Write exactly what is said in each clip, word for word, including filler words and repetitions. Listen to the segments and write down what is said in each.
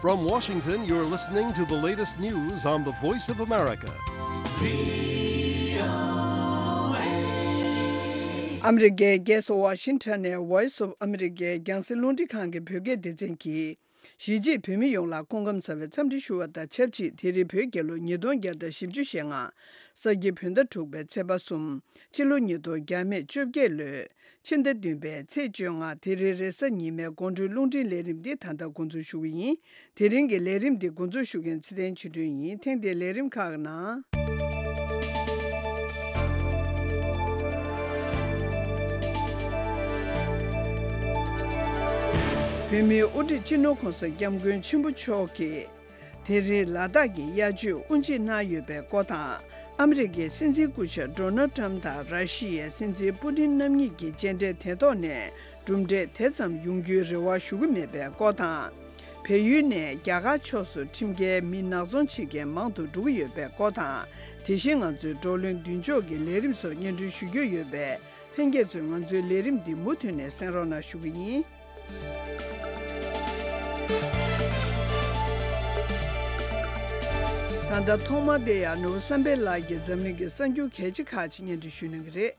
From Washington, you're listening to the latest news on the Voice of America. ཨ་མི་རི་ཀའི་རྒྱལ་ས་ཝ་ཤིང་ཊོན་ནས་Voice of America རྒྱང་སྲིང་རླུང་འཕྲིན་ཁང་གི་བོད་སྐད་སྡེ་ཚན་གྱིས། གཞིས་བྱེས་བོད་མི་ཡོངས་ལ་སྐུ་ཁམས་བཟང་བའི་འཚམས་འདྲི་ཞུ་བ་དང་ཆབས་ཅིག་དེ་རིང་བོད་རྒྱལ་ལོ་ཉིས་སྟོང་བརྒྱ་དང་བཞི་བཅུ་ཞེ་ལྔ། ས་ཁྱི་བོད་ཟླ་དྲུག་པའི་ཚེས་པ་གསུམ། སྤྱི་ལོ་ཉིས་སྟོང་བརྒྱ་མེད་བཅོ་བརྒྱད་ལོའི་ཕྱི་ཟླ་བདུན་པའི་ཚེས་བཅོ་ལྔ་དེ་རིང་རེས་གཟའ་ཉི་མའི་དགོང་དྲོའི་རླུང་འཕྲིན་ལས་རིམ་འདི་ད་ལྟ་འགོ་འཛུགས་ཞུ་གི་ཡིན། དེ་རིང་གི་ལས་རིམ་འདི་འགོ་འཛུགས་ཞུ་མཁན་ཚེ་བརྟན་ཆོས་སྒྲོན་ཡིན། ཐེངས་འདིའི་ལས་རིམ་ཁག་ནང་། བོད་མིའི་དབུ་ཁྲིད་སྤྱི་ནོར་༸གོང་ས་༸སྐྱབས་མགོན་ཆེན་པོ་མཆོག་གིས། དེ་རིང་ལ་དྭགས་ཀྱི་དབྱར་ཆོས་དབུ་འབྱེད་གནང་ཡོད་པའི་སྐོར་དང་། ཨ་མི་རི་ཀའི་སྲིད་འཛིན་སྐུ་ཞབས་ཌོ་ནལ་ཊམ་དང་ར་ཤི་ཡའི་སྲིད་འཛིན་པུ་ཏིན་རྣམ་གཉིས་ཀྱི་མཇལ་འཕྲད་དེ་ཐོག་ནས་གྲུབ་འབྲས་དེ་ཙམ་ཡོང་རྒྱུའི་རེ་བ་ཞུ་གི་མེད་པའི་སྐོར་དང་། བལ་ཡུལ་ནས་རྒྱ་གར་ཕྱོགས་སུ་ཁྲིམས་འགལ་མི་ནག་ཚོང་བྱེད་མཁན་མང་དུ་འགྲོ་གི་ཡོད་པའི་སྐོར་དང་། དེ་བཞིན་ང་ཚོའི་བགྲོ་གླེང་མདུན་ལྕོག་གི་ལས་རིམ་སོགས་སྙན་སྒྲོན་ཞུ་རྒྱུ་ཡོད་པས། ལྷན་རྒྱས་ཚོས་ང་ཚོའི་ལས་རིམ་འདི་མུ་མཐུད་ནས་གསན་རོགས་གནང་ཞུ་གི་ཡིན། ད་ལྟ་ཐོག་མར་བསྡད་ཡག་ནོར་བུ་བསམ་འཕེལ་ལགས་ཀྱིས་འཛམ་གླིང་གི་གསར་འགྱུར་གལ་ཆེ་ཁག་ཅིག་སྙན་སྒྲོན་ཞུ་གནང་གི་རེད།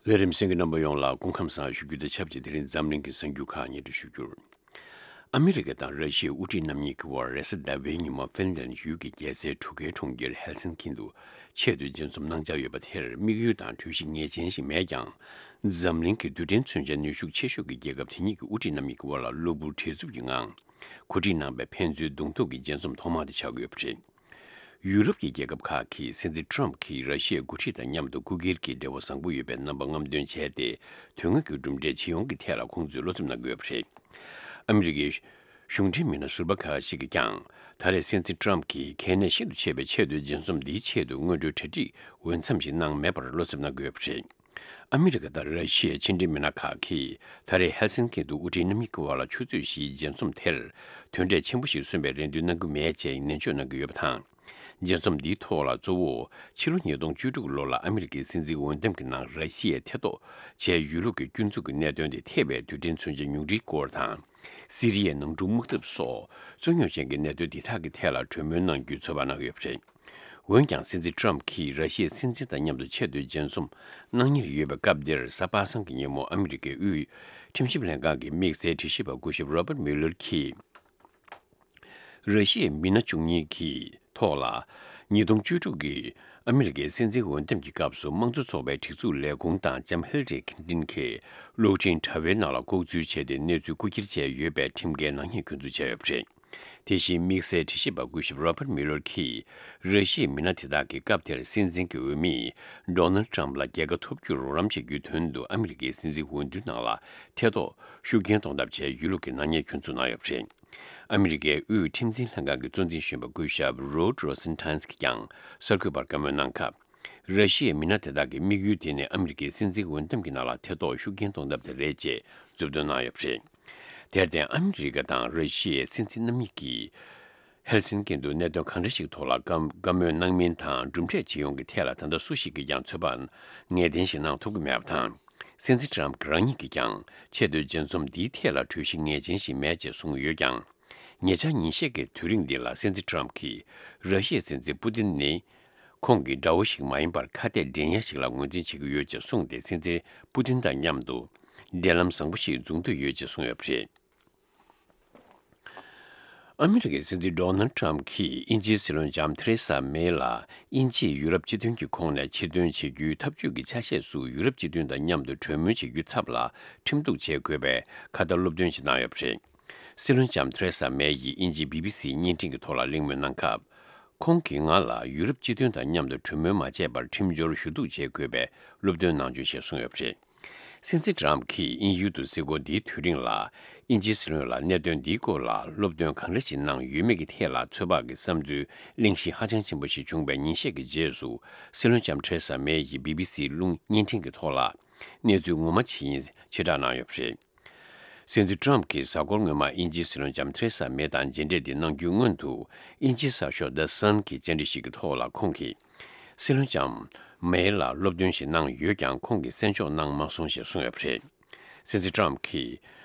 ལས་རིམ་གསན་མཁན་རྣམ་པ་ཡོངས་ལ་སྐུ་ཁམས་བཟང་ཞུ་རྒྱུ་དང་ཆབས་ཅིག་དེ་རིང་འཛམ་གླིང་གི་གསར་འགྱུར་ཁག་སྙན་སྒྲོན་ཞུ་རྒྱུར། ཨ་མི་རི་ཀ་དང་ར་ཤི་ཡའི་དབུ་ཁྲིད་རྣམ་གཉིས་ཀྱི་དབར་རེས་གཟའ་ཟླ་བའི་ཉིན་མོ་ཧྥིན་ལན་ཡུལ་གྱི་རྒྱལ་སའི་གྲུ་ཁའི་གྲོང་ཁྱེར་ཧེལ་སིན་ཀིན་དུ་ཆེས་མཐོའི་མཇལ་འཛོམས་གནང་འཆར་ཡོད་པ་དེར་དམིགས་ཡུལ་དང་གྲོས་གཞི་ངེས་ཅན་ཞིག་མེད་ཀྱང་། འཛམ་གླིང་གི་རྡུལ་ཕྲན་མཚོན་ཆའི་ནུས་ཤུགས་ཆེ་ཤོས་ཀྱི་རྒྱལ་ཁབ་དེ་གཉིས་ཀྱི་དབུ་ཁྲིད་རྣམ་གཉིས་ཀྱི་དབར་ལ་གློ་བུར་བྲེལ་འཚུབ་ཀྱི་ངང་གོ་སྒྲིག་གནང་བའི་ཕན་ཚུན་གདོང་ཐུག་གི་མཇལ་འཛོམས་ཐོག་མ་དེ་ཆགས་ཀྱི་ཡོད་པ་རེད། ཡུ་རོབ་ཀྱི་རྒྱལ་ཁབ་ཁག་གིས་སྲིད་འཛིན་ཊམ་གྱིས་ར་ཤི་ཡའི་འགོ་ཁྲིད་དང་མཉམ་དུ་སྐུ་སྒེར་གྱི་འབྲེལ་བ་བཟང་པོ་ཡོད་པའི་རྣམ་པ་རྔམ་སྟོན་བྱས་ཏེ། དོན་དངོས་ཀྱི་གྲུབ་འབྲས་ཇི་ཡོང་གི་ཐད་ལ་ཁོང་ཚོས་བློ་འཚབ་གནང་གི་ཡོད་པ་རེད། ཨ་མི་རི་ཀའི་གཞུང་འབྲེལ་མི་སྣ་ཟུར་པ་ཁག་ཅིག་གིས་ཀྱང་། ད་རེས་སྲིད་འཛིན་ཊམ་གྱིས་གལ་གནད་ཤིན་ཏུ་ཆེ་བའི་ཆེས་མཐོའི་མཇལ་འཛོམས་འདིའི་ཆེད་དུ་སྔོན་འགྲོའི་གྲ་སྒྲིག་འོས་འཚམ་ཞིག་གནང་མེད་པར་བློ་འཚབ་གནང་གི་ཡོད་པ་རེད། ཨ་མི་རི་ཀ་དང་ར་ཤི་ཡའི་ཕྱི་འབྲེལ་མི་སྣ་ཁག་གིས་ད་རེས་ཧེལ་སིན་ཀི་དུ་དབུ་ཁྲིད་རྣམ་གཉིས་ཀྱི་དབར་ལ་ཆུ་ཚོད་བཞིའི་མཇལ་འཛོམས་དེར་དོན་འབྲས་ཆེན་པོ་ཞིག་སོན་པའི་རེ་འདུན་གནང་གི་མེད་ཅེས་ནན་བརྗོད་གནང་གི་ཡོད་པ་དང་། མཇལ་འཛོམས་འདིའི་ཐོག་ལ་གཙོ་བོ་ཕྱི་ལོ་ཉིས་སྟོང་བཅུ་དྲུག་ལོ་ལ་ཨ་མི་རི་ཀའི་སྲིད་འཛིན་འོས་འདེམས་ཀྱི་ནང་ར་ཤི་ཡའི་ཐེ་གཏོགས་བྱས་ཡོད་ལུགས་ཀྱི་སྐྱོན་འཛུགས་ཀྱི་གནད་དོན་དེ་ཐེ་བའི་རྡུལ་ཕྲན་མཚོན་ཆ་ཉུང་འཕྲིའི་སྐོར་དང་། སི་རི་ཡའི་ནང་འཁྲུག་དམག་འཐབ་སོགས་རྩོད་རྙོག་ཅན་གྱི་གནད་དོན་འདི་དག་གི་ཐད་ལ་གྲོས་མོལ་གནང་རྒྱུའི་ཚོད་དཔག་གནང་ཡོད་པ་རེད། འོན་ཀྱང་སྲིད་འཛིན་ཊམ་གྱིས་ར་ཤི་ཡའི་སྲིད་འཛིན་དང་མཉམ་དུ་ཆེས་མཐོའི་མཇལ་འཛོམས་གནང་ཉེར་ཡོད་པའི་སྐབས་འདིར་གཟའ་པ་སངས་ཀྱི་ཉིན་མོ་ཨ་མི་རི་ཀའི་དབུས་ཁྲིམས་ཞིབ་ལྷན་ཁང་གི་དམིགས་བསལ་དྲི་ཞིབ་པ་སྐུ་ཞབས་རོ་པར་མིའུ་ལར་གྱིས། ར་ཤི་ཡའི་མི་སྣ་བཅུ་གཉིས་ཀྱི་ཐོག་ལ། ཉིས་སྟོང་བཅུ་དྲུག་གི་ཨ་མི་རི་ཀའི་སྲིད་འཛིན་འོས་འདེམས་ཀྱི་སྐབས་སུ་དམངས་གཙོ་ཚོགས་པའི་སྒྲིག་འཛུགས་ལས་ཁུངས་དང་ལྕམ་ཧིལ་ལ་རི་ཁིན་ཏིན་གྱི་གློག་འཕྲིན་དྲ་བའི་ནང་ལ་ལྐོག་འཛུལ་བྱས་ཏེ་གནས་ཚུལ་རྐུ་འཁྱེར་བྱས་ཡོད་པའི་ཁྲིམས་འགལ་ནག་ཉེས་སྐྱོན་འཛུགས་བྱས་ཡོད་པ་རེད། དེ་བཞིན་དམིགས་བསལ་དྲི་ཞིབ་པ་སྐུ་ཞབས་རོ་པར་མིའུ་ལར་གྱིས་ར་ཤི་ཡའི་མི་སྣ་དེ་དག་གིས་སྐབས་དེར་སྲིད་འཛིན་གྱི་འོས་མི་ཌོ་ནལ་ཊམ་ལ་རྒྱལ་ཁ་ཐོབ་རྒྱུར་རོགས་རམ་བྱེད་རྒྱུའི་དོན་དུ་ཨ་མི་རི་ཀའི་སྲིད་འཛིན་འོས་བསྡུ་ནང་ལ་ཐེ་གཏོགས་ཤུགས་རྐྱེན་གཏོང་ཐབས་བྱས་ཡོད་ལུགས་ཀྱི་ནག་ཉེས་སྐྱོན་འཛུགས་གནང་ཡོད་པ་རེད། ཨ་མི་རི་ཀའི་དབུས་ཁྲིམས་འཛིན་ལྷན་ཁང་གི་གཙོ་འཛིན་གཞོན་པ་སྐུ་ཞབས་རོཌ་རོ་སེན་ཊན་གྱིས་ཀྱང་གསར་འགོད་པར་བཀའ་མོལ་གནང་སྐབས། ར་ཤི་ཡའི་མི་སྣ་དེ་དག་གི་དམིགས་ཡུལ་དེ་ནི་ཨ་མི་རི་ཀའི་སྲིད་འཛིན་འོས་འདེམས་ཀྱི་ནང་ལ་ཐེ་གཏོགས་ཤུགས་རྐྱེན་གཏོང་ཐབས་དེ་རེད་ཅེས་མཛུབ་སྟོན་གནང་ཡོད་པ་རེད། དེར་བརྟེན་ཨ་མི་རི་ཀ་དང་ར་ཤི་ཡའི་སྲིད་འཛིན་རྣམ་གཉིས་ཀྱིས། ཧེལ་སིན་ཀིན་དུ་གནད་དོན་གང་འདྲ་ཞིག་ཐོག་ལ་བཀའ་བཀའ་མོལ་གནང་མིན་དང་གྲུབ་འབྲས་ཇི་ཡོང་གི་ཐད་ལ་ད་ལྟ་སུ་ཞིག་གིས་ཀྱང་ཚོད་དཔག་ངེས་གཏན་ཞིག་གནང་ཐུབ་ཀྱི་མེད་པ་དང་། སྲིད་འཛིན་ཊམ་རང་ཉིད་ཀྱིས་ཀྱང་ཆེས་མཐོའི་མཇལ་འཛོམས་འདིའི་ཐད་ལ་གྲོས་གཞི་ངེས་ཅན་ཞིག་མེད་ཅེས་གསུངས་ཡོད་ཀྱང་། ཉེ་ཆར་ཉིན་ཤས་ཀྱི་དུས་རིང་འདི་ལ་སྲིད་འཛིན་ཊམ་གྱིས་ར་ཤི་ཡའི་སྲིད་འཛིན་པུ་ཏིན་ནི་ཁོང་གི་དགྲ་བོ་ཞིག་མ་ཡིན་པར་ཁ་གཏད་འདྲེན་ཡ་ཞིག་ལ་ངོས་འཛིན་བྱེད་ཀྱི་ཡོད་ཅེས་གསུངས་ཏེ། སྲིད་འཛིན་པུ་ཏིན་དང་མཉམ་དུ་འབྲེལ་ལམ་བཟང་པོ་ཞིག་འཛུགས་འདོད་ཡོད་ཅེས་གསུངས་ཡོད་པ་རེད། ཨ་མི་རི་ཀའི་སྲིད་འཛིན་ཌོ་ནལ་ཊམ་གྱིས་དབྱིན་ཇིའི་སྲིད་བློན་ལྕམ་ཐེ་རེ་ས་མེ་ལ་དབྱིན་ཇིས་ཡུ་རོབ་སྤྱི་མཐུན་གྱི་ཁོངས་ནས་ཕྱིར་ཐོན་བྱེད་རྒྱུའི་ཐབས་ཇུས་ཀྱི་ཆ་ཤས་སུ་ཡུ་རོབ་སྤྱི་མཐུན་དང་མཉམ་དུ་གྲོས་མོལ་བྱེད་རྒྱུའི་ཚབ་ལ་ཁྲིམས་གཏུག་བྱེད་དགོས་པའི་ཁ་བརྡ་སློབ་སྟོན་ཞིག་གནང་ཡོད་པ་རེད། སྲིད་བློན་ལྕམ་ཐེ་རེ་ས་མེ་ཡིས་དབྱིན་ཇིའི་བི་བི་སིའི་བརྙན་འཕྲིན་གྱི་ཐོག་ལ་གླེང་མོལ་གནང་སྐབས། ཁོང་གིས་ང་ལ་ཡུ་རོབ་སྤྱི་མཐུན་དང་མཉམ་དུ་གྲོས་མོལ་མ་བྱས་པར་ཁྲིམས་སྦྱོར་ཞུ་གཏུག་བྱེད་དགོས་པའི་སློབ་སྟོན་གནང་བྱུང་ཞེས་གསུངས་ཡོད་པ་རེད། སྲིད་འཛིན་ཊམ་གྱིས་དབྱིན་ཡུལ་དུ་གཟིགས་སྐོར་འདིའི་དུས་རིང་ལ། དབྱིན་ཇིའི་སྲིད་བློན་ལ་གནད་དོན་འདིའི་སྐོར་ལ་སློབ་སྟོན་གང་འདྲ་ཞིག་གནང་ཡོད་མེད་ཀྱི་ཐད་ལ་ཚོད་དཔག་གི་བསམ་ཚུལ་གླེང་གཞི་ཧ་ཅང་ཆེན་པོ་ཞིག་བྱུང་བའི་ཉིན་ཤས་ཀྱི་རྗེས་སུ། སྲིད་བློན་ལྕམ་ཐེ་རེ་ས་མེ་ཡིས་བི་བི་སིའི་རླུང་བརྙན་འཕྲིན་གྱི་ཐོག་ལ། གནས་ཚུལ་ངོ་མ་ཇི་ཡིན་ཕྱིར་བསྒྲགས་གནང་ཡོད་པ་རེད། སྲིད་འཛིན་ཊམ་གྱིས་གཟའ་འཁོར་སྔོན་མ་དབྱིན་ཇིའི་སྲིད་བློན་ལྕམ་ཐེ་རེ་ས་མེ་དང་མཇལ་འཕྲད་འདི་གནང་རྒྱུའི་སྔོན་དུ། དབྱིན་ཇིའི་གསར་ཤོག་The Sun གྱི་བཅར་འདྲི་ཞིག་གི་ཐོག་ལ་ཁོང་གིས། སྲིད་བློན་ལྕམ་མེ་ལ་སློབ་སྟོན་ཞིག་གནང་ཡོད་ཀྱང་ཁོང་གིས་གསན་འཇོག་གནང་མ་སོང་ཞེས་གསུངས་ཡོད་པ་རེད། སྲིད་འཛིན་ཊམ་གྱིས་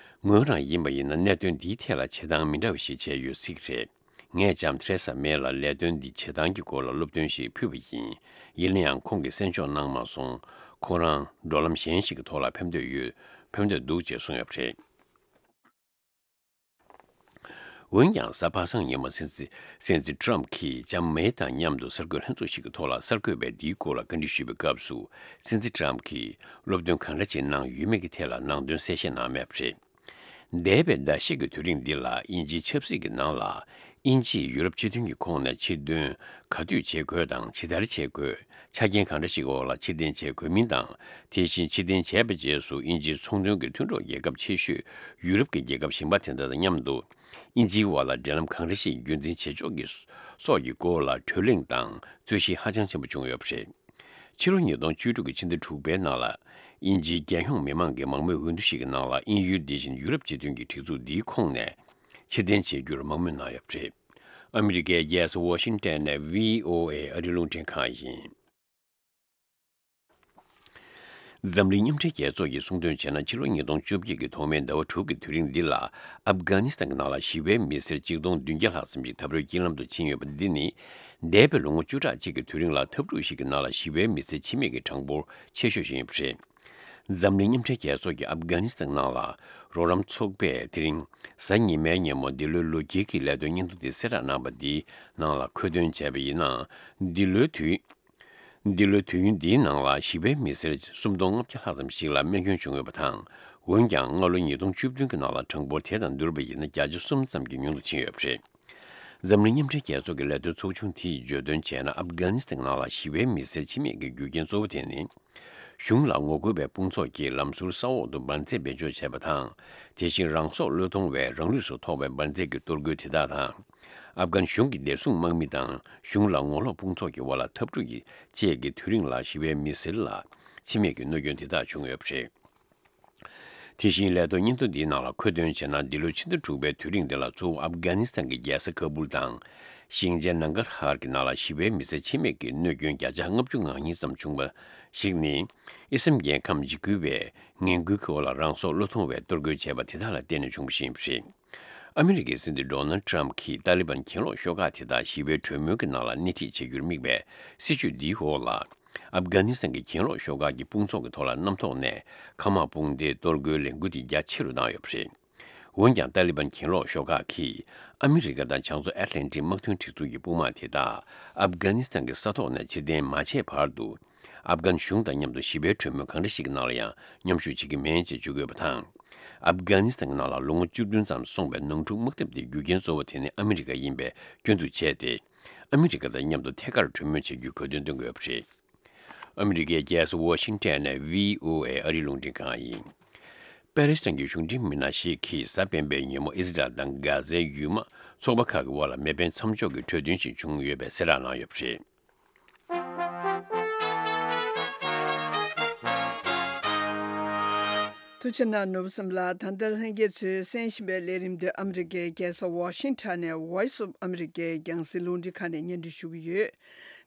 ངོས་རང་ཡིན་པ་ཡིན་ན་གནད་དོན་འདིའི་ཐད་ལ་བྱེད་སྟངས་མི་འདྲ་བ་ཞིག་བྱས་ཡོད་སྲིད་ཀྱི་རེད། ངས་ལྕམ་ཐེ་རེ་ས་མེ་ལ་ལས་དོན་འདི་བྱེད་སྟངས་ཀྱི་སྐོར་ལ་སློབ་སྟོན་ཞིག་ཕུལ་བ་ཡིན། ཡིན་ན་ཡང་ཁོང་གིས་གསན་འཇོག་གནང་མ་སོང་། ཁོང་རང་འགྲོ་ལམ་གཞན་ཞིག་གི་ཐོག་ལ་ཕེབས་འདོད་ཡོད། ཕེབས་འདོད་འདུག་ཅེས་གསུངས་ཡོད་པ་རེད། འོན་ཀྱང་གཟའ་པ་སངས་ཉིན་མོ་སྲིད་འཛིན་སྲིད་འཛིན་ཊམ་གྱིས་ལྕམ་མེ་དང་མཉམ་དུ་གསར་འགོད་ལྷན་ཚོགས་ཤིག་གི་ཐོག་ལ་གསར་འགོད་པས་འདིའི་སྐོར་ལ་བཀའ་འདྲི་ཞུས་པའི་སྐབས་སུ་སྲིད་འཛིན་ཊམ་གྱིས་སློབ་སྟོན་གང་འདྲ་ཅིག་གནང་ཡོད་མེད་ཀྱི་ཐད་ལ་ནང་དོན་གསལ་བཤད་གནང་མེད་པ་རེད། འདས་པའི་ཟླ་ཤས་ཀྱི་དུས་རིང་འདི་ལ་དབྱིན་ཇིའི་ཆབ་སྲིད་ཀྱི་ནང་ལ་དབྱིན་ཇིས་ཡུ་རོབ་སྤྱི་མཐུན་གྱི་ཁོངས་ནས་ཕྱིར་ཐོན་ག་དུས་བྱེད་དགོས་དང་ཇི་ལྟར་བྱེད་དགོས། ཆ་རྐྱེན་གང་འདྲ་ཞིག་འོག་ལ་ཕྱིར་འཐེན་བྱེད་དགོས་མིན་དང་། དེ་བཞིན་ཕྱིར་འཐེན་བྱས་པའི་རྗེས་སུ་དབྱིན་ཇིའི་ཚོང་དོན་གྱི་མཐུན་གྲོགས་རྒྱལ་ཁབ་ཆེ་ཤོས་ཡུ་རོབ་ཀྱི་རྒྱལ་ཁབ་གཞན་པ་དེ་དག་དང་མཉམ་དུ་དབྱིན་ཇིའི་དབར་ལ་འབྲེལ་ལམ་གང་འདྲ་ཞིག་རྒྱུན་འཛིན་བྱེད་ཕྱོགས་ཀྱི་སོགས་ཀྱི་སྐོར་ལ་གྲོས་གླེང་དང་རྩོད་གཞི་ཧ་ཅང་ཆེན་པོ་བྱུང་ཡོད་པ་རེད། ཕྱི་ལོ་ཉིས་སྟོང་བཅུ་དྲུག་གི་ཕྱི་ཟླ་དྲུག་པའི་ནང་ལ་དབྱིན་ཇིའི་རྒྱལ་ཡོངས་མི་མང་གི་མང་མོས་འོས་བསྡུ་ཞིག་གི་ནང་ལ་དབྱིན་ཡུལ་འདི་བཞིན་ཡུ་རོབ་སྤྱི་མཐུན་གྱི་སྒྲིག་འཛུགས་འདིའི་ཁོངས་ནས་ཕྱིར་འཐེན་བྱེད་རྒྱུར་མང་མོས་གནང་ཡོད་པ་རེད། ཨ་མི་རི་ཀའི་རྒྱལ་ས་ཝ་ཤིང་ཊོན་ནས་བྷི་ཨོ་ཨེ་ཨ་རིའི་རླུང་འཕྲིན་ཁང་ཡིན། འཛམ་གླིང་མཉམ་འབྲེལ་རྒྱལ་ཚོགས་ཀྱིས་གསུངས་དོན་བྱས་ན་ཕྱི་ལོ་ཉིས་སྟོང་བཅོ་བརྒྱད་ཀྱི་ཐོག་མའི་ཟླ་བ་དྲུག་གི་དུས་རིང་འདི་ལ་ཨབ་གྷ་ནི་སི་ཐན་གྱི་ནང་ལ་ཞི་བའི་མི་སེར་གཅིག་སྟོང་བདུན་བརྒྱ་ལྷག་ཙམ་ཞིག་འཐབ་རོགས་དཀྱིལ་ལམ་དུ་ཕྱིན་ཡོད་པ་འདི་ནི་འདས་པའི་ལོ་ངོ་བཅུ་ཕྲག་གཅིག་གི་དུས་རིང་ལ་འཐབ་འཁྲུག་ཞིག་གི་ནང་ལ་ཞི་བའི་མི་སེར་འཆི་རྨས་ཀྱི་གྲངས་འབོར་ཆེ་ཤོས་ཤིག་ཡིན་པ་རེད། འཛམ་གླིང་མཉམ་འབྲེལ་རྒྱལ་ཚོགས་ཀྱི་ཨབ་གྷ་ནི་སི་ཐན་ནང་ལ་རོགས་རམ་ཚོགས་པས་དེ་རིང་གཟའ་ཉི་མའི་ཉིན་མོ་འདི་ལོའི་ལོ་དཀྱིལ་གྱི་ལས་དོན་སྙན་ཐོ་འདི་གསལ་བསྒྲགས་གནང་བ་འདིའི་ནང་ལ་མཁོ་འདོན་བྱས་པ་ཡིན་ན། འདི་ལོའི་དུས། འདི་ལོའི་དུས་ཡུན་འདིའི་ནང་ལ་ཞི་བའི་མི་སེར་སུམ་སྟོང་ལྔ་བརྒྱ་ལྷག་ཙམ་ཞིག་ལ་རྨས་སྐྱོན་བྱུང་ཡོད་པ་དང་། འོན་ཀྱང་སྔ་ལོ་ཉིས་སྟོང་བཅུ་བདུན་གྱི་ནང་ལ་གྲངས་འབོར་དེ་དང་བསྡུར་བ་ཡིན་ན་བརྒྱ་ཆ་གསུམ་ཙམ་གྱིས་ཉུང་དུ་ཕྱིན་ཡོད་པ་རེད། འཛམ་གླིང་མཉམ་འབྲེལ་རྒྱལ་ཚོགས་ཀྱི་ལས་དོན་ཚོགས་ཆུང་དེས་བརྗོད་དོན་བྱས་ན་ཨབ་གྷ་ནི་སི་ཐན་ནང་ལ་ཞི་བའི་མི་སེར་འཆི་རྨས་ཀྱི་རྒྱུ་རྐྱེན་གཙོ་བོ་དེ་ནི། གཞུང་ལ་ངོ་རྒོལ་བའི་དཔུང་ཚོགས་ཀྱིས་ལམ་ཟུར་ས་འོག་ཏུ་འབར་རྫས་བེད་སྤྱོད་བྱས་པ་དང་། དེ་བཞིན་རང་སྲོག་བློས་གཏོང་བའི་རང་ལུས་སུ་ཐོགས་པའི་འབར་རྫས་ཀྱི་གཏོར་རྒོལ་དེ་དག་དང་། ཨབ་གྷན་གཞུང་གི་བདེ་སྲུང་དམག་མི་དང་གཞུང་ལ་ངོ་ལོག་དཔུང་ཚོགས་ཀྱི་དབར་ལ་འཐབ་འཁྲུག་གི་བཅས་ཀྱི་དུས་རིང་ལ་ཞི་བའི་མི་སེར་ལ་འཆི་རྨས་ཀྱི་གནོད་སྐྱོན་དེ་དག་བྱུང་ཡོད་པ་རེད། དེ་བཞིན་ལས་ཐོག་སྙན་ཐོ་འདིའི་ནང་ལ་མཁོ་འདོན་བྱས་ན་འདི་ལོའི་ཕྱི་ཟླ་དྲུག་པའི་དུས་རིང་འདི་ལ་གཙོ་བོ་ཨབ་གྷ་ནི་སི་ཐན་གྱི་རྒྱལ་ས་ཁ་བུལ་དང་ཤིང་ཆེན་ནང་གར་ཧར་གྱི་ནང་ལ་ཞི་བའི་མི་སེར་འཆི་རྨས་ཀྱི་གནོད་སྐྱོན་བརྒྱ་ཆ་ལྔ་བཅུ་ང་གཉིས་ཙམ་བྱུང་བ་ཞིག་ནི་དབྱེ་སེམས་རྒྱལ་ཁམས་འཇིགས་སྐུལ་བས་ངན་སྐུལ་གྱི་འོག་ལ་རང་སྲོག་བློས་གཏོང་བའི་གཏོར་རྒོལ་བྱས་པ་དེ་དག་ལ་བརྟེན་ནས་བྱུང་བ་ཞིག་ཡིན་པ་རེད། ཨ་མི་རི་ཀའི་སྲིད་འཛིན་ཌོ་ནལ་ཌི་ཊམ་གྱིས་ཏཱ་ལི་བན་གྱེན་ལོག་ཤོག་ཁག་དེ་དག་ཞི་བའི་གྲོས་མོལ་གྱི་ནང་ལ་སྣེ་ཁྲིད་བྱེད་རྒྱུར་དམིགས་པའི་སྲིད་བྱུས་འདིའི་འོག་ལ། ཨབ་གྷ་ནི་སི་ཐན་གྱི་གྱེན་ལོག་ཤོག་ཁག་གི་དཔུང་ཚོགས་ཀྱི་ཐོག་ལ་གནམ་ཐོག་ནས་མཁའ་དམག་དཔུང་སྡེའི་གཏོར་རྒོལ་ལས་འགུལ་དེ་རྒྱ་ཆེ་རུ་བཏང་ཡོད་པ་རེད། འོན་ཀྱང་ཏཱ་ལི་བན་གྱེན་ལོག་ཤོག་ཁག་གིས་ཨ་མི་རི་ཀ་དང་བྱང་མཚོ་ཨེཊ་ལན་ཊིག་དམག་དོན་སྒྲིག་འཛུགས་ཀྱི་དཔུང་དམག་དེ་དག་ཨབ་གྷ་ནི་སི་ཐན་གྱི་ས་ཐོག་ནས་ཕྱིར་འཐེན་མ་བྱས་བར་དུ། ཨབ་གྷན་གཞུང་དང་མཉམ་དུ་ཞི་བའི་གྲོས་མོལ་གང་འདྲ་ཞིག་གི་ནང་ལ་ཡང་མཉམ་ཞུགས་བྱེད་ཀྱི་མེད་ཅེས་བརྗོད་དགོས་པ་དང་། ཨབ་གྷ་ནི་སི་ཐན་གྱི་ནང་ལ་ལོ་ངོ་བཅུ་བདུན་ཙམ་སོང་བའི་ནང་འཁྲུག་དམག་འཐབ་དེའི་རྒྱུ་རྐྱེན་གཙོ་བོ་དེ་ནི་ཨ་མི་རི་ཀ་ཡིན་པས་སྐྱོན་འཛུགས་བྱས་ཏེ། ཨ་མི་རི་ཀ་དང་མཉམ་དུ་ཐད་ཀར་གྲོས་མོལ་བྱེད་རྒྱུའི་དགོས་འདུན་བཏོན་དགོས་པ་རེད། ཨ་མི་རི་ཀའི་རྒྱལ་ས་ཝ་ཤིང་ཊོན་ནས་བྷི་ཨོ་ཨེ་ཨ་རིའི་རླུང་འཕྲིན་ཁང་ཡིན། པེ་ལེ་སི་ཐན་གྱི་གཞུང་འབྲེལ་མི་སྣ་ཞིག་གིས་གཟའ་སྤེན་པའི་ཉིན་མོ་ཨི་སི་རལ་དང་གྷ་ཛའི་ཡུལ་དམག་ཚོགས་པ་ཁག་གི་དབར་ལ་མེ་འཕེན་མཚམས་འཇོག་གི་གྲོས་མཐུན་ཞིག་བྱུང་ཡོད་པའི་གསལ་བསྒྲགས་གནང་ཡོད་པ་རེད། ཐུགས་རྗེ་གནང་ནོར་བུ་བསམ་ལགས། ད་ལྟ་ལྷན་རྒྱས་ཚོས་གསན་བཞིན་པའི་ལས་རིམ་འདི་ཨ་མི་རི་ཀའི་རྒྱལ་ས་ཝ་ཤིང་ཊོན་ནས་Voice of America རྒྱང་སྲིང་རླུང་འཕྲིན་ཁང་ནས་སྙན་སྒྲོན་ཞུ་གི་ཡོད།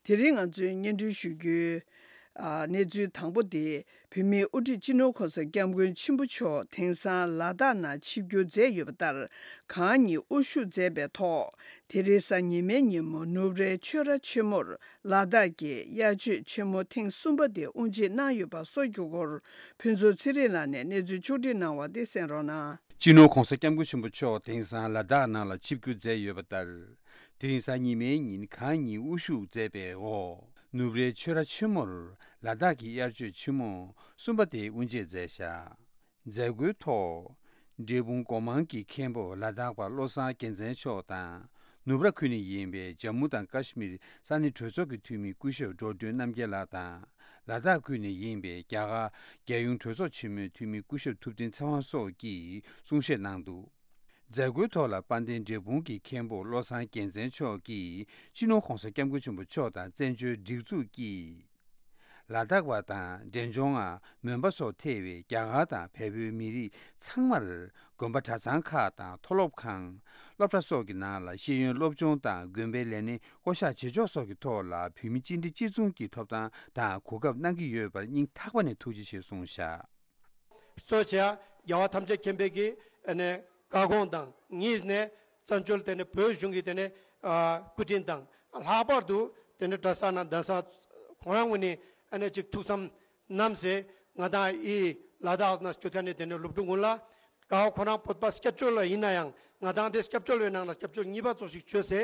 དེ་རིང་ང་ཚོས་སྙན་སྒྲོན་ཞུ་རྒྱུའི་ཨ། གནས་ཚུལ་དང་པོ་དེ། བོད་མིའི་དབུ་ཁྲིད་སྤྱི་ནོར་གོང་ས་སྐྱབས་མགོན་ཆེན་པོ་མཆོག་དེང་སང་ལ་དྭགས་ནང་ཆིབས་བསྒྱུར་མཛད་ཡོད་པ་ལྟར། གང་ཉིད་དབུ་བཞུགས་མཛད་པའི་ཐོག་དེ་རིང་གཟའ་ཉི་མའི་ཉིན་མོ་ནུབ་རའི་ཆོས་ར་ཆེན་མོར་ལ་དྭགས་ཀྱི་དབྱར་ཆོས་ཆེན་མོ་ཐེངས་གསུམ་པ་དེ་དབུ་འབྱེད་གནང་ཡོད་པ་སོགས་ཀྱི་སྐོར་ཕུན་ཚོགས་ཚེ་རིང་ལགས་ནས་གནས་ཚུལ་ཕྱོགས་སྒྲིག་གནང་བ་དེ་གསན་རོགས་གནང་། སྤྱི་ནོར་གོང་ས་སྐྱབས་མགོན་ཆེན་པོ་མཆོག་དེང་སང་ལ་དྭགས་ནང་ལ་ཆིབས་བསྒྱུར་མཛད་ཡོད་པ་ལྟར། དེ་རིང་གཟའ་ཉི་མའི་ཉིན་གང་ཉིད་དབུ་བཞུགས་མཛད་པའི་འོག་ནུབ་རའི་ཆོས་ར་ཆེན་མོར་ལ་དྭགས་ཀྱི་དབྱར་ཆོས་ཆེན་མོ་གསུམ་པ་དེ་དབུ་འབྱེད་མཛད་བཞག་མཛད་སྒོའི་ཐོག་འབྲས་སྤུངས་སྒོ་མང་གི་མཁན་པོ་ལ་དྭགས་པ་བློ་བཟང་རྒྱལ་མཚན་མཆོག་དང་། ནུབ་ར་ཁུལ་ནས་ཡིན་པའི་ཇམ་མུ་དང་ཀ་ཤི་མིར་ས་གནས་གྲོས་ཚོགས་ཀྱི་འཐུས་མི་སྐུ་ཞབས་འགྲོ་སྒྲོན་རྣམ་རྒྱལ་ལགས་དང་། ལ་དྭགས་ཁུལ་ནས་ཡིན་པའི་རྒྱ་གར་རྒྱལ་ཡོངས་གྲོས་ཚོགས་ཆེན་མོའི་འཐུས་མི་སྐུ་ཞབས་ཐུབ་བསྟན་ཚེ་དབང་སོགས་ཀྱིས་གསུང་བཤད་གནང་འདུག་མཛད་སྒོའི་ཐོག་ལ་དཔལ་ལྡན་འབྲས་སྤུངས་ཀྱི་མཁན་པོ་བློ་བཟང་རྒྱལ་མཚན་མཆོག་གིས་སྤྱི་ནོར་གོང་ས་སྐྱབས་མགོན་ཆེན་པོ་མཆོག་དང་བཙན་བྱོལ་སྒྲིག་འཛུགས་ཀྱིས་ ལ་དྭགས་པ་དང་འབྲས་ལྗོངས་པ། མོན་པ་སོགས་ཐེ་བའི་རྒྱ་གར་དང་བལ་པོའི་མི་རིགས་ཚང་མར་དགོན་པ་གྲྭ་ཚང་ཁག་དང་མཐོ་སློབ་ཁང་། སློབ་གྲྭ་སོགས་ཀྱི་ནང་ལ་ཤེས་ཡོན་སློབ་སྦྱོང་དང་དགོན་པའི་ལས་སྣེ་བསྐོ་བཞག་བྱེད་ཕྱོགས་སོགས་ཀྱི་ཐོག་ལ་བོད་མི་གཅིག་སྒྲིལ་གཅིག་མཚུངས་ཀྱི་ཐོབ་ཐང་དང་གོ་སྐབས་གནང་གི་ཡོད་པར་སྙིང་ཐག་པ་ནས་ཐུགས་རྗེ་ཆེ་གསུངས་བཞག། གཙོ་ཆེ་བ་རྒྱལ་བ་ཐམས་ཅད་མཁྱེན་པའི་གི་ཨ་ནི་བཀའ་དགོངས་དང་གཉིས་ནས་བཙན་བྱོལ་དེ་ནི་བོད་གཞུང་གི་དེ་ནི་ཨ་སྐུ་དྲིན་དང་ལྷག་པར་དུ་དེ་ནི་གྲྭ་ས་ན་གདན་ས་ཁོང་རང་ངོས་ནས་ཨ་ནི་ཅིག་ཐུགས་བསམ་བསྣམས་སེ་ང་དང་ཨི་ལ་དྭགས་ན་སྐྱོད་མཁན་ནི་དེ་ནི་སློབ་ཕྲུག་ཀུན་ལ་ཀ་བ་ཁོ་རང་བོད་པ་སྐྱབས་བཅོལ་བ་ཡིན་ན་ཡང་ང་དང་དེ་སྐྱབས་བཅོལ་བའི་ནང་ལ་སྐྱབས་བཅོལ་གཉིས་པ་ཙོགས་ཤིག་བྱོས་སེ་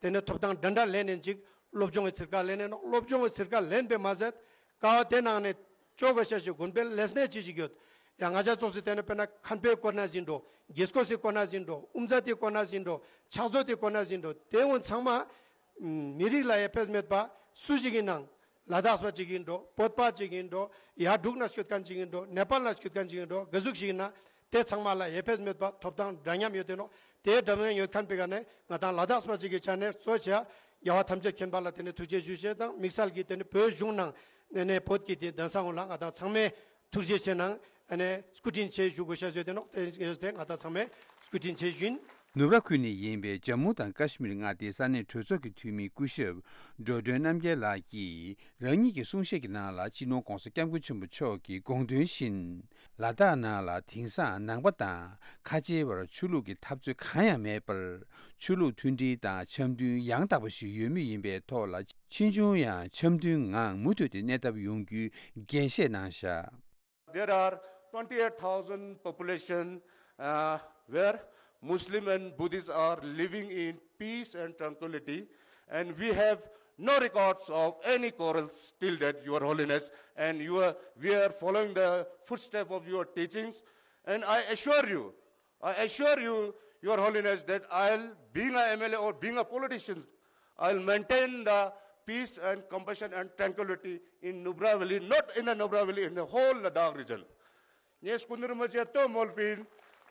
དེ་ནི་ཐོབ་ཐང་འདྲ་འདྲ་ལེན་ནས་ཅིག་སློབ་སྦྱོང་གི་ཚིར་ཀ་ལེན་ནས་ནོ། སློབ་སྦྱོང་གི་ཚིར་ཀ་ལེན་པས་མ་ཟད། ཀ་བ་དེ་ནང་ནས་ཅོ་ག་ཤ་ཞིག་དགོན་པའི་ལས་སྣེ་ཅི་ཞིག་ཡོད། ཡང་ང་ཅག་ཙོགས་སུ་དེ་ནས་དཔེར་ན་མཁན་པོའི་སྐོར་ན་ཟིན་འགྲོ། དགེ་སྐོས་སི་སྐོར་ན་ཟིན་འགྲོ། དབུ་མཛད་དེ་སྐོར་ན་ཟིན་འགྲོ། ཕྱག་མཛོད་དེ་སྐོར་ན་ཟིན་འགྲོ། དེ་འོན་ཚང་མ་མི་རིགས་ལ་ཡ་ཕེབས་མེད་པ་སུ་ཞིག་ཡིན་ནང་ལ་དྭགས་པ་ཅིག་ཡིན་འགྲོ། བོད་པ་ཅིག་ཡིན་འགྲོ། ཡ་འབྲུག་ན་སྐྱོད་མཁན་ཅིག་ཡིན་འགྲོ། ནེ་པཱལ་ན་སྐྱོད་མཁན་ཅིག་ཡིན་འགྲོ། ག་ཟུག་ཞིག་ཡིན་ན་དེ་ཚང་མ་ལ་ཡ་ཕེབས་མེད་པ་ཐོབ་ཐང་འདྲ་མཉམ་ཡོད་དེ་ནོ། དེ་འདྲ་མཉམ་ཡོད་མཁན་པའི་ག་ནས་ང་དང་ལ་དྭགས་པ་ཅིག་གི་ཆ་ནས་གཙོ་ཆེ་བ་རྒྱལ་བ་ཐམས་ཅད་མཁྱེན་པ་ལ་དེ་ནས་ཐུགས་རྗེ་ཞུ་ཞེས་དང་དམིགས་བསལ་གྱིས་དེ་ནས་བོད་གཞུང་ནང་ནས་ནས་བོད་ཀྱི་དེ་གདན་ས་ངོ་ལ་ང་དང་ཚང་མས་ཐུགས་རྗེ་ཆེ་གནང་། ཨ་ནས་སྐུ་དྲིན་ཆེ་ཞུ་དགོས་ཤ་ཟོས་ཏེ་ནོག། དེ་ཡོད་དེ་ང་དང་ཚང་མས་སྐུ་དྲིན་ཆེ་ཞུ་ཡིན། ནུབ་ར་ཁུལ་ནས་ཡིན་པའི་ཇམ་མུ་དང་ཀ་ཤི་མིར་མངའ་སྡེའི་ས་གནས་གྲོས་ཚོགས་ཀྱི་འཐུས་མི་སྐུ་ཞབས་འགྲོ་གྲོན་རྣམ་རྒྱལ་ལགས་ཀྱིས་རང་ཉིད་ཀྱི་གསུང་བཤད་ཀྱི་ནང་ལ་སྤྱི་ནོར་༧གོང་ས་༧སྐྱབས་མགོན་ཆེན་པོ་མཆོག་གི་དགོངས་དོན་བཞིན། ལ་དྭགས་ནང་ལ་དེང་སང་ནང་པ་དང་ཁ་ཆེའི་བར་ཆོས་ལུགས་ཀྱི་འཐབ་རྩོད་གང་ཡང་མེད་པར། ཆོས་ལུགས་མཐུན་སྒྲིལ་དང་འཆམ་མཐུན་ཡང་དག་པ་ཞིག་ཡོད་མུས་ཡིན་པའི་ཐོག་ལ། ཕྱིས་འབྱུང་ཡང་འཆམ་མཐུན་ངང་མུ་མཐུད་དེ་གནས་ཐབས་ཡོང་རྒྱུའི་འགན་བཞེས་གནང་བཞག། There are twenty-eight thousand population, uh, where Muslim and Buddhists are living in peace and tranquility, and we have no records of any quarrels till date, Your Holiness, and you are, we are following the footstep of your teachings, and I assure you, I assure you, Your Holiness, that I'll, being a M L A or being a politician, I'll maintain the peace and compassion and tranquility in Nubra Valley, not in the Nubra Valley, in the whole Ladakh region. ངས་སྐུ་མདུན་རིན་པོ་ཆེ་བསྟོད་སྨོན་པིན།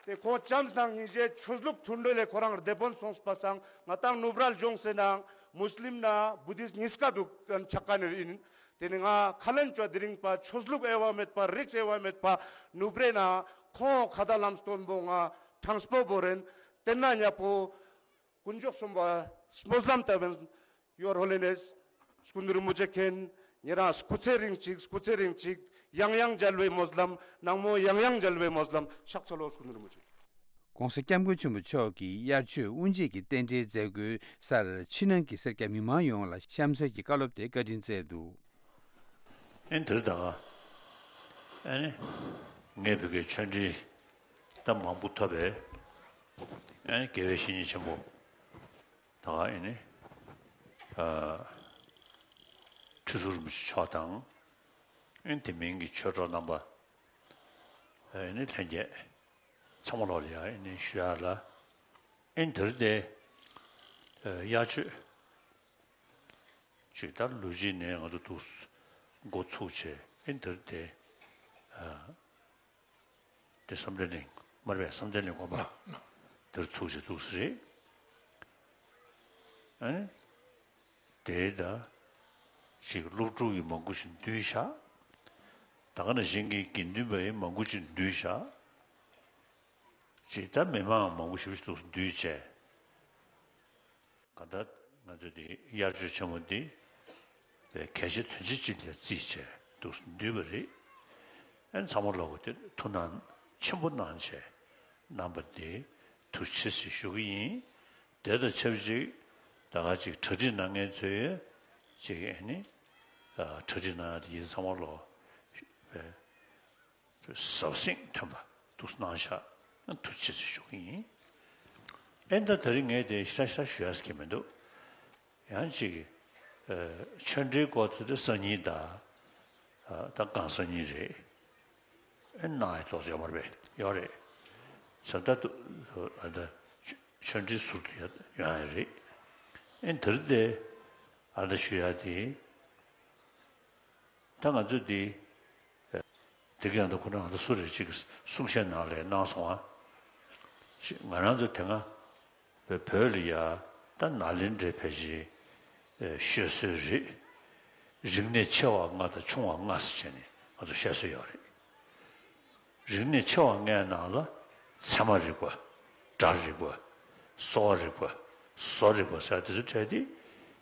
དེ་ཁོང་བྱམས་དང་སྙིང་རྗེ་ཆོས་ལུགས་མཐུན་སྒྲིལ་ལས་ཁོ་རང་བདེ་དཔོན་སོང་པ་སང་ང་ཏང་ནུབ་ར་ལྗོངས་ཟེར་ནའང་མུས་ལིམ་ན་བུ་དིསྟ་གཉིས་ཀ་འདུག་ཆགས་ཀ་ནི་ཡིན། དེ་ནི་ང་ཁ་ལན་ཅོ་དེ་རིང་པ་ཆོས་ལུགས་དབྱེ་བ་མེད་པ་རིགས་དབྱེ་བ་མེད་པ་ནུབ་རེ་ན་ཁོང་ཁ་ད་ལམ་སྟོན་པོ་ང་དྲངས་པོ་བོ་རེན། དེ་ན་ཉ་པོ་དཀོན་མཆོག་གསུམ་པ་སྨོན་ལམ་བཏབ་པིན། Your Holiness, སྐུ་མདུན་རིན་པོ་ཆེ་མཁྱེན། ཉེ་རང་སྐུ་ཚེ་རིང་ཅིག་སྐུ་ཚེ་རིང་ཅིག་ཡང་ཡང་མཇལ་བའི་སྨོན་ལམ། ནང་མོ་ཡང་ཡང་མཇལ་བའི་སྨོན་ལམ། ཕྱག་འཚལ་ལོ་སྐུ་མདུན་རིན་པོ་ཆེ། ༸གོང་ས་༸སྐྱབས་མགོན་ཆེན་པོ་མཆོག་གིས་དབྱར་ཆོས་དབུ་འབྱེད་ཀྱི་རྟེན་འབྲེལ་མཛད་སྒོའི་སར་ཕྱི་ནང་གི་སེར་སྐྱ་མི་མང་ཡོངས་ལ་གཤམ་གསལ་གྱི་བཀའ་སློབ་དེ་བཀའ་དྲིན་སྩལ་འདུག། ཨེ་འདིར་ད་ག་ཨེ་ནི་ངས་བོད་ཀྱི་ཆོས་འབྲེལ་ད་མང་པོ་ཐོབ་པས། ཨེ་ནི་དགེ་བའི་བཤེས་གཉེན་ཆེན་པོ་ད་ག་ཨེ་ནི་ཨ་ཁྲི་ཟུར་རིན་པོ་ཆེ་མཆོག་དང་། ཨེ་དེ་མིན་གྱི་ཆོས་གྲོགས་རྣམ་པ་ཨེ་ནི་ལྷན་རྒྱས་ཚང་མ་ལོག་ལ་ཡ་ཨེ་ནི་ཞུ་ཡ་ལ། ཨེ་འདིར་དེ་ཨེ་དབྱར་ཆོས་ཅིག་ད་ལོ་གཅིག་ནས་ང་ཚོ་འདུག་འགོ་ཚུགས་བྱས། ཨེ་འདིར་དེ་ཨ་དེ་བསམ་གཏན་གླིང་མར་བས་བསམ་གཏན་གླིང་དགོན་པ་འདིར་ཚུགས་བྱས་འདུག་ས་རེད། ཨ་ནི་དེ་ད་ཅིག་སློབ་ཕྲུག་གི་མང་པོ་ཞིག་འདུས་བཞག། ད་ག་ནང་བཞིན་གྱི་དགེ་འདུན་པ་ཡི་མང་པོ་ཞིག་འདུས་བཞག། ཅིག་ད་མི་མང་མང་པོ་ཞིག་འདུག་འདུས་བྱས། ག་ད་ང་ཚོ་འདི་དབྱར་ཆོས་ཆེན་མོ་འདི་གལ་ཆེ་དོན་ཆེ་ཅིག་ལ་བརྩིས་བྱས་འདུག་འདུས་པ་རེད། ཨན་ཚང་མ་ལོག་གི་དེ་ཐུགས་སྣང་ཆེན་པོ་གནང་བྱས་གནང་པ་འདི་ཐུགས་རྗེ་ཆེ་ཞུ་གི་ཡིན། དེ་དང་ཆབས་ཅིག་ད་ག་ཅིག་གྲ་སྒྲིག་གནང་མཁན་ཚོས་ཅིག་ཨ་ནི་གྲ་སྒྲིག་གནང་ཡ་དེ་ཡིན་ཚང་མ་ལོག་གཟབ་གཟབ་ཐོན་པ་འདུག་གནང་ཤག། ཐུགས་རྗེ་ཆེ་ཞུ་གི་ཡིན། ཨེ་ད་དེ་རིང་ངས་དེ་ཤ་ཤ་ཞུ་ཡ་ཟེར་གྱི་མི་འདུག། ཡང་ཅིག་ཨ་ཆོས་འབྲེལ་སྐོར་དེ་དེ་སང་ཉིན་དང་ཨ་ད་གང་སང་ཉིན་རེད། ཨེ་གནང་ཡ་ཏོག་ཙམ་ཡོད་མ་རེད་པས། ཡོད་རེད། ས་ད་དུ་ཨ་ད་ཆོས་འབྲེལ་ཟུར་དུ་ཡ་ཡོང་ཡ་རེད། ཨེ་དེར་དེ་ཨ་ད་ཞུ་ཡ་དེ། ད་ང་ཚོ་འདི་དེ་ག་ཡང་ད་ཁོ་རང་ད་སུ་རེད་ཅིག་གསུང་བཤད་ནང་ལ་གནང་སོང་ཨ། ང་རང་ཚོ་དེ་སྔ་བོད་ལ་ཡ་ད་ནཱ་ལེནྡྲའི་ཕལ་ཆེར་ཤོད་སྲོལ་རེད། རིག་གནས་ཆེ་བ་ལྔ་དང་ཆུང་བ་ལྔ་ཟེར་བྱས་ནས་ང་ཚོ་བཤད་སྲོལ་ཡོད་རེད། རིག་གནས་ཆེ་བ་ལྔའི་ནང་ལ་ཚད་མ་རིག་པ། སྒྲ་རིག་པ། གསོ་བ་རིག་པ། བཟོ་རིག་པ་ཟེར་དེ་ཚོ་གྲས་དེ་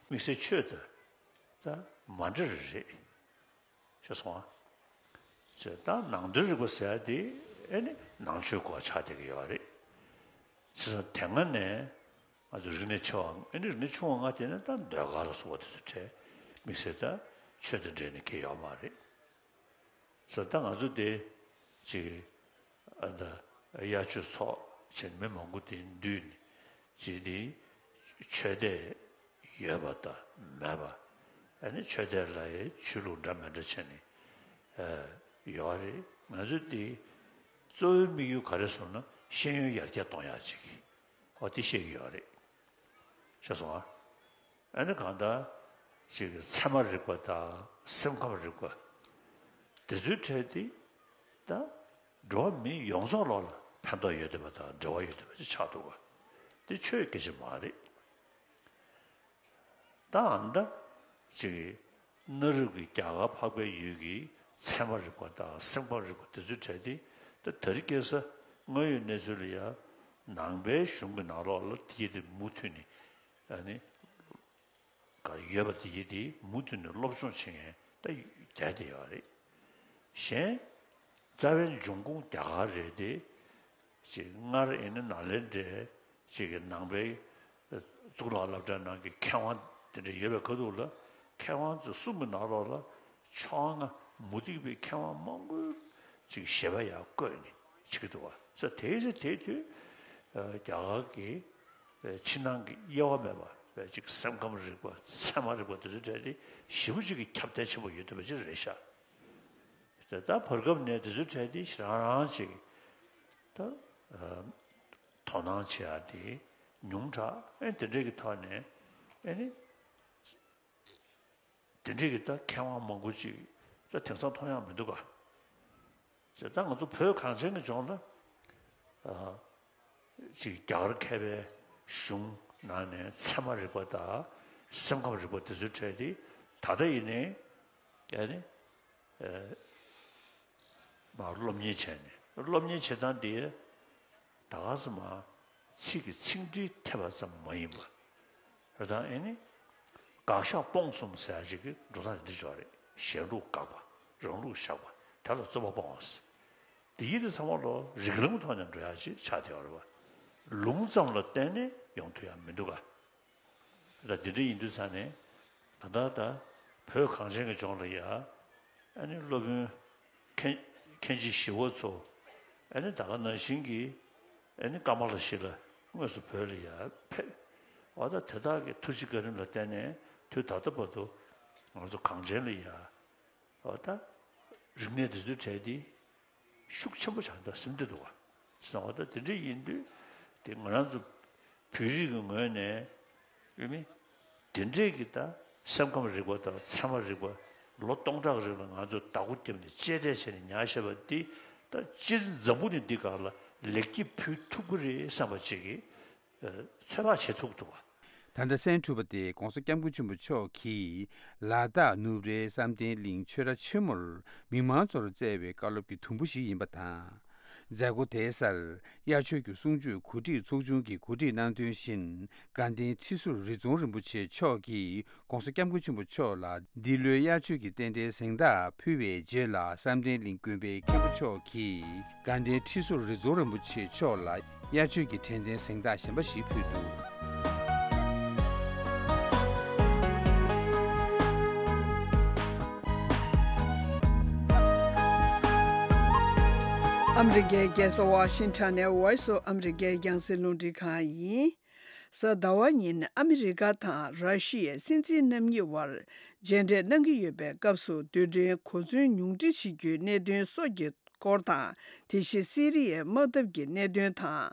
དམིགས་བསལ་ཆོས་དང་ད་མ་འདྲ་རེ་རེད། ཤེས་སོང་ཨ། ཅེས་ད་ནང་དོན་རིག་པ་ཟེར་ཡ་དེ་ཨེ་ནི་ནང་ཆོས་སྐོར་ཆགས་བསྡད་ཀྱི་ཡོད་རེད། ཅེས་སོང་དེ་སྔ་ནས་ང་ཚོ་རིག་གནས་ཆེ་བ་ཨེ་ནི་རིག་གནས་ཆུང་བ་ལྔ་དེ་ནི་ད་ཟློས་གར་ལ་སོགས་པ་དེ་ཚོ་གྲས་དམིགས་བསལ་ད་ཆོས་དང་འབྲེལ་ནས་གལ་ཡོད་མ་རེད། ཟེར་ད་ང་ཚོ་དེ་ཅིག་ཨ་ད་དབྱར་ཆོས་ཚོགས་བྱས་ནས་མི་མང་པོ་དེ་འདུས་ནས་ཅིག་དེ་ཆོས་དད་ཡོད་པ་དང་མེད་པ། ཨ་ནི་ཆོས་དད་ལ་ཡང་ཆོས་ལུགས་འདྲ་མི་འདྲ་བྱས་ནས་ཨ་ཡོད་རེད། ང་ཚོ་དེ་གཙོ་བོའི་དམིགས་ཡུལ་ག་རེ་སོང་ན་ཤེས་ཡོན་ཡར་རྒྱས་གཏོང་ཡག་ཅིག་ཨོ་དེ་བཤད་ཀྱི་ཡོད་རེད། ཤེས་སོང་ཨ། ཨ་ནི་གང་ལྟར་ཅིག་ཚད་མ་རིག་པ་དང་སེམས་ཁམས་རིག་པ་དེ་ཚོའི་གྲས་དེ་ད་འགྲོ་བ་མི་ཡོངས་རྫོགས་ལོག་ལ་ཕན་ཐོགས་ཡོད་བསྡད་པ་དང་འབྲེལ་བ་ཡོད་བསྡད་པ་ཅིག་ཆགས་འདུག་བ། དེ་ཆོས་སྐད་ཆ་མ་རེད། ད་ཨ་ནི་ད་ཅིག་གནའ་རབས་ཀྱི་རྒྱ་གར་འཕགས་པའི་ཡུལ་གྱི་ཚད་མ་རིག་པ་དང་སེམས་ཁམས་རིག་པ་དེ་ཚོའི་གྲས་དེ་ད་དེ་རིང་ཁ་སང་དངོས་ཡོད་གནས་ཚུལ་ལ་ཡང་ནང་པའི་གཞུང་གི་ནང་ལོགས་ལ་དེ་ཡི་དེ་མུ་མཐུད་ནས་ཨ་ནི་ག་ཡོད་པ་དེ་ཡི་དེ་མུ་མཐུད་ནས་སློབ་སྦྱོང་བྱེད་མཁན་ད་རྒྱ་དེ་ཡོད་རེད། གཞན་རྩ་བའི་འབྱུང་ཁུངས་རྒྱ་གར་རེད་དེ། ཅིག་སྔར་ཨེ་ནི་ནཱ་ལེནྡྲའི་ཅིག་གི་ནང་པའི་གཙུག་ལག་སློབ་གྲྭའི་ནང་གི་མཁས་དབང་དེ་འདྲ་ཡོད་པའི་ཁ་ཐུག་ལ་མཁས་དབང་ཚོ་གསུམ་གྱི་ནང་ལོགས་ལ་ཕྱོགས་སྔ་མུ་སྟེགས་པའི་མཁས་དབང་མང་པོའི་ཅིག་བཞེད་པ་ཡང་བཀོད་ནས་བྱེད་ཀྱི་འདུག་བ། ས་དེའི་ཚེ་དེའི་དུས་རྒྱ་གར་གྱི་ཕྱི་ནང་གི་དབྱེ་བ་མེད་པ་ཅིག་སེམས་ཁམས་རིག་པ་ཚད་མ་རིག་པ་དེ་ཚོ་གྲས་དེ་ཞེ་པོ་ཅིག་གི་ཁྱབ་གདལ་ཆེན་པོ་ཡོད་བསྡད་པ་ཅིག་རེད་ཤག་དེ་ལྟར་བར་སྐབས་ནས་དེ་ཚོའི་གྲས་དེ་རང་རང་ཅིག་ད་དོ་སྣང་བྱེད་ཡ་དེ་ཉུང་དྲགས། ཨེ་དེ་འདྲས་ཀྱི་ཐོག་ནས་ཨེ་ནི་དེ་འདྲས་ཀྱི་ད་མཁས་དབང་མང་པོ་ཅིག་ད་དེང་སང་མཐོང་ཡ་མི་འདུག་ག་ཅེས་ད་ང་ཚོ་བོད་གངས་ཅན་གྱི་ལྗོངས་ལ་ཅིག་རྒྱ་གར་མཁས་པའི་གཞུང་ནང་ནས་ཚད་མ་རིག་པ་དང་སེམས་ཁམས་རིག་པ་དེ་ཚོའི་གྲས་དེ་ད་ལྟ་ཡིན་ནའི་ཨེ་ནི། མར་སློབ་གཉེར་བྱས་ནས་སློབ་གཉེར་བྱེད་སྟངས་འདི་ད་ག་ཙམ་མ་ཚིག་གི་ཚིག་འགྲེལ་ཐེབས་པ་ཙམ་མ་ཡིན་པ། རེད་དང་ཨེ་ནི། དགག་བཞག་སྤོང་གསུམ་ཟེར་ཡ་ཅིག་གི་འགྲོ་སྟངས་འདི་འཇོག་རེད། གཞན་ལུགས་དགག་པ། རང་ལུགས་བཞག་པ། དེ་ལ་རྩོད་པ་སྤོང་བ་ཟེར། འདི་ཡིན་དུས་ཚང་མ་ལོ་རིགས་ལམ་ཐོག་ནས་འགྲོ་ཡ་ཅིག་ཆགས་བསྡད་ཡོད་རེད་བ། ལུང་ཙམ་ལ་བརྟེན་ནས་ཡོང་ཐུབ་ཡ་མི་འདུག་ག་ད་དེ་འདྲ་ཡིན་དུས་ཙང་ནས་ད་ལྟ་ད་བོད་གངས་ཅན་གྱི་ལྗོངས་ལ་ཡ་ཨ་ནི་སློབ་དཔོན་མཁན་མཁན་ཆེན་ཞི་བ་འཚོ་ཨ་ནི་ད་ག་ནང་བཞིན་གྱི་ཨ་ནི་ཀ་མ་ལ་ཤི་ལ་དངོས་སུ་བོད་ལ་ཡ་ཕེབས། འོ་ད་དེ་དག་གི་ཐུགས་རྗེ་བཀའ་དྲིན་ལ་བརྟེན་ནས་དུས་ད་ལྟ་བར་དུ་ང་ཚོ་གངས་ཅན་ལ་ཡ། འོ་ད། རིག་གནས་འདི་ཚོའི་གྲས་འདི་ཤུགས་ཆེན་པོ་ཆགས་འདུག་སེམས་བདེ་འདུག་བ། བྱས་ཙང་འོ་ད་དེ་འདྲ་ཡིན་དུས་དེ་ང་རང་ཚོ་བོད་རིགས་ཀྱི་ངོས་ནས་ཡོད་མི་དེ་འདྲས་ཀྱི་ད་སེམས་ཁམས་རིག་པ་དང་ཚད་མ་རིག་པ་ལོ་སྟོང་ཕྲག་རིང་ལ་ང་ཚོས་བདག་པོ་བརྒྱབ་ནས་གཅེས་སྤྲས་བྱས་ནས་ཉར་བཞག་པ་འདི་ད་སྤྱིར་འཛམ་བུ་གླིང་འདི་སྒང་ལ་ལེགས་སྐྱེས་ཕུལ་ཐུབ་ཀྱི་རེད་བསམ་པ་ཅིག་གི་ཚོད་དཔག་བྱེད་ཐུབ་འདུག་བ། ད་ལྟ་གསན་གྲུབ་པ་དེ་༸གོང་ས་༸སྐྱབས་མགོན་ཆེན་པོ་མཆོག་གིས་ལ་དྭགས་ནུབ་རའི་བསམ་གཏན་གླིང་ཆོས་ར་ཆེན་མོར་མི་མང་ཚོར་བསྩལ་བའི་བཀའ་སློབ་ཀྱི་དུམ་བུ་ཞིག་ཡིན་པ་དང་། མཛད་སྒོ་དེའི་སར་དབྱར་ཆོས་ཀྱི་གསུང་ཆོས་གོ་སྒྲིག་ཚོགས་ཆུང་གིས་གོ་སྒྲིག་གནང་དོན་བཞིན་དགའ་ལྡན་ཁྲི་ཟུར་རི་རྫོང་རིན་པོ་ཆེ་མཆོག་གིས་༸གོང་ས་༸སྐྱབས་མགོན་ཆེན་པོ་མཆོག་ལ་འདི་ལོའི་དབྱར་ཆོས་ཀྱི་རྟེན་འབྲེལ་གཟེངས་རྟགས་ཕུལ་བའི་རྗེས་ལ་བསམ་གཏན་གླིང་དགོན་པའི་མཁན་པོ་མཆོག་གིས། དགའ་ལྡན་ཁྲི་ཟུར་རི་རྫོང་རིན་པོ་ཆེ་མཆོག་ལ་དབྱར་ཆོས་ཀྱི་དྲན་རྟེན་གཟེངས་རྟགས་གཞན་པ་ཞིག་ཕུལ་འདུག་ཨ་མི་རི་ཀའི་རྒྱལ་ས་ཝ་ཤིང་ཊོན་ནས་Voice of America་རྒྱང་སྲིང་རླུང་འཕྲིན་ཁང་ཡིན། གཟའ་ཟླ་བ་ཉིན་ཨ་མི་རི་ཀ་དང་ར་ཤི་ཡའི་སྲིད་འཛིན་རྣམ་གཉིས་དབར་མཇལ་འཕྲད་གནང་གི་ཡོད་པའི་སྐབས་སུ་རྡུལ་ཕྲན་གོ་མཚོན་ཉུང་འཕྲི་བྱེད་རྒྱུའི་གནད་དོན་སོགས་ཀྱི་སྐོར་དང་། དེ་བཞིན་སི་རི་ཡའི་དམག་འཐབ་ཀྱི་གནད་དོན་དང་།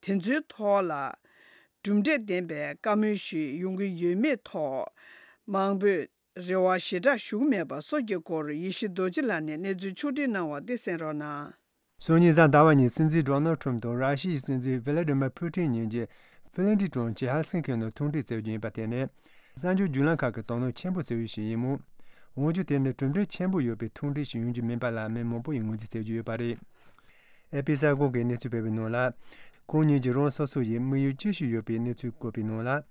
དེ་ཚོའི་ཐོག་ལ་གྲུབ་འབྲས་ལྡན་པའི་བཀའ་མོལ་ཞིག་ཡོང་གི་ཡོད་མེད་ཐོག་མང་པོས་རེ་བ་ཞེ་དྲག་ཞུ་གི་མེད་པ་སོགས་ཀྱི་སྐོར་ཡེ་ཤེས་རྡོ་རྗེ་ལགས་ནས་གནས་ཚུལ་ཕྱོགས་སྒྲིག་གནང་བ་དེ་གསན་རོགས་གནང་། སང་ཉིན་གཟའ་ཟླ་བ་ཉིན་སྲིད་འཛིན་ཌོ་ནལ་ཁྲོམ་དང་ར་ཤི་ཡའི་སྲིད་འཛིན་ཝི་ལ་ཌི་མར་ཕུ་ཊིན་གཉིས་ཀྱིས་ཧེལ་སིན་ཀི་ནང་ཐུག་འཕྲད་བྱེད་རྒྱུ་ཡིན་པ་དེ་ནི་གསར་འགྱུར་བརྒྱུད་ལམ་ཁག་གི་དོ་སྣང་ཆེན་པོ་བྱེད་ཡུལ་ཞིག་ཡིན་མོད། འོན་ཀྱང་དེ་ནི་གྲུབ་འབྲས་ཆེན་པོ་ཡོད་པའི་ཐུགས་འདྲེན་ཞིག་ཡོང་རྒྱུ་མིན་པ་ལ་མི་མང་པོ་ཡིས་ངོས་འཛིན་བྱེད་ཀྱི་ཡོད་པ་རེད། ཨེ་པི་གསར་ཁང་གིས་གནས་ཚུལ་སྤེལ་བའི་ནང་ལ། ཁོང་གཉིས་ཀྱིས་རང་སོ་སོ་ཡི་དམིགས་ཡུལ་ཅི་ཞིག་ཡོད་པའི་གནས་ཚུལ་བཀོད་པའི་ནང་ལ།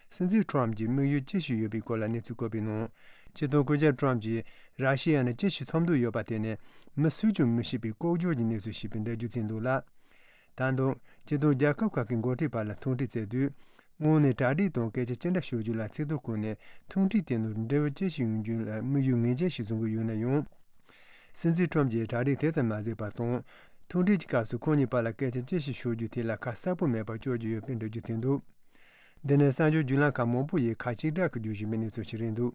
སྲིད་འཛིན་ཁྲོམ་གྱི་དམིགས་ཡུལ་ཅི་ཞིག་ཡོད་པའི་སྐོར་ལ་གནས་ཚུལ་བཀོད་པའི་ནང་། སྤྱི་དོན་སྐུ་ཞབས་ཁྲོམ་གྱིས་ར་ཤི་ཡ་ནས་ཅི་ཞིག་ཐོབ་འདོད་ཡོད་པ་དེ་ནི་མི་སུས་ཀྱང་མི་ཤེས་པའི་ལྐོག་ཇོ་གྱི་གནས་ཚུལ་ཞིག་པའི་འགྲེལ་བརྗོད་བྱས་འདུག་ལ། ད་དུང་སྤྱི་དོན་རྒྱལ་ཁབ་ཁག་གི་འགོ་ཁྲིད་བར་ལ་ཐུག་འཕྲད་བྱས་དུས། དངོས་གནས་གྲ་སྒྲིག་དང་སྐད་ཆ་ཅི་འདྲ་ཤོད་རྒྱུ་ལ་ཚིག་ཐོ་བཀོད་ནས་ཐུག་འཕྲད་དེ་ནང་འབྲས་བུ་ཅི་ཞིག་ཡོང་རྒྱུ་ལ་དམིགས་ཡུལ་ངེས་ཅན་ཞིག་བཟུང་གི་ཡོད་ན་ཡང་། སྲིད་འཛིན་ཁྲོམ་གྱིས་གྲ་སྒྲིག་དེ་ཙམ་མ་བྱས་པ་དང་། ཐུག་འཕྲད་ཀྱི་སྐབས་སུ་ཁོང་གཉིས་བར་ལ་སྐད་ཆ་ཅི་ཞིག་ཤོད་རྒྱུ་དེ་ལ་ཁ་གསལ་པོ་མེད་པར་བསྐྱུར་གྱི་ཡོད་པའི་འགྲེལ་བརྗོད་བྱས་འདུག་འདི་ནི་གསར་འགྱུར་བརྒྱུད་ལམ་ཁག་མང་པོ་ཡིས་ཁ་གཅིག་གྲགས་ཀྱིས་བརྗོད་བཞིན་པའི་གནས་ཚུལ་ཞིག་རེད་འདུག་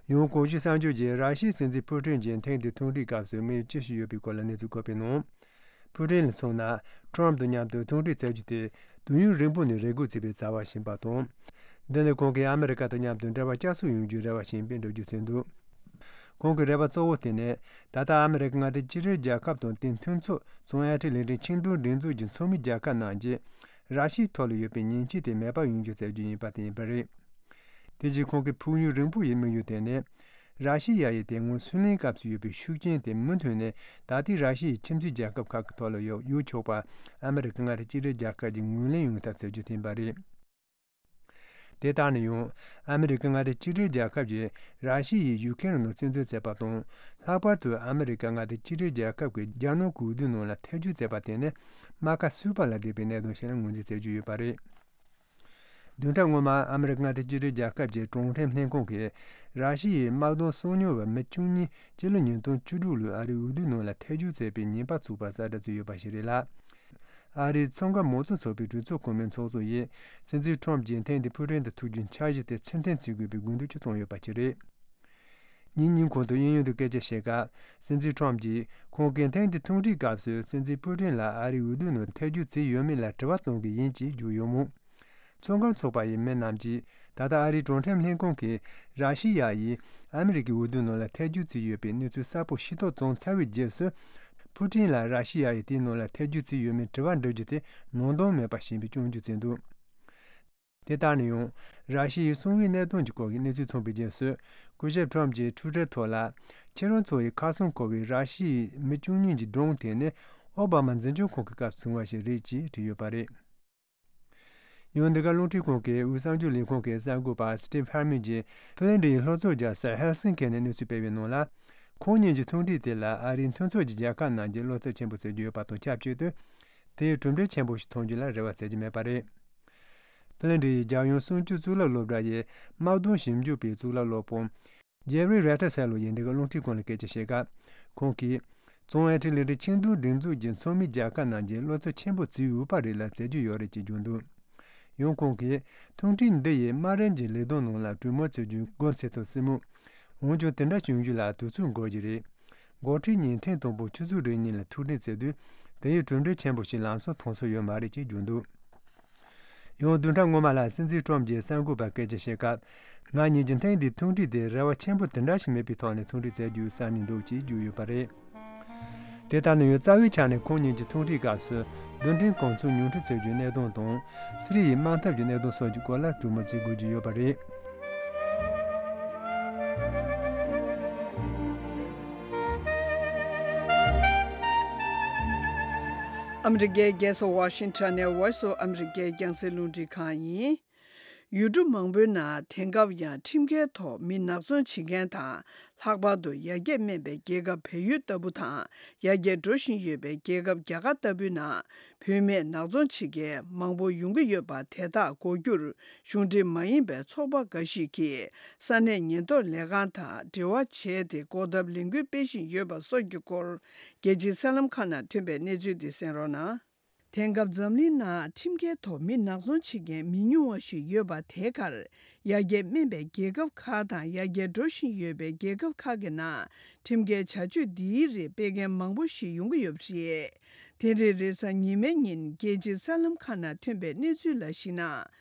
ཡང་གོང་ཞུས་གསར་འགྱུར་གྱིས་ར་ཤི་ཡའི་སྲིད་འཛིན་ཕུ་ཀྲིན་གྱིས་ཐེངས་འདིའི་ཐུག་འཕྲད་སྐབས་སུ་དམིགས་ཡུལ་ཅི་ཞིག་ཡོད་པའི་སྐོར་ལ་གནས་ཚུལ་བཀོད་པའི་ནང་། ཕུ་ཀྲིན་ལ་མཚོན་ན། ཁྲོམ་དང་མཉམ་དུ་ཐུག་འཕྲད་བྱ་རྒྱུ་དེ་དུས་ཡུན་རིང་པོ་ནས་རེ་སྒུག་བྱས་པའི་བྱ་བ་ཞིག་ཡིན་པ་དང་། འདི་ནི་ཁོང་གིས་ཨ་མི་རི་ཀ་དང་མཉམ་དུ་འབྲེལ་བ་བསྐྱར་གསོ་ཡོང་རྒྱུའི་རེ་བ་ཞིག་ཡིན་པའི་འགྲེལ་བརྗོད་བྱས་འདུག་ཁོང་གི་རེ་བ་གཙོ་བོ་དེ་ནི་ད་ལྟ་ཨ་མི་རི་ཀ་མངའ་སྡེ་གཅིག་སྒྲིལ་རྒྱལ་ཁབ་དང་དེའི་མཐུན་ཚོགས་ཙུང་ཨེ་ཁྲི་ལས་ཁྲིམས་ཆིངས་དོན་སྒྲིག་འཛུགས་ཀྱི་ཚོགས་མི་རྒྱལ་ཁབ་རྣམས་ཀྱིས་ར་ཤི་ཡའི་ཐོག་ལ་ཡོད་པའི་ཉེས་ཆད་དེ་མེད་པར་ཡོང་རྒྱུ་བྱ་རྒྱུ་ཡིན་པ་དེ་ཡིན་པ་རེད། དེ་རྗེས་ཁོང་གི་ཕུགས་ཡུན་རིང་པོ་ཡི་དམིགས་ཡུལ་དེ་ནི། ར་ཤི་ཡ་ཡིས་དེ་སྔོན་སུའུ་ལེན་སྐབས་སུ་ཡོད་པའི་ཤུགས་རྐྱེན་དེ་མུ་མཐུད་ནས་ད་ལྟའི་ར་ཤི་ཡའི་ཁྱིམ་མཚེས་རྒྱལ་ཁབ་ཁག་གི་ཐོག་ལ་ཡོད་ཡོད་ཆོག་པ་ཨ་མི་རི་ཀ་མངའ་སྡེ་གཅིག་སྒྲིལ་རྒྱལ་ཁབ་ཀྱིས་ངོས་ལེན་ཡོང་ཐབས་བྱ་རྒྱུ་ཡིན་པ་རེད། དེ་ལྟར་ན་ཡང་ཨ་མི་རི་ཀ་མངའ་སྡེ་གཅིག་སྒྲིལ་རྒྱལ་ཁབ་ཀྱིས་ར་ཤི་ཡས་ཡུ་ཁེ་རན་ནང་བཙན་འཛུལ་བྱས་པ་དང་། ལྷག་པར་དུ་ཨ་མི་རི་ཀ་མངའ་སྡེ་གཅིག་སྒྲིལ་རྒྱལ་ཁབ་ཀྱི་རྒྱ་ནག་གི་འོས་བསྡུ་ནང་ལ་ཐེ་བྱུས་བྱས་པ་དེ་ནི་རྨ་ཁ་གསུས་པ་ལས་འདས་པའི་གནད་དོན་ཞིག་ལ་ངོས་འཛིན་བྱེད་ཀྱི་ཡོད་པ་རེད། བདུན་ཕྲག་སྔོན་མ་ཨ་མི་རི་ཀ་མངའ་སྡེ་གཅིག་སྒྲིལ་རྒྱལ་ཁབ་ཀྱི་གྲོང་ཁྱེར་ལྷན་ཁང་གིས་ར་ཤི་ཡའི་དམག་དོན་སྲུང་སྐྱོང་བ་མི་བཅུ་གཉིས་སྤྱི་ལོ་ཉིས་སྟོང་བཅུ་དྲུག་ལོའི་ཨ་རིའི་འོས་བསྡུ་ནང་ལ་ཐེ་བྱུས་བྱས་པའི་ཉེས་པ་ཚུགས་པར་གསལ་བསྒྲགས་བྱས་ཡོད་པ་ཞིག་རེད་ལ། ཨ་རིའི་མཚོ་འགག་མང་གཙོ་ཚོགས་པའི་གྲོས་ཚོགས་གོང་མའི་ཚོགས་གཙོ་ཡིས་སྲིད་འཛིན་ཁྲོམ་གྱིས་ཐེངས་འདིའི་ཕུག་རོན་དུ་ཐུག་རྒྱུའི་འཆར་གཞི་དེ་ཕྱིར་འཐེན་བྱེད་དགོས་པའི་དགོས་འདུན་ཅིག་བཏོན་ཡོད་པ་ཞིག་རེད། ཉིན་གཉིས་གོང་དུ་གཡས་གཡོན་དུ་སྐད་ཆ་བཤད་སྐབས། སྲིད་འཛིན་ཁྲོམ་གྱིས་ཁོང་གིས་ཐེངས་འདིའི་ཐུག་འཕྲད་སྐབས་སུ་སྲིད་འཛིན་ཕུ་ཀྲིན་ལ་ཨ་རིའི་འོས་བསྡུ་ནང་ཐེ་བྱུས་བྱས་ཡོད་མེད་ལ་དྲི་བ་གཏོང་གི་ཡིན་ཅེས་བརྗོད་ཡོད་མོད། མཚོ་འགག་ཚོགས་པ་ཡི་མི་རྣམས་ཀྱིས་ད་ལྟ་ཨ་རིའི་གྲོང་ཁྱེར་ལྷན་ཁང་གིས་ར་ཤི་ཡ་ཡིས་ཨ་མི་རི་ཀའི་འོས་བསྡུ་ནང་ལ་ཐེ་བྱུས་བྱས་ཡོད་པའི་གནས་ཚུལ་གསལ་པོ་ཤེས་རྟོགས་བྱུང་ཚར་བའི་རྗེས་སུ། ཕུ་ཀྲིན་ལ་ར་ཤི་ཡ་ཡིས་དེའི་ནང་ལ་ཐེ་བྱུས་བྱས་ཡོད་མེད་དྲི་བ་འདྲི་རྒྱུ་དེ་ནང་དོན་མེད་པ་ཞིག་ཡིན་པའི་སྐྱོན་བརྗོད་བྱས་འདུག་དེ་ལྟར་ན་ཡང་། ར་ཤི་ཡའི་གསང་བའི་གནད་དོན་གྱི་སྐོར་གྱི་གནས་ཚུལ་ཐོན་པའི་རྗེས་སུ། སྐུ་ཞབས་ཁྲོམ་གྱིས་ཊུའི་ཊར་ཐོག་ལ། ཁྱེད་རང་ཚོ་ཡི་ཁ་སང་འཁོར་བའི་ར་ཤི་ཡའི་མི་བཅུ་གཉིས་ཀྱི་སྒྲུང་དེ་ནི་ཨོ་བྷ་མ་འཛིན་སྐྱོང་ཁང་གི་སྐབས་བྱུང་བ་ཞིག་རེད་ཅེས་བྲིས་ཡོད་པ་རེད། ཡང་འདི་ག་རླུང་འཕྲིན་ཁང་གི་དབུས་གསར་འགྱུར་ལས་ཁུངས་ཀྱི་གསར་འགོད་པ་སི་ཊིབ་ཧར་མན་གྱིས་ཕི་ལན་ཌི་ཡི་ལྷོ་ཕྱོགས་རྒྱལ་ས་ཧེལ་སིན་ཀི་ནས་གནས་ཚུལ་སྤེལ་བའི་ནང་ལ། ཁོང་གཉིས་ཀྱི་ཐུག་འཕྲད་དེ་ལ་ཨ་རིའི་མཐུན་ཚོགས་ཀྱི་རྒྱལ་ཁབ་རྣམས་ཀྱིས་བློ་འཚབ་ཆེན་པོ་བྱེད་ཀྱི་ཡོད་པ་དང་ཆབས་ཅིག་ཏུ། དེའི་གྲུབ་འབྲས་ཆེན་པོ་ཞིག་ཐོན་རྒྱུ་ལ་རེ་བ་བྱེད་ཀྱི་མེད་པ་རེད། ཕི་ལན་ཌི་ཡི་རྒྱལ་ཡོངས་སྲུང་སྐྱོབ་གཙུག་ལག་སློབ་གྲྭ་ཡི་དམག་དོན་ཞིབ་འཇུག་པའི་གཙུག་ལག་སློབ་དཔོན་ཇེ་ཕི་རི་རེ་ཊར་སེ་ལོ་ཡིས་འདི་ག་རླུང་འཕྲིན་ཁང་ལ་སྐད་ཆ་བཤད་སྐབས། ཁོང་གིས། ཙུང་ཨེ་ཁྲི་ལི་ཁྲི་ཆིང་ཏུའུ་སྒྲིག་འཛུགས་ཀྱི་ཚོགས་མི་རྒྱལ་ཁབ་རྣམས་ཀྱིས་བློ་འཚབ་ཆེན་པོ་བྱེད་འོས་པ་རེད་ལ་བྱེད་རྒྱུ་ཡོད་རེད་ཅེས་བརྗོད་འདུག་ཡང་ཁོང་གིས། ཐུག་འཕྲད་འདི་ཡིས་དམའ་རིམ་གྱི་ལས་དོན་ནང་ལ་གྲོས་མོལ་བྱེད་རྒྱུའི་སྒོ་འཚོལ་ཐུབ་སྲིད་མོད། འོན་ཀྱང་དེ་འདྲ་བྱུང་རྒྱུ་ལ་དུས་ཚོད་འགོར་གྱི་རེད། འགོ་ཁྲིད་གཉིས་ཐེངས་དང་པོ་ཆུ་ཚོད་རེ་གཉིས་ལ་ཐུག་འཕྲད་བྱེད་དུས། དེ་ཡི་གྲུབ་འབྲས་ཆེན་པོ་ཞིག་ལམ་སང་ཐོན་ས་ཡོད་མ་རེད་ཅེས་བརྗོད་འདུག་ཡང་བདུན་ཕྲག་སྔོན་མ་ལ་སྲིད་འཛིན་ཁྲོམ་གྱིས་གསར་འགོད་པར་སྐད་ཆ་བཤད་སྐབས། ང་གཉིས་ཀྱི་ཐེངས་འདིའི་ཐུག་འཕྲད་དེ་རེ་བ་ཆེན་པོ་དེ་འདྲ་ཞིག་མེད་པའི་ཐོག་ནས་ཐུག་འཕྲད་མཛད་རྒྱུའི་བསམ་མི་འདུག་ཅེས་བརྗོད་ཡོད་པ་རེད། དེ་ལྟར་ན་ཡང་རྩ་བའི་ཆ་ནས་ཁོང་གཉིས་ཀྱི་ཐུག་འཕྲད་སྐབས་སུ་རྡུལ་ཕྲན་གོ་མཚོན་ཉུང་འཕྲི་བྱེད་རྒྱུའི་གནད་དོན་དང་། སི་རི་ཡའི་དམག་འཐབ་ཀྱི་གནད་དོན་སོགས་ཀྱི་སྐོར་ལ་གྲོས་མོལ་བྱེད་དགོས་ཀྱི་ཡོད་པ་རེད། ཨ་མི་རི་ཀའི་རྒྱལ་ས་ཝ་ཤིང་ཊོན་ནས་Voice of America རྒྱང་སྲིང་རླུང་འཕྲིན་ཁང་ཡིན། ཡུལ་གྲུ་མང་པོའི་ནང་དེང་སྐབས་ཡང་ཁྲིམས་འགལ་ཐོག་མི་ནག་ཚོང་བྱེད་མཁན་དང་། ལྷག་པར་དུ་ཡར་རྒྱས་སྨན་པའི་རྒྱལ་ཁབ་བལ་ཡུལ་ལྟ་བུ་དང་། ཡར་རྒྱས་འགྲོ་བཞིན་ཡོད་པའི་རྒྱལ་ཁབ་རྒྱ་གར་ལྟ་བུའི་ནང་། བུད་མེད་ནག་ཚོང་བྱེད་མཁན་མང་པོ་ཡོང་གི་ཡོད་པ་དེ་དག་འགོག་རྒྱུར་གཞུང་འབྲེལ་མ་ཡིན་པའི་ཚོགས་པ་འགའ་ཞིག་གིས་ས་གནས་ཉེན་རྟོག་ལས་ཁང་དང་འབྲེལ་བ་བྱས་ཏེ་འགོག་ཐབས་ལས་འགུལ་སྤེལ་བཞིན་ཡོད་པ་སོགས་ཀྱི་སྐོར། རྒྱལ་སྤྱིའི་གསར་ལམ་ཁག་ནང་ཐོན་པའི་གནས་ཚུལ་འདི་གསན་རོགས་གནང་། དེང་སྐབས་འཛམ་གླིང་ནང་ཁྲིམས་འགལ་ཐོག་མི་ནག་ཚོང་བྱེད་མཁན་མི་ཉུང་བ་ཞིག་ཡོད་པ་དེ་གར། ཡར་རྒྱས་སྨན་པའི་རྒྱལ་ཁབ་ཁག་དང་ཡར་རྒྱས་འགྲོ་བཞིན་ཡོད་པའི་རྒྱལ་ཁབ་ཁག་གི་ནང་ཁྲིམས་འགལ་བྱ་སྤྱོད་འདིའི་རིགས་སྤེལ་མཁན་མང་པོ་ཞིག་ཡོང་གི་ཡོད་པ་རེད། དེ་རིང་རེས་གཟའ་ཉི་མའི་ཉིན་རྒྱལ་སྤྱིའི་གསར་ལམ་ཁག་ནང་ཐོན་པའི་གནས་ཚུལ་ལ་གཞིགས་ན།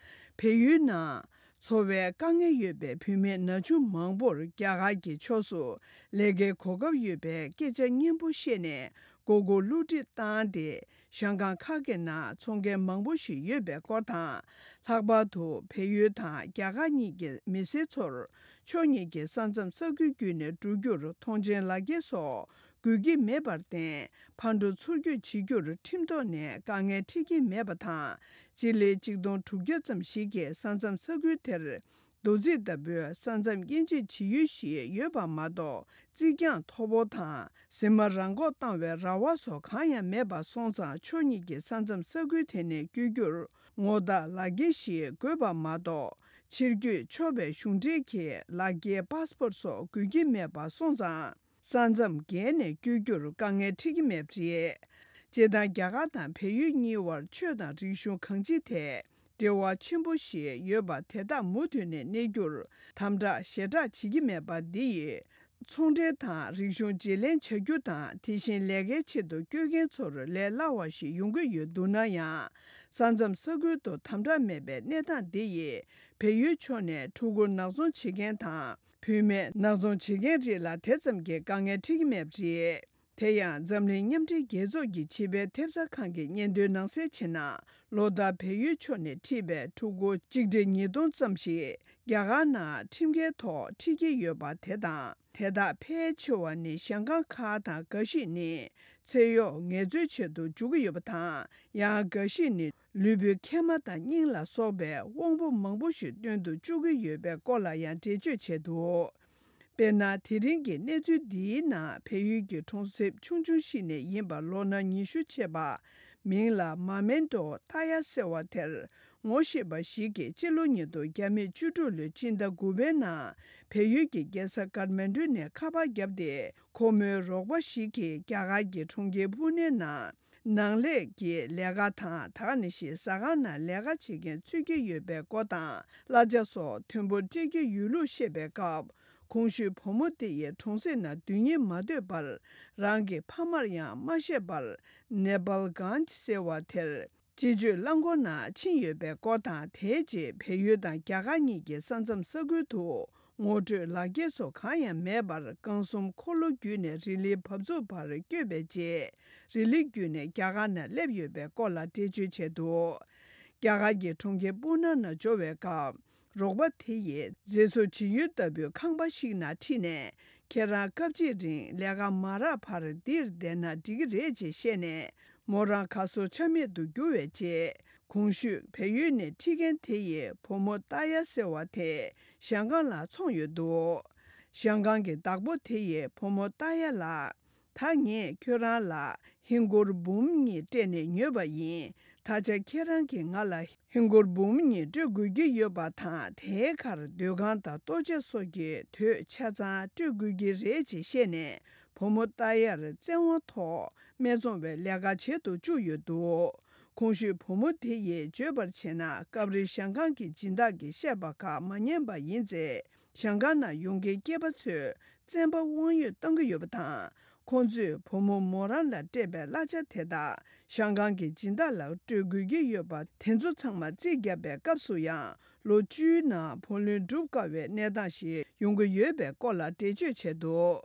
བལ་ཡུལ་ནང་འཚོ་བའི་དཀའ་ངལ་ཡོད་པའི་བུད་མེད་ན་ཆུང་མང་པོར་རྒྱ་གར་གྱི་ཕྱོགས་སུ་ལས་ཀའི་གོ་སྐབས་ཡོད་པའི་སྐད་ཆ་སྙན་པོ་བཤད་ནས། མགོ་སྐོར་བསླུ་བྲིད་བཏང་སྟེ། ཞང་ཀང་ཁ་གི་ནང་ཚོང་མཁན་མང་པོ་ཞིག་ཡོད་པའི་སྐོར་དང་། ལྷག་པར་དུ་བལ་ཡུལ་དང་རྒྱ་གར་གཉིས་ཀྱི་མི་སེར་ཚོར་ཕྱོགས་གཉིས་ཀྱི་ས་མཚམས་ས་ཁུལ་བརྒྱུད་ནས་འགྲོ་རྒྱུར་མཐོང་མཆན་ལག་འཁྱེར་སོགས་དགོས་ཀྱི་མེད་པར་བརྟེན། ཕར་འགྲོ་ཚུར་སྐྱོད་བྱེད་རྒྱུར་ཁྲིམས་ཐོག་ནས་དཀའ་ངལ་འཕྲད་ཀྱི་མེད་པ་དང་། སྤྱི་ལེ་ཆིག་སྟོང་དྲུག་བརྒྱ་ཙམ་ཞིག་གི་ས་མཚམས་ས་ཁུལ་དེར། རྡོ་རྩིག་ལྟ་བུའི་ས་མཚམས་དབྱེ་འབྱེད་བྱེད་ཡུལ་ཞིག་ཡོད་པ་མ་གཏོགས། རྩིག་གྱང་མཐོ་པོ་དང་གཟིགས་མོ་རང་འགོག་བཏང་བའི་ར་བ་སོགས་གང་ཡང་མེད་པ་སོང་ཙང་། ཕྱོགས་གཉིས་ཀྱི་ས་མཚམས་ས་ཁུལ་དེ་ནས་བསྐྱོད་རྒྱུར་ངོ་རྟགས་ལག་འཁྱེར་ཞིག་དགོས་པ་མ་གཏོགས། ཕྱིར་སྐྱོད་ཆོག་པའི་གཞུང་འབྲེལ་གྱི་ལག་འཁྱེར་པཱ་སི་པོར་སོགས་དགོས་ཀྱི་མེད་པ་སོང་ཙང་། ས་མཚམས་བརྒལ་ནས་བསྐྱོད་རྒྱུར་དཀའ་ངལ་འཕྲད་ཀྱི་མེད་པ་རེད། སྤྱིར་བཏང་རྒྱ་གར་དང་བལ་ཡུལ་གཉིས་དབར་ཆོས་དང་རིག་གཞུང་གང་ཅིའི་ཐད་འབྲེལ་བ་ཆེན་པོ་ཞིག་ཡོད་པ་དེ་དག་མུ་མཐུད་ནས་གནས་རྒྱུར་དམ་དྲག་ཞེ་དྲག་བྱེད་ཀྱི་མེད་པ་འདི་ཡིས། ཚོང་འབྲེལ་དང་རིག་གཞུང་བརྗེ་ལེན་བྱ་རྒྱུ་དང་། དེ་བཞིན་ལས་ཀའི་ཆེད་དུ་བསྐྱོད་མཁན་ཚོར་ལས་སླ་བ་ཞིག་ཡོང་གི་ཡོད་འདུག་ན་ཡང་། ས་མཚམས་ས་ཁུལ་དུ་དམ་དྲག་མེད་པའི་གནས་སྟངས་འདི་ཡིས་བལ་ཡུལ་ཕྱོགས་ནས་ཕྲུ་གུ་ནག་ཚོང་བྱེད་མཁན་དང་། བུད་མེད་ནག་ཚོང་བྱེད་མཁན་རིགས་ལ་དེ་ཙམ་གྱི་དཀའ་ངལ་འཕྲད་ཀྱི་མེད་པ་རེད། དེ་ཡང་འཛམ་གླིང་མཉམ་འབྲེལ་རྒྱལ་ཚོགས་ཀྱི་བྱིས་པའི་ཐེབས་རྩ་ཁང་གི་སྙན་ཐོའི་ནང་གསལ་བྱས་ན། ལོ་ལྟར་བལ་ཡུལ་ཕྱོགས་ནས་ཁྲིད་པའི་ཕྲུ་གུ་གཅིག་ཁྲི་ཉིས་སྟོང་ཙམ་ཞིག་རྒྱ་གར་ནང་ཁྲིམས་འགལ་ཐོག་ཁྲིད་ཀྱི་ཡོད་པ་དེ་དང་། དེ་དག་ཕལ་ཆེ་བ་ནི་ཞང་ཀང་ཁག་དང་། འགའ་ཞིག་ནི་ཚེ་གཡོག་ངལ་རྩོལ་ཆེད་དུ་འཇུག་གི་ཡོད་པ་དང་། ཡང་འགའ་ཞིག་ནི་ལུས་པོའི་མཁལ་མ་དང་སྙིང་ལ་སོགས་པའི་དབང་པོ་མང་པོ་ཞིག་བཏོན་དུ་བཅུག་གི་ཡོད་པའི་སྐོར་ལ་ཡང་འགྲེལ་བརྗོད་བྱས་འདུག་དཔེར་ན། དེ་རིང་གི་གནས་ཚུལ་འདིའི་ནང་བལ་ཡུལ་གྱི་གྲོང་གསེབ་ཆུང་ཆུང་ཞིག་ནས་ཡིན་པ། ལོ་ན་ཉི་ཤུ་བྱས་པ། མིང་ལ་མ་མེན་ཏོ་ཏཱ་ཡ་ཟེར་བ་དེར་ངོ་ཤེས་པ་ཞིག་གིས་སྤྱི་ལོ་ཉིས་སྟོང་བརྒྱ་མེད་བཅུ་དྲུག་ལོའི་སྤྱི་ཟླ་དགུ་པའི་ནང་བལ་ཡུལ་གྱི་རྒྱལ་ས་ཀཏ་མན་ཌུ་ནས་ཁ་པར་བརྒྱབ་སྟེ། ཁོ་མོའི་རོགས་པ་ཞིག་གིས་རྒྱ་གར་གྱི་གྲོང་ཁྱེར་པུ་ནེ་ནང་ནང་ལས་ཀྱི་ལས་ཀ་དང་། ད་ག་ནང་བཞིན་ཟ་ཁང་ནང་ལས་ཀ་བྱེད་མཁན་འཚོལ་གྱི་ཡོད་པའི་སྐོར་དང་། གླ་ཆ་སོགས་མཐོན་པོ་སྤྲད་ཀྱི་ཡོད་ལུགས་བཤད་པའི་སྐབས། གོང་ཞུས་བུ་མོ་དེ་ཡིས་གྲོང་གསེབ་ནང་སྡོད་སྙིང་མ་འདོད་པར། རང་གི་ཕ་མར་ཡང་མ་བཤད་པར། ནེ་པཱལ་གྷན་ཇི་ཟེར་བ་དེར་སྤྱི་སྤྱོད་རླངས་འཁོར་ནང་ཕྱིན་ཡོད་པའི་སྐོར་དང་། དེའི་རྗེས་བལ་ཡུལ་དང་རྒྱ་གར་གཉིས་ཀྱི་ས་མཚམས་ས་ཁུལ་དུ་ངོ་སྤྲོད་ལག་འཁྱེར་སོགས་གང་ཡང་མེད་པར། རྐང་གསུམ་འཁོར་ལོ་བརྒྱུད་ནས་རི་ལིའི་བབས་ཚུགས་བར་བསྐྱོད་པའི་རྗེས། རི་ལི་བརྒྱུད་ནས་རྒྱ་གར་ནང་སླེབས་ཡོད་པའི་སྐོར་ལ་འགྲེལ་བརྗོད་བྱས་འདུག་རྒྱ་གར་གྱི་གྲོང་ཁྱེར་པུ་ན་ནང་འབྱོར་བའི་སྐབས། རོགས་པ་དེ་ཡིས་མཛེས་བཟོ་བྱེད་ཡུལ་ལྟ་བུའི་ཁང་པ་ཞིག་ནང་ཁྲིད་ནས། ཁྱེད་རང་སྐབས་གཅིག་རིང་ལས་ཀ་མ་རག་བར་འདིར་བསྡད་ན་འགྲིག་གི་རེད་ཅེས་བཤད་ནས། མོ་རང་གར་སོང་ཆ་མེད་དུ་གྱུར་བའི་རྗེས། གོང་ཞུས་བལ་ཡུལ་ནས་ཁྲིད་མཁན་དེ་ཡིས་བུ་མོ་ཏཱ་ཡ་ཟེར་བ་དེ་ཞང་ཀང་ལ་འཚོང་ཡོད་འདུག་ཞང་ཀང་གི་བདག་པོ་དེ་ཡིས་བུ་མོ་ཏཱ་ཡ་ལ། ད་ངས་ཁྱོད་རང་ལ་ཧིན་སྒོར་འབུམ་གཉིས་སྤྲད་ནས་ཉོས་པ་ཡིན། ད་ཆ་ཁྱེད་རང་གིས་ང་ལ་ཧིན་སྒོར་འབུམ་གཉིས་སྤྲོད་དགོས་ཀྱི་ཡོད་པ་དང་། དེའི་ཁར་སྡོད་ཁང་དང་ལྟོ་ཆས་སོགས་ཀྱི་དོད་ཆ་ཚང་སྤྲོད་དགོས་ཀྱི་རེད་ཅེས་བཤད་ནས། བུ་མོ་ཏཱ་ཡར་བཙན་དབང་ཐོག་སྨད་འཚོང་བའི་ལས་ཀ་བྱེད་དུ་བཅུག་ཡོད་འདུག་གོང་ཞུས་བུ་མོ་དེ་ཡིས་བརྗོད་པར་བྱས་ན། སྐབས་རེ་ཞང་ཀང་གི་སྦྱིན་བདག་གིས་བཤད་པ་ཁག་མ་ཉན་པ་ཡིན་ཚེ། ཞང་ཀང་ནང་ཡོང་མཁན་སྐྱེས་པ་ཚོས་བཙན་པ་དབང་ཡོད་གཏོང་གི་ཡོད་པ་དང་། ཁོང་ཚོས་བུ་མོ་མོ་རང་ལ་སྤྲད་པའི་གླ་ཆ་དེ་དག་ཞང་ཀང་གི་སྦྱིན་བདག་ལ་སྤྲོད་དགོས་ཀྱི་ཡོད་པ། དེ་ཚོ་ཚང་མ་རྩིས་བརྒྱབ་པའི་སྐབས་སུ་ཡང་། ལོ་བཅུའི་ནང་བུ་ལོན་སྒྲུབ་དཀའ་བའི་གནས་སྟངས་ཤིག་ཡོང་གི་ཡོད་པའི་སྐོར་ལ་འགྲེལ་བརྗོད་བྱས་འདུག་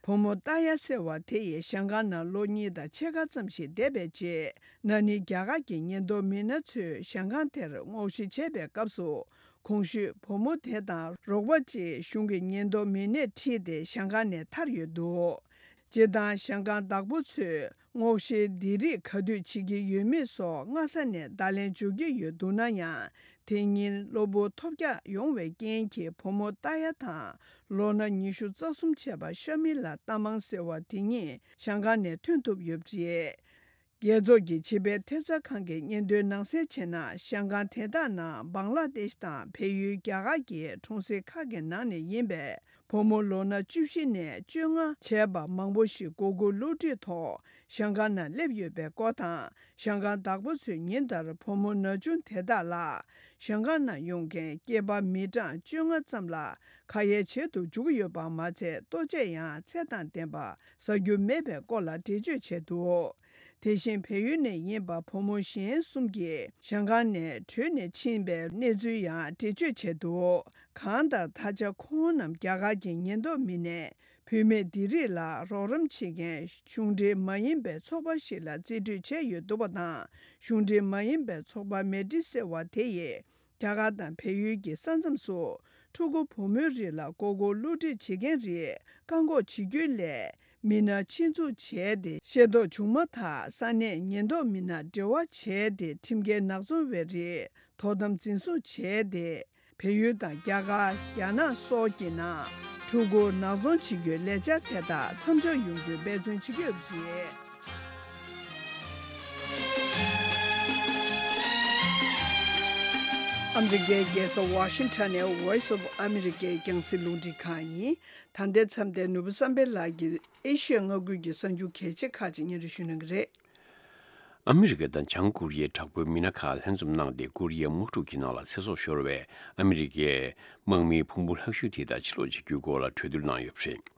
བུ་མོ་ཏཱ་ཡ་ཟེར་བ་དེ་ཡིས་ཞང་ཀང་ནང་ལོ་གཉིས་དང་ཕྱེད་ཀ་ཙམ་ཞིག་བསྡད་པའི་རྗེས། ན་ནིང་རྒྱ་གར་གྱི་ཉེན་རྟོག་མི་སྣ་ཚོས་ཞང་ཀང་དེར་སྔོག་བཤེར་བྱས་པའི་སྐབས་སུ། གོང་ཞུས་བུ་མོ་དེ་དང་རོགས་པ་གཅིག་གཞུང་གི་ཉེན་རྟོག་མི་སྣས་ཁྲིད་དེ་ཞང་ཀང་ནས་ཐར་ཡོད་འདུག་སྤྱིར་བཏང་ཞང་ཀང་བདག་པོ་ཚོས་སྔོག་བཤེར་འདི་རིགས་ག་དུས་བྱེད་ཀྱི་ཡོད་མེད་སོགས་སྔ་ས་ནས་བརྡ་ལན་འབྱོར་གྱི་ཡོད་འདུག་ན་ཡང་། དེ་ཉིན་གློ་བུར་ཐོལ་རྒྱག་ཡོང་བའི་རྐྱེན་གྱིས་བུ་མོ་ཏཱ་ཡ་དང་ལོ་ན་ཉི་ཤུ་རྩ་གསུམ་བྱས་པ་ཤ་མི་ལ་ཏ་མང་ཟེར་བ་དེ་ཉིད་ཞང་ཀང་ནས་ཐོན་ཐུབ་ཡོད་པ་རེད། རྒྱལ་ཚོགས་ཀྱི་བྱིས་པའི་ཐེབས་རྩ་ཁང་གི་སྙན་ཐོའི་ནང་གསལ་བྱས་ན། ཞང་ཀང་དེ་དག་ནང་བང་ལ་དེཤ་དང་བལ་ཡུལ་རྒྱ་གར་གྱི་གྲོང་གསེབ་ཁག་གི་ནང་ནས་ཡིན་པའི་བུ་མོ་ལོ་ན་བཅུ་བཞི་ནས་བཅོ་ལྔ་བྱས་པ་མང་པོ་ཞིག་མགོ་སྐོར་བསླུ་བྲིད་ཐོག་ཞང་ཀང་ནང་སླེབས་ཡོད་པའི་སྐོར་དང་། ཞང་ཀང་བདག་པོ་ཚོས་ཉིན་ལྟར་བུ་མོ་ན་ཆུང་དེ་དག་ལ་ཞང་ཀང་ནང་ཡོང་མཁན་སྐྱེས་པ་མི་གྲངས་བཅོ་ལྔ་ཙམ་ལ་ཁ་ཡ་བྱེད་དུ་འཇུག་གི་ཡོད་པ་མ་ཟད། ལྟོ་ཆས་ཡང་ཚད་དང་ལྡན་པ་ཟ་རྒྱུ་མེད་པའི་སྐོར་ལ་འགྲེལ་བརྗོད་བྱས་འདུག་དེ་བཞིན་བལ་ཡུལ་ནས་ཡིན་པ་བུ་མོ་གཞན་གསུམ་གྱིས་ཞང་ཀང་ནས་བྲོས་ནས་ཕྱིན་པའི་གནས་ཚུལ་ཡང་འགྲེལ་བརྗོད་བྱས་འདུག་གང་ལྟར་ད་ཆ་ཁོང་རྣམས་རྒྱ་གར་གྱི་ཉེན་རྟོག་མི་སྣས་ བུད་མེད་འདི་རིགས་ལ་རོགས་རམ་བྱེད་མཁན་གཞུང་འབྲེལ་མ་ཡིན་པའི་ཚོགས་པ་ཞིག་ལ་རྩིས་སྤྲོད་བྱས་ཡོད་འདུག་པ་དང་། གཞུང་འབྲེལ་མ་ཡིན་པའི་ཚོགས་པ་མེ་ཏི་ཟེར་བ་དེ་ཡིས། རྒྱ་གར་དང་བལ་ཡུལ་གྱི་ས་མཚམས་སུ་ཕྲུ་གུ་བུ་མོའི་རིགས་ལ་མགོ་སྐོར་བསླུ་བྲིད་བྱེད་མཁན་རིགས་བཀག་འགོག་བྱེད་རྒྱུའི་སླད། མི་སྣ་ཆེད་འཛུགས་བྱས་ཏེ་ཤེས་རྟོགས་བྱུང་མ་ཐག་ས་གནས་ཉེན་རྟོག་མི་སྣ་འབྲེལ་བ་བྱས་ཏེ་ཁྲིམས་འགལ་ནག་ཚོང་བའི་རིགས་དོ་དམ་འཛིན་བཟུང་བྱས་ཏེ། བལ་ཡུལ་དང་རྒྱ་གར། རྒྱ་ནག་སོགས་ཀྱི་ནང་ཕྲུ་གུ་ནག་ཚོང་བྱེད་རྒྱུའི་ལས་འཆར་དེ་དག་མཚམས་འཇོག་ཡོང་རྒྱུའི་འབད་བརྩོན་བྱེད་ཀྱི་ཡོད་པ་རེད། ཨ་མི་རི་ཀའི་རྒྱལ་ས་ཝ་ཤིང་ཊོན་ནས་Voice of America་རྒྱང་སྲིང་རླུང་འཕྲིན་ཁང་ཡིན། ད་ལྟའི་མཚམས་དེར་ནོར་བུ་བསམ་འཕེལ་ལགས་ཀྱིས་ཨེ་ཤི་ཡ་མངའ་ཁུལ་གྱི་གསར་འགྱུར་གལ་ཆེ་ཁག་ཅིག་སྙན་སྒྲོན་ཞུ་གནང་གི་རེད། ཨ་མི་རི་ཀ་དང་བྱང་ཀོ་རི་ཡའི་དྲག་པོའི་མི་སྣ་ཁག་ལྷན་འཛོམས་གནང་སྟེ། ཀོ་རི་ཡའི་དམག་འཁྲུག་གི་ནང་ལ་ཚེ་སྲོག་ཤོར་བའི་ཨ་མི་རི་ཀའི་དམག་མིའི་ཕུང་པོ་ལྷག་ཤོས་དེ་དག་ཕྱིར་སློག་བྱེད་རྒྱུའི་སྐོར་ལ་གྲོས་བསྡུར་གནང་ཡོད་པ་རེད།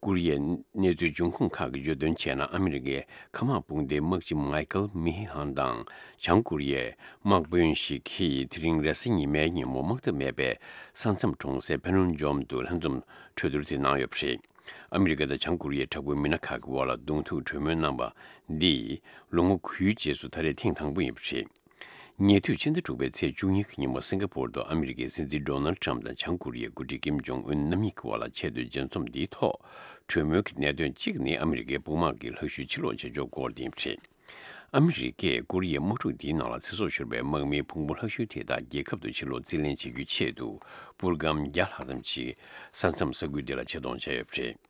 ཀོ་རི་ཡའི་གནས་ཚུལ་འབྱུང་ཁུངས་ཁག་གིས་བརྗོད་དོན་བྱས་ན། ཨ་མི་རི་ཀའི་མཁའ་དམག་དཔུང་སྡེའི་དམག་སྤྱི་མའི་ཀལ་མི་ཧི་ཧན་དང་བྱང་ཀོ་རི་ཡའི་དམག་དཔོན་ཞིག་གིས་དེ་རིང་རེས་གཟའ་ཉི་མའི་ཉིན་མོ་དམག་འཐབ་མེད་པའི་ས་མཚམས་གྲོང་གསེབ་ཕེ་ནོན་ཇོམ་དུ་ལྷན་འཛོམས་གྲོས་བསྡུར་དེ་གནང་ཡོད་པ་རེད། ཨ་མི་རི་ཀ་དང་བྱང་ཀོ་རི་ཡའི་དྲག་པོའི་མི་སྣ་ཁག་གི་དབར་ལ་གདོང་ཐུག་གྲོས་མོལ་གནང་བ་འདིས་ལོ་ངོ་དགུའི་རྗེས་སུ་ད་རེས་ཐེངས་དང་པོ་ཡིན་པ་རེད། ཉེ་དུས་ཕྱི་ཟླ་དྲུག་པའི་ཚེས་བཅུ་གཉིས་ཀྱི་ཉིན་མོ་སིང་ག་པོར་དུ་ཨ་མི་རི་ཀའི་སྲིད་འཛིན་ཌོ་ནལ་ཊམ་དང་བྱང་ཀོ་རི་ཡའི་འགོ་ཁྲིད་ཀིམ་ཇོང་ཨུན་རྣམ་གཉིས་ཀྱི་དབར་ལ་ཆེས་མཐོའི་མཇལ་འཛོམས་འདིའི་ཐོག་གྲོས་མོལ་གྱི་གནད་དོན་གཅིག་ནི་ཨ་མི་རི་ཀའི་དཔུང་དམག་གི་ལྷག་ཤུལ་ཕྱིར་སློག་བྱེད་ཕྱོགས་སྐོར་དེ་ཡིན་པ་རེད། ཨ་མི་རི་ཀས་ཀོ་རི་ཡའི་དམག་འཁྲུག་འདིའི་ནང་ལ་ཚེ་སྲོག་ཤོར་བའི་དམག་མིའི་ཕུང་པོ་ལྷག་ཤོས་དེ་དག་རྒྱལ་ཁབ་ཏུ་ཕྱིར་སློག་རྩིས་ལེན་བྱེད་རྒྱུའི་ཆེད་དུ་པུར་སྒམ་བརྒྱ་ལྷག་ཙམ་ཞིག་ས་མཚམས་ས་ཁུལ་འདི་ལ་ཆེད་གཏོང་བྱས་ཡོད་པ་རེད།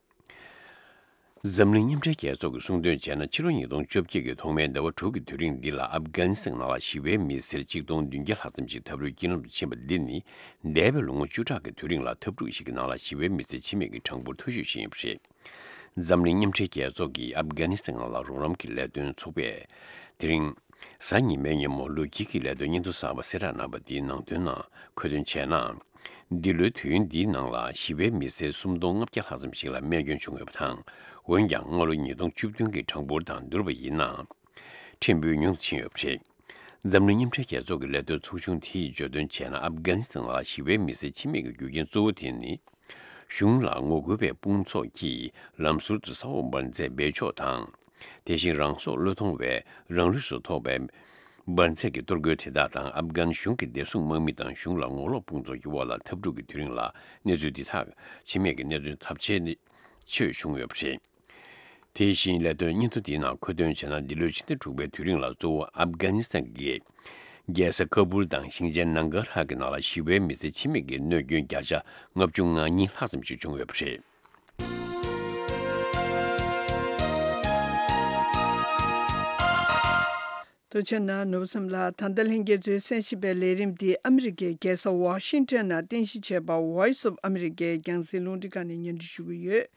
འཛམ་གླིང་མཉམ་འབྲེལ་རྒྱལ་ཚོགས་ཀྱིས་གསུངས་དོན་བྱས་ན། ཕྱི་ལོ་ཉིས་སྟོང་བཅོ་བརྒྱད་ཀྱི་ཐོག་མའི་ཟླ་བ་དྲུག་གི་དུས་རིང་འདི་ལ་ཨབ་གྷ་ནི་སི་ཐན་ནང་ལ་ཞི་བའི་མི་སེར་གཅིག་སྟོང་བདུན་བརྒྱ་ལྷག་ཙམ་ཞིག་ཐབས་རུས་རྐྱེན་ལམ་དུ་ཕྱིན་པ་འདི་ནི། འདས་པའི་ལོ་ངོ་བཅུ་ཕྲག་གི་དུས་རིང་ལ་འཐབ་འཁྲུག་ཞིག་གི་ནང་ལ་ཞི་བའི་མི་སེར་འཆི་རྨས་ཀྱི་གྲངས་འབོར་མཐོ་ཤོས་ཤིག་ཡིན་པ་རེད། འཛམ་གླིང་མཉམ་འབྲེལ་རྒྱལ་ཚོགས་ཀྱི་ཨབ་གྷ་ནི་སི་ཐན་ནང་ལ་རོགས་རམ་གྱི་ལས་དོན་ཚོགས་པས་དེ་རིང་གཟའ་ཉི་མའི་ཉིན་མོ་ལོ་དཀྱིལ་གྱི་ལས་དོན་སྙན་ཐོ་གསར་པ་གསལ་བསྒྲགས་གནང་བ་དེའི་ནང་དོན་ནང་འཁོད་དོན་བྱས་ན། འདི་ལོའི་དུས་ཡུན་འདིའི་ནང་ལ་ཞི་བའི་མི་སེར་སུམ་སྟོང་ལྔ་བརྒྱ་ལྷག་ཙམ་ཞིག་ལ་རྨས་སྐྱོན་བྱུང་ཡོད་པ་དང་། འོན་ཀྱང་སྔ་ལོ་ཉིས་སྟོང་བཅུ་བདུན་གྱི་གྲངས་འབོར་དང་བསྡུར་བ་ཡིན་ན། ཕྲན་བུ་ཉུང་དུ་ཕྱིན་ཡོད་པ་རེད། འཛམ་གླིང་མཉམ་འབྲེལ་རྒྱལ་ཚོགས་ཀྱི་ལས་དོན་ཚོགས་ཆུང་དེས་བརྗོད་དོན་བྱས་ན། ཨབ་གྷ་ནི་སི་ཐན་ལ་ཞི་བའི་མི་སེར་འཆི་རྨས་ཀྱི་རྒྱུ་རྐྱེན་གཙོ་བོ་དེ་ནི། གཞུང་ལ་ངོ་རྒོལ་བའི་དཔུང་ཚོགས་ཀྱིས་ལམ་ཟུར་དུ་ས་འོག་འབར་རྫས་སྦས་ཕྱོགས་དང་། དེ་བཞིན་རང་སྲོག་བློས་གཏོང་བའི་རང་ལུས་སུ་ཐོགས་པའི་འབར་རྫས་ཀྱི་གཏོར་རྒོལ་དེ་དག་དང་། ཨབ་གྷན་གཞུང་གི་བདེ་སྲུང་དམག་མི་དང་གཞུང་ལ་ངོ་ལོག་དཔུང་ཚོགས་ཀྱི་འོག་ལ་འཐབ་འཁྲུག་གི་དུས་རིང་ལ་གནས་ཚུལ་འདི་དག་འཆི་རྨས་ཀྱི་གནས་ཚུལ་ཚབས་ཆེ་ནི་ཆེ་བྱུང་ཡོད་པ་རེད། དེ་བཞིན་ལས་དོན་སྙན་ཐོ་འདིའི་ནང་འཁོད་དོན་བྱས་ན། འདི་ལོའི་ཕྱི་ཟླ་དྲུག་པའི་དུས་རིང་ལ་གཙོ་བོ་ཨབ་གྷ་ནི་སི་ཐན་གྱི་རྒྱལ་ས་ཀ་བུལ་དང་ཞིང་ཆེན་ནང་གྷ་ར་གི་ནང་ལ་ཞི་བའི་མི་སེར་འཆི་རྨས་ཀྱི་གནོད་སྐྱོན་བརྒྱ་ཆ་ལྔ་བཅུ་ང་གཉིས་ལྷག་ཙམ་ཞིག་བྱུང་ཡོད་པ་རེད། ཐུགས་རྗེ་གནང་། ནོར་བུ་བསམ་ལགས། ད་ལྟ་ལྷན་རྒྱས་ཚོས་གསན་བཞིན་པའི་ལས་རིམ་འདི་ཨ་མི་རི་ཀའི་རྒྱལ་ས་ཝ་ཤིང་ཊོན་ནང་རྟེན་གཞི་བྱས་པ་Voice of America་རྒྱང་སྲིང་རླུང་འཕྲིན་ཁང་ནས་སྙན་སྒྲོན་ཞུ་གི་ཡོད།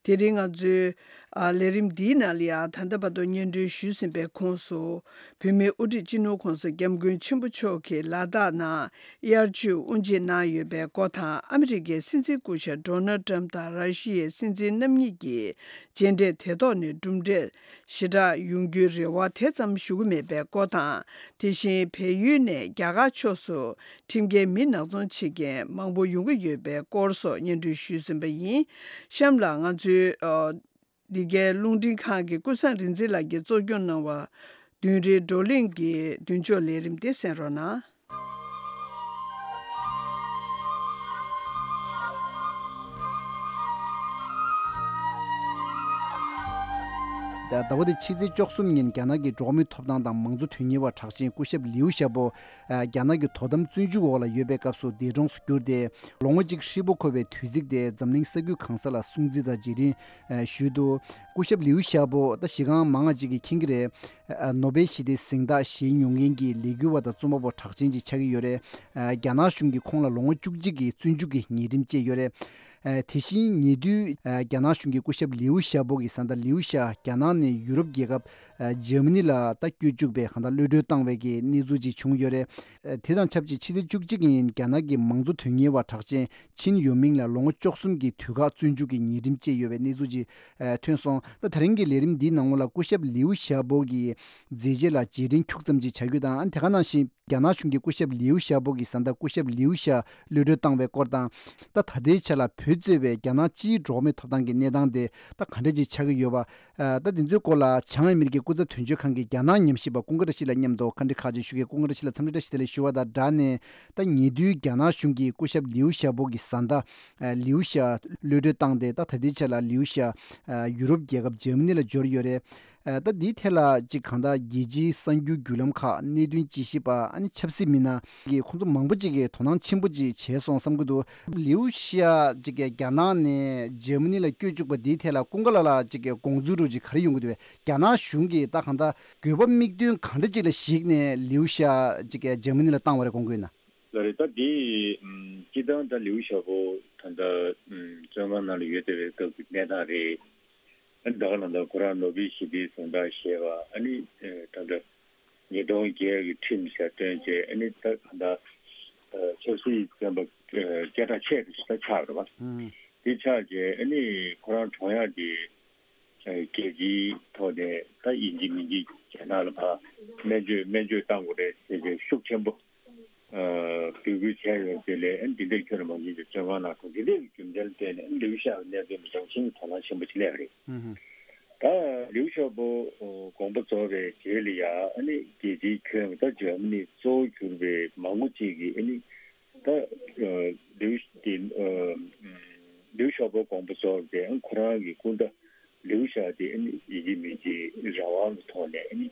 དེ་རིང་ང་ཚོའི་ཨ་ལས་རིམ་འདིའི་ནང་ལ་ཡང་ད་ལྟ་བར་དུ་སྙན་སྒྲོན་ཞུས་ཟིན་པའི་ཁོངས་སུ། བོད་མིའི་དབུ་ཁྲིད་སྤྱི་ནོར་༸གོང་ས་༸སྐྱབས་མགོན་ཆེན་པོ་མཆོག་གིས་ལ་དྭགས་ནང་དབྱར་ཆོས་དབུ་འབྱེད་གནང་ཡོད་པའི་སྐོར་དང་། ཨ་མི་རི་ཀའི་སྲིད་འཛིན་སྐུ་ཞབས་ཌོ་ནལ་ཊམ་དང་ར་ཤི་ཡའི་སྲིད་འཛིན་རྣམ་གཉིས་ཀྱི་མཇལ་འཕྲད་དེ་ཐོག་ནས་གྲུབ་འབྲས་ཞེ་དྲག་ཡོང་རྒྱུའི་རེ་བ་དེ་ཙམ་ཞུ་གི་མེད་པའི་སྐོར་དང་། དེ་བཞིན་བལ་ཡུལ་ནས་རྒྱ་གར་ཕྱོགས་སུ་ཁྲིམས་འགལ་མི་ནག་ཚོང་བྱེད་མཁན་མང་པོ་ཡོང་གི་ཡོད་པའི་སྐོར་སོགས་སྙན་སྒྲོན་ཞུས་ཟིན་པ་ཡིན། གཤམ་ལ་ང་ཚོའི་ཨ་འདི་གའི་རླུང་འཕྲིན་ཁང་གི་ཀུན་བཟང་རིག་འཛིན་ལགས་ཀྱིས་གཙོ་སྐྱོང་གནང་བ་བདུན་རེའི་བགྲོ་གླེང་གི་མདུན་ཅོག་ལས་རིམ་དེ་གསན་རོགས་གནང་། ཟླ་བ་འདིའི་ཕྱི་ཚེས་བཅུ་གསུམ་ཉིན་རྒྱ་ནག་གི་འགྲོ་བ་མིའི་ཐོབ་ཐང་དང་མང་གཙོ་དོན་གཉེར་བ་གྲགས་ཅན་སྐུ་ཞབས་ལིའུ་ཞའོ་པོ། ཨ་རྒྱ་ནག་གི་དོ་དམ་བཙོན་འཇུག་འོག་ལ་ཡོད་པའི་སྐབས་སུ་འདས་གྲོངས་སུ་གྱུར་ཏེ། ལོ་ངོ་གཅིག་ཧྲིལ་པོ་འཁོར་བའི་དུས་ཚིགས་དེ་འཛམ་གླིང་ས་ཁུལ་གང་ས་ལ་སྲུང་བརྩི་དང་རྗེས་དྲན་ཞུས་འདུག་སྐུ་ཞབས་ལིའུ་ཞའོ་པོ་ད་གཞི་རྐང་མང་ང་ཅིག་གིས་མཁྱེན་གྱི་རེད། ཨ་ནོ་བེལ་ཞི་བདེའི་གཟེངས་རྟགས་བཞེས་མྱོང་མཁན་གྱི་ལས་འགུལ་བ་དང་རྩོམ་པ་པོ་གྲགས་ཅན་ཅིག་ཆགས་ཀྱི་ཡོད་རེད། ཨ་རྒྱ་ནག་གཞུང་གིས་ཁོང་ལ་ལོ་ངོ་བཅུ་གཅིག་གི་བཙོན་འཇུག་གི་ཉེས་ཁྲིམས་བཅད་ཡོད་རེད། ཨ་དེ་བཞིན་ཉེ་དུས་ཨ་རྒྱ་ནག་གཞུང་གིས་སྐུ་ཞབས་ལིའུ་ཞའོ་པོ་གི་བཟའ་ཟླ་ལིའུ་ཞའོ་རྒྱ་ནག་ནས་ཡུ་རོབ་རྒྱལ་ཁབ་ ཨ་འཇར་མ་ནི་ལ་ད་བསྐྱོད་བཅུག་པའི་གང་ལྟར་གློད་གྲོལ་བཏང་བའི་གི་གནས་ཚུལ་ཅིག་བྱུང་ཡོད་རེད། ཨ་དེ་དང་ཆབས་ཅིག་ཕྱི་ཚེས་བཅུ་གཅིག་ཉིན་རྒྱ་ནག་གི་མང་གཙོ་དོན་གཉེར་བ་གྲགས་ཅན་ཆིན་ཡོ་མིང་ལ་ལོ་ངོ་བཅུ་གསུམ་གྱི་དུས་བཀག་བཙོན་འཇུག་གི་ཉེས་ཁྲིམས་བཅད་ཡོད་པའི་གནས་ཚུལ་ཅིག་ཨ་ཐོན་སོང་། ད་ད་རིང་གི་ལས་རིམ་འདིའི་ནང་ལོགས་ལ་སྐུ་ཞབས་ལིའུ་ཞའོ་པོ་གི་མཛད་རྗེས་ལ་རྗེས་དྲན་ཁྱུག་ཙམ་ཅིག་བྱ་རྒྱུ་དང་། ཨ་དེ་ག་ནང་བཞིན་རྒྱ་ནག་གཞུང་གིས་སྐུ་ཞབས་ལིའུ་ཞའོ་པོ་གི་བཟའ་ཟླ་སྐུ་ཞབས་ལིའུ་ཞའོ་གློད་གྲོལ་བཏང་བའི་སྐོར་དང་། ད་ད་ལྟའི་ཆ་ལ་བོད་གཙོས་པའི་རྒྱ་ནག་སྤྱིའི་འགྲོ་བ་མིའི་ཐོབ་ཐང་གི་གནས་སྟངས་དེ་ད་ག་འདྲ་ཅིག་ཆགས་ཀྱི་ཡོད་པ། ཨ་ད་དེ་ཚོའི་སྐོར་ལ་བྱང་ཨ་མི་རི་ཀའི་སྐུ་ཚབ་དོན་གཅོད་ཁང་གི་རྒྱ་ནག་ཉམས་ཞིབ་པ་ཀུན་དགའ་བཀྲ་ཤིས་ལགས་མཉམ་དུ་བཀའ་འདྲི་ཁག་ཅིག་ཞུ་གི། ཀུན་དགའ་བཀྲ་ཤིས་ལགས་འཚམས་འདྲི་བཀྲ་ཤིས་བདེ་ལེགས་ཞུ་བ་དང་སྦྲགས་ནས། ད་ཉེ་དུས་རྒྱ་ནག་གཞུང་གིས་སྐུ་ཞབས་ལིའུ་ཞའོ་པོ་གི་བཟའ་ཟླ་ཨ་ལིའུ་ཞའོ་གློད་གྲོལ་བཏང་སྟེ། ད་ད་ལྟའི་ཆ་ལ་ལིའུ་ཞའོ་ཨ་ཡུ་རོབ་རྒྱལ་ཁབ་འཇར་མ་ནི་ལ་འབྱོར་ཡོད་རེད། ཨ་ད་འདིའི་ཐད་ལ་ཅིག་གང་ལྟར་རྒྱལ་སྤྱིའི་གསར་འགྱུར་བརྒྱུད་ལམ་ཁག་གནད་དོན་དཔྱད་ཞིབ་པ་ཨ་ནི་ཆབ་སྲིད་མི་སྣ་གིས་ཁོང་ཚོ་མང་པོ་ཅིག་གིས་དོ་སྣང་ཆེན་པོ་ཅིག་བྱས་སོང་བསམ་གྱི་འདུག། ལིའུ་ཞའོ་ཅིག་གིས་རྒྱ་ནག་ནས་འཇར་མ་ནི་ལ་བསྐྱོད་བཅུག་པ་འདིའི་ཐད་ལ་ཀུན་དགའ་ལགས་ལ་ཅིག་གི་དགོངས་ཚུལ་རུ་ཅིག་ག་རེ་ཡོང་གི་འདུག་བས། རྒྱ་ནག་གཞུང་གིས་ད་གང་ལྟར་དགོས་པ་དམིགས་དོན་གང་འདྲ་ཅིག་ལ་གཞིགས་ནས་ལིའུ་ཞའོ་ཅིག་གིས་འཇར་མ་ནི་ལ་བཏང་བ་རེད་དགོངས་ཀྱི་ཡོད་ན། ལགས་རེད། ད་འདི་ཨམ་སྤྱིར་བཏང་ད་ལིའུ་ཞའོ་པོ་ད་ལྟ་ཨམ་བཙོན་ཁང་ནང་ལ་ཡོད་བསྡད་པའི་སྐབས་ཀྱི་གནས་སྟངས་རེད། ཨ་ནི་ད་ག་ནང་ལྟར་ཁོ་རང་ནོ་བེལ་ཞི་བདེའི་གཟེངས་རྟགས་བཞེས་པ། ཨ་ནི་ཨེ་ད་ལྟ་ཉིས་སྟོང་བརྒྱད་ཀྱི་ཁྲིམས་ཞིག་བཏོན་བྱས། ཨ་ནི་ད་ག་ད་ཨ་ཆབ་སྲིད་བཙོན་པ་ཨ་སྐད་གྲགས་ཆེ་རུ་ཞིག་ད་ཆགས་རེད་བ། ཨང་། དེ་ཆགས་བྱས་ཨ་ནི་ཁོ་རང་གྲོངས་ཡག་གི་ཨ་རྒྱལ་སྤྱིའི་ཐོག་ནས་ད་ཡིན་གཅིག་མིན་གཅིག་རྒྱ་ནག་ལ་ཕར་སྨན་བཅོས་སྨན་བཅོས་བཏང་དགོས་རེད་ཟེར་བྱས་ཤུགས་ཆེན་པོ་ཨ་འབོད་སྐུལ་བྱས་ཡོད། དེ་ལས་ཨ་ནི་འདི་འདྲའི་ཁྱོན་ནས་མ་ཡིན་པའི་བཙོན་ཁང་ནང་ཁོ་འདི་འདྲའི་རྒྱུ་མཚན་བརྟེན་ནས་ཨ་ནི་ལིའུ་ཞའོ་གནད་དོན་ལ་རྒྱང་ཤིང་དོ་སྣང་ཆེན་པོ་ཅིག་སླེབས་རེད། ཨང་། ད་ལིའུ་ཞའོ་པོ་དགོངས་པ་རྫོགས་པའི་རྗེས་ལ་ཡ་ཨ་ནི་རྒྱལ་སྤྱིའི་ཁྱོན་ད་འཇར་མ་ནི་གཙོ་བོ་གྱུར་པའི་མང་པོ་ཅིག་གིས་ཨ་ནི་ད་ལིའུ་དེ་ལིའུ་ཞའོ་པོ་དགོངས་པ་རྫོགས་པའི་ཨ་ཁོ་རང་གི་སྐུ་ཟླ་ལིའུ་ཞའོ་དེ་ཨ་ནི་ཡིན་གཅིག་མིན་གཅིག་རང་དབང་གི་ཐོག་ནས་ཨ་ནི་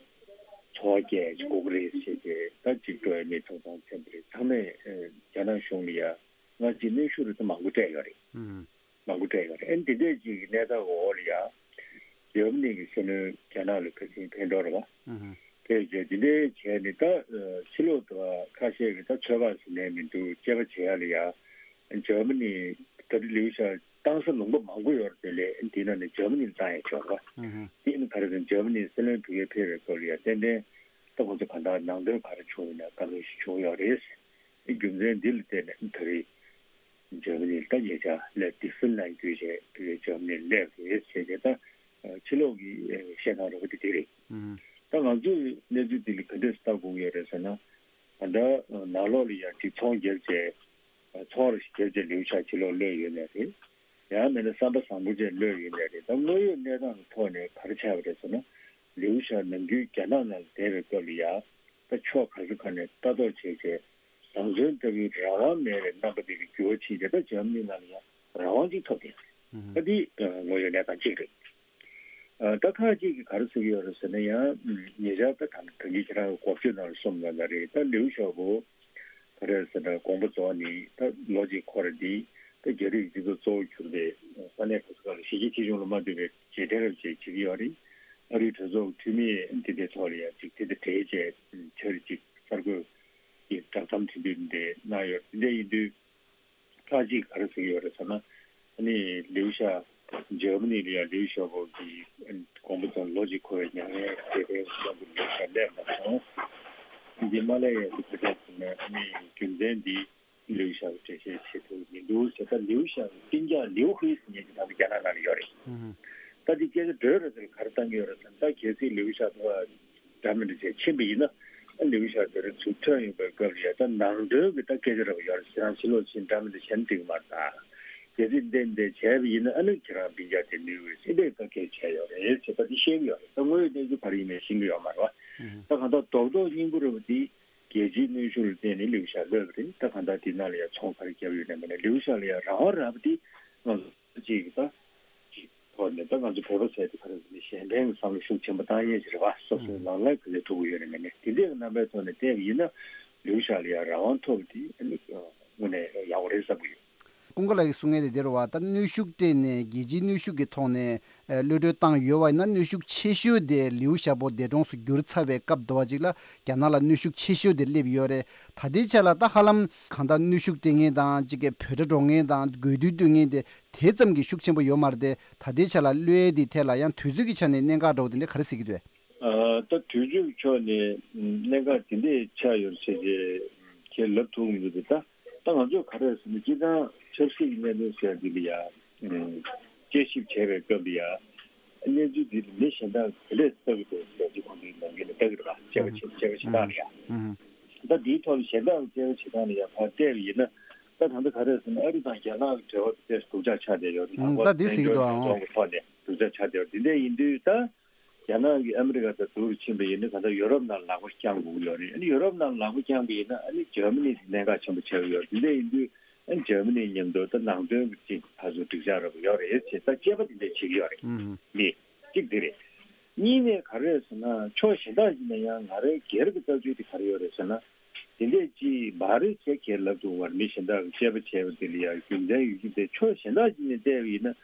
འཚོ་བ་སྐྱེལ་དགོས་ཀྱི་རེད་ཟེར་ཏེ། ད་ཅིག་འགྲོ་བ་མིའི་ཐོབ་ཐང་ཚན་པ་རེད། ཚང་མས་ཨ་རྒྱ་ནག་གཞུང་ལ་ཡ་སྔ་ཕྱི་གནོན་ཤུགས་རེ་ད་མང་པོ་སྤྲད་ཡོད་རེད། ཨང་། མང་པོ་སྤྲད་ཡོད་རེད། ཨ་ནི་འདི་འདྲས་ཅིག་གི་གནས་སྟངས་འོག་ལ་ཡ་འཇར་མ་ནི་གི་སྲིད་བློན་རྒྱ་ནག་ལ་ཕན་ཚུན་ཕན་གྲོགས་རེད་བ། ཨང་། ཕེབས་བྱས་འདི་འདྲས་བྱས་ནས་ད་ཨ་ཕྱི་ལོགས་དུ་ཁ་ཤས་ཀྱིས་ད་ཚོད་དཔག་ཟིན་ནས་མི་འདུག་དཔྱད་པ་བྱེད་ཡག་ལ་ཡ་འཇར་མ་ནི་ད་ལྟ་ལིའུ་ཞའོ་བཏང་ས་ལུང་པ་མང་པོ་ཡོད་རེད། དེ་ལས་འདི་ནང་ནས་འཇར་མ་ནི་ལ་བཏང་ཡག་ཆོག་རེད་བ། ཨང་། དེ་ནི་ག་རེ་ཟེར་ན་འཇར་མ་ནི་སྲིད་བློན་བོད་ཁ་ཕེབས་པའི་སྐབས་ལ་ཡ་ཏན་ཏན་ད་ཁོང་ཚོ་གང་ལྟར་ནང་དོན་ག་རེ་བྱུང་ཡོད་ན་བཀའ་མོལ་ཞིག་བྱུང་ཡོད་རེད། རྒྱུ་མཚན་འདི་ལ་བརྟེན་ནས་ད་རེས་འཇར་མ་ནི་ལ་ད་ཉེ་ཆར་ལས་དེ་ཧྥིན་ལན་བརྒྱུད་བྱས་དེ་འཇར་མ་ནི་སླེབས་རེད་ཟེར་ཏེ་ད་ཕྱི་ལོགས་ཀྱི་བཤད་སྟངས་རོ་དེ་དེ་རེད། ད་ང་ཚོས་གནས་ཚུལ་འདི་ལ་ག་འདྲས་ལྟ་དགོས་ཡོད་རེད་ཟེར་ན། ད་ལྟ་ནང་ལོགས་ལ་ཡང་ཅིག་ཚོང་བརྒྱབ་བྱས་ཚོང་རེ་ཞིག་བརྒྱབ་བྱས་ལིའུ་ཞའོ་ཕྱི་ལོགས་གློད་ཡོད་ནའི་རེད། ཡང་མིན་ན་བསམ་པ་བཟང་པོ་བྱས་གློད་ཡོད་ནའི་རེད། ད་དངོས་ཡོད་གནས་སྟངས་ཀྱི་ཐོག་ནས་ག་རེ་ཆགས་པ་རེད་ཟེར་ན། ལིའུ་ཞའོ་ནམ་རྒྱུན་རྒྱ་ནག་ནང་ལ་བསྡད་པའི་སྐབས་ལ་ཡ་ད་ཕྱོགས་ག་ས་ག་ནས་ལྟ་རྟོག་བྱས་བྱས་བཟང་བཙོན་ལྟ་བུའི་རང་དབང་མེད་པའི་རྣམ་པ་དེ་གི་འགྱུར་བ་ཕྱིན་བྱས་ད་འཇར་མ་ནི་ནང་ལ་ཡང་རང་དབང་ཅིག་ཐོབ་བསྡད་ཡོད་རེད། ད་འདི་དངོས་ཡོད་གནས་སྟངས་གཅིག་རེད། ད་ཁག་ཅིག་གིས་ག་རེ་ཟེར་གྱི་ཡོད་རེད་ཟེར་ན། ཡང་ཉེ་ཆར་ད་ད་ད་གིན་ཁྱེད་རང་གི་འགོ་བརྗོད་ནང་ལ་གསུངས་པ་ནང་རེད། ད་ལིའུ་ཞའོ་པོ་ག་རེ་ཟེར་ན་དགོངས་པ་རྫོགས་ནས་ད་ལོ་གཅིག་འཁོར་རེད། འདི་ད་རྒྱ་རིགས་སྤྱི་ཚོགས་གཙོ་བོ་གྱུར་པའི་ས་གནས་ག་ས་ག་ལ་གཞིས་བྱེས་ཆེ་ཆུང་ལ་མ་ལྟོས་པའི་རྗེས་དྲན་རབ་བྱེད་བྱེད་ཀྱི་ཡོད་རེད། ཨ་རིའི་གྲོས་ཚོགས་འཐུས་མི་འདི་འདྲའི་ཐོག་ལ་ཡང་ཅིག་དེ་དང་འབྲེལ་བྱས་ཆ་རེ་ཅིག་གསར་འགོད་ཀྱི་བསྒྲགས་གཏམ་དེ་འདྲ་འདི་གནང་ཡོད། དེ་འདྲ་ཡིན་དུས་ཁག་ཅིག་ག་རེ་ཟེར་གྱི་ཡོད་རེད་ཟེར་ན། ཨ་ནི་ལིའུ་ཞའོ་འཇར་མ་ནི་ལ་ཡང་ལིའུ་ཞའོ་པོ་གི་དགོངས་པ་རྫོགས་ལོ་གཅིག་འཁོར་བའི་མྱ་ངན་རྗེས་དྲན་གནང་གི་ལིའུ་ཞའོ་སླེབས་མ་སོང་། འདི་མ་སླེབས་ཡ་དེ་ག་རེ་ཟེར་ན། ཨ་ནི་རྒྱུ་མཚན་འདི་ལིའུ་ཞའོ་གིས་འགྲེལ་བཤད་བྱེད་ཐུབ་མི་འདུག་ཟེར། ད་ལིའུ་ཞའོ་གི་སྤུན་ཀྱག་ལིའུ་ཧུའེ་ཟེར་མཁན་ཅིག་ད་ལྟ་རྒྱ་ནག་ནང་ལ་ཡོད་རེད། ད་འདི་སྐད་ཆ་འགྲོས་རེ་ཟེར་ག་རེ་བཏང་གི་ཡོད་རེད་ཟེར་ན། ད་གལ་སྲིད་ལིའུ་ཞའོ་ཕར་འདྲ་མི་འདྲ་བྱས་ཕྱིན་པ་ཡིན་ན། ཨ་ལིའུ་ཞའོ་དེ་རིང་ཚུར་ཐོན་ཡོང་པའི་སྐབས་ལ་ཡ་ད་ནང་དོན་གྱི་ད་སྐད་ཆ་རེ་བ་ཡོད་རེད། ཁྱེད་རང་ཕྱི་ལོགས་ཕྱིན་འདྲ་མི་འདྲ་བྱས་ན་འགྲིག་གི་མ་རེད། ད་གལ་སྲིད་འདི་འདི་བྱས་པ་ཡིན་ན་ཨ་ནི་ཁྱེད་རང་སྤུན་ཀྱག་དེ་ནུས་འོས་ཟེར་འདྲའི་ད་སྐད་ཆ་བྱས་ཡོད་རེད་ཟེར། ད་འདི་ཤེས་ཀྱི་ཡོད་རེད། ད་དངོས་ཡོད་གནས་ཚུལ་ག་རེ་ཡིན་མིན་ཤེས་ཀྱི་ཡོད་མ་རེད་བ། ད་གང་ལྟར་རྡོག་རྡོག་སྙིང་པོ་རེད་བ། འདི་རྒྱལ་སྤྱིའི་གནོན་ཤུགས་ལ་བརྟེན་ནས་ལིའུ་ཞའོ་གློད་པ་རེད། ད་གང་ལྟར་འདི་ནང་ལ་ཡ་ཚོང་ག་རེ་བརྒྱབ་ཡོད་ན་མིན་ན་ལིའུ་ཞའོ་ལ་ཡ་རང་དབང་རག་པ་འདི་ང་ཚོ་གཅིག་གི་ད་གཅིག་ཐོག་ནས་ད་ང་ཚོ་བོད་པ་ཟེར་དེ་ག་རེ་ཟེར་ན་གཞན་ཕན་གྱི་བསམ་བློ་ཤུགས་ཆེན་པོ་བཏང་ཡས་ཅིག་རེད་བ། སོ་སོའི་ལག་ལེན་ག་ཚོད་ཐུབ་ཀྱི་ཡོད་ན་མིན་ན། དེ་འདྲའི་རྣམ་པའི་ཐོག་ནས་བལྟས་པ་ཡིན་ན་ལིའུ་ཞའོ་ལ་ཡ་རང་དབང་ཐོབ་པ་དེ་ཨ་ནི་དངོས་གནས་ཡག་པོ་རེད་བསམ་གྱི་ཡོད། ཀུན་དགའ་ལགས་ཀྱིས་གསུང་མཁན་དེ་དེ་རེད་བ། ད་གནོན་ཤུགས་སྤྲད་ནས་རྒྱལ་སྤྱིའི་གནོན་ཤུགས་ཀྱི་ཐོག་ནས་ཨ་གློད་གྲོལ་བཏང་ཡོད་པ་ཡིན་ན། གནོན་ཤུགས་ཆེ་ཤོས་དེ་ལིའུ་ཞའོ་པོ་འདས་གྲོངས་སུ་གྱུར་ཚར་བའི་སྐབས་དུ་བ་ཅིག་ལ་རྒྱ་ནག་ལ་གནོན་ཤུགས་ཆེ་ཤོས་དེ་སླེབས་ཡོད་རེད། ད་ལྟའི་ཆ་ལ་ད་ཧ་ལམ་གང་ལྟར་གནོན་ཤུགས་སྤྲད་མཁན་དང་ཅིག་གི་བོད་ཁྲ་སྒྲོག་མཁན་དང་དགོས་འདུན་བཏོན་མཁན་དེ་དེ་ཙམ་གྱི་ཤུགས་ཆེན་པོ་ཡོད་མ་རེད་དེ། ད་ལྟའི་ཆ་ལ་གློད་ཡས་དེའི་ཐད་ལ་ཡང་དུས་ཚོད་ཀྱི་ཆ་ནས་གནད་འགག་འདྲ་བོ་དེ་འདྲ་ག་རེ་གཟིགས་ཀྱི་འདུག། ཨ། ད་དུས་ཚོད་ཕྱོགས་ནས་གནད་འགག་དེ་འདྲས་ཆགས་ཡོད་ཟེར་རྗེས་ཁྱེད་ལབ་ཐུབ་མི་འདུག་ད་ད་ང་ཚོས་ག་རེ་ཟེར་ན་སྤྱིར་བཏང་ཆབ་སྲིད་ཀྱི་གནད་དོན་ཟེར་འདི་ལ་ཡ་དཔྱད་ཞིབ་བྱས་པའི་སྐབས་ལ་ཡ་གནས་ཚུལ་འདི་ལ་མི་གཞན་དག་གིས་ག་ལས་ལྟ་གི་འདུག་ཟེར་གྱི་ཁོང་ཚོའི་ནང་ཁུལ་ལ་ལྟ་གི་རེད་པ། དཔྱད་པ་བྱེད་དཔྱད་པ་བྱེད་སྟངས་ལ་ཡ། ད་འདིའི་ཐོག་ལ་གཞན་དག་གི་དཔྱད་པ་བྱེད་སྟངས་ལ་ཡ་ཕར་བལྟས་པ་ཡིན་ན། ད་ད་ལྟ་ག་རེ་ཟེར་ན་ཨ་རི་དང་རྒྱ་ནག་གི་འབྲེལ་བ་དེ་ཏོག་ཙམ་སྡུག་ཅག་ཆགས་བསྡད་ཡོད་རེད། ད་ལྟ་འདི་ཟེར་གྱི་འདུག་ཨང་། ཐོག་ནས་སྡུག་ཅག་ཆགས་བསྡད་ཡོད་རེད། འདི་འདྲ་ཡིན་དུས་ད་རྒྱ་ནག་གིས་ཨ་མི་རི་ཀ་དང་སྡུག་རུ་ཕྱིན་པ་ཡིན་ན་ག་ད་ཡུ་རོབ་ནང་ལ་ལག་པ་བརྐྱང་དགོས་ཀྱི་ཡོད་རེད། ཨ་ནི་ཡུ་རོབ་ནང་ལ་ལག་པ་བརྐྱངས་པ་ཡིན་ན་ཨ་ནི་འཇར་མ་ནི་དེ་གནད་འགག་ཆེན་པོ་ཆགས་ཀྱི་ཡོད་རེད། འདི་འདྲ་ཡིན་དུས་ཨ་ནི་འཇར་མ་ནི་མཉམ་དུ་ད་ནང་དོན་གྱི་ཅིག་ཕར་ཚུར་འགྲིག་ཆགས་ར་བ་ཡོད་རེད་ཅེས་ད་དཔྱད་པ་དེ་འདྲ་བྱེད་ཀྱི་ཡོད་རེད། ཨུམ། འདི་གཅིག་འདི་རེད། གཉིས་ནས་ག་རེ་རེད་ཟེར་ན་ཕྱོགས་གཞན་དག་ཅིག་ནས་ཡང་ང་རའི་སྒེར་གྱི་ལྟ་ཚུལ་དེ་ག་རེ་ཡོད་རེད་ཟེར་ན། དེ་འདྲས་ཅིག་མ་རེད་ཟེར་ཁྱེད་ལབ་ཐུབ་པར་མི་གཞན་དག་གིས་དཔྱད་པ་བྱས་པ་དེ་ལ་ཡང་རྒྱུ་མཚན་ཡོད་ཀྱི་འདུག་ཕྱོགས་གཞན་དག་ཅིག་ནས་བལྟས་པ་ཡིན་ན་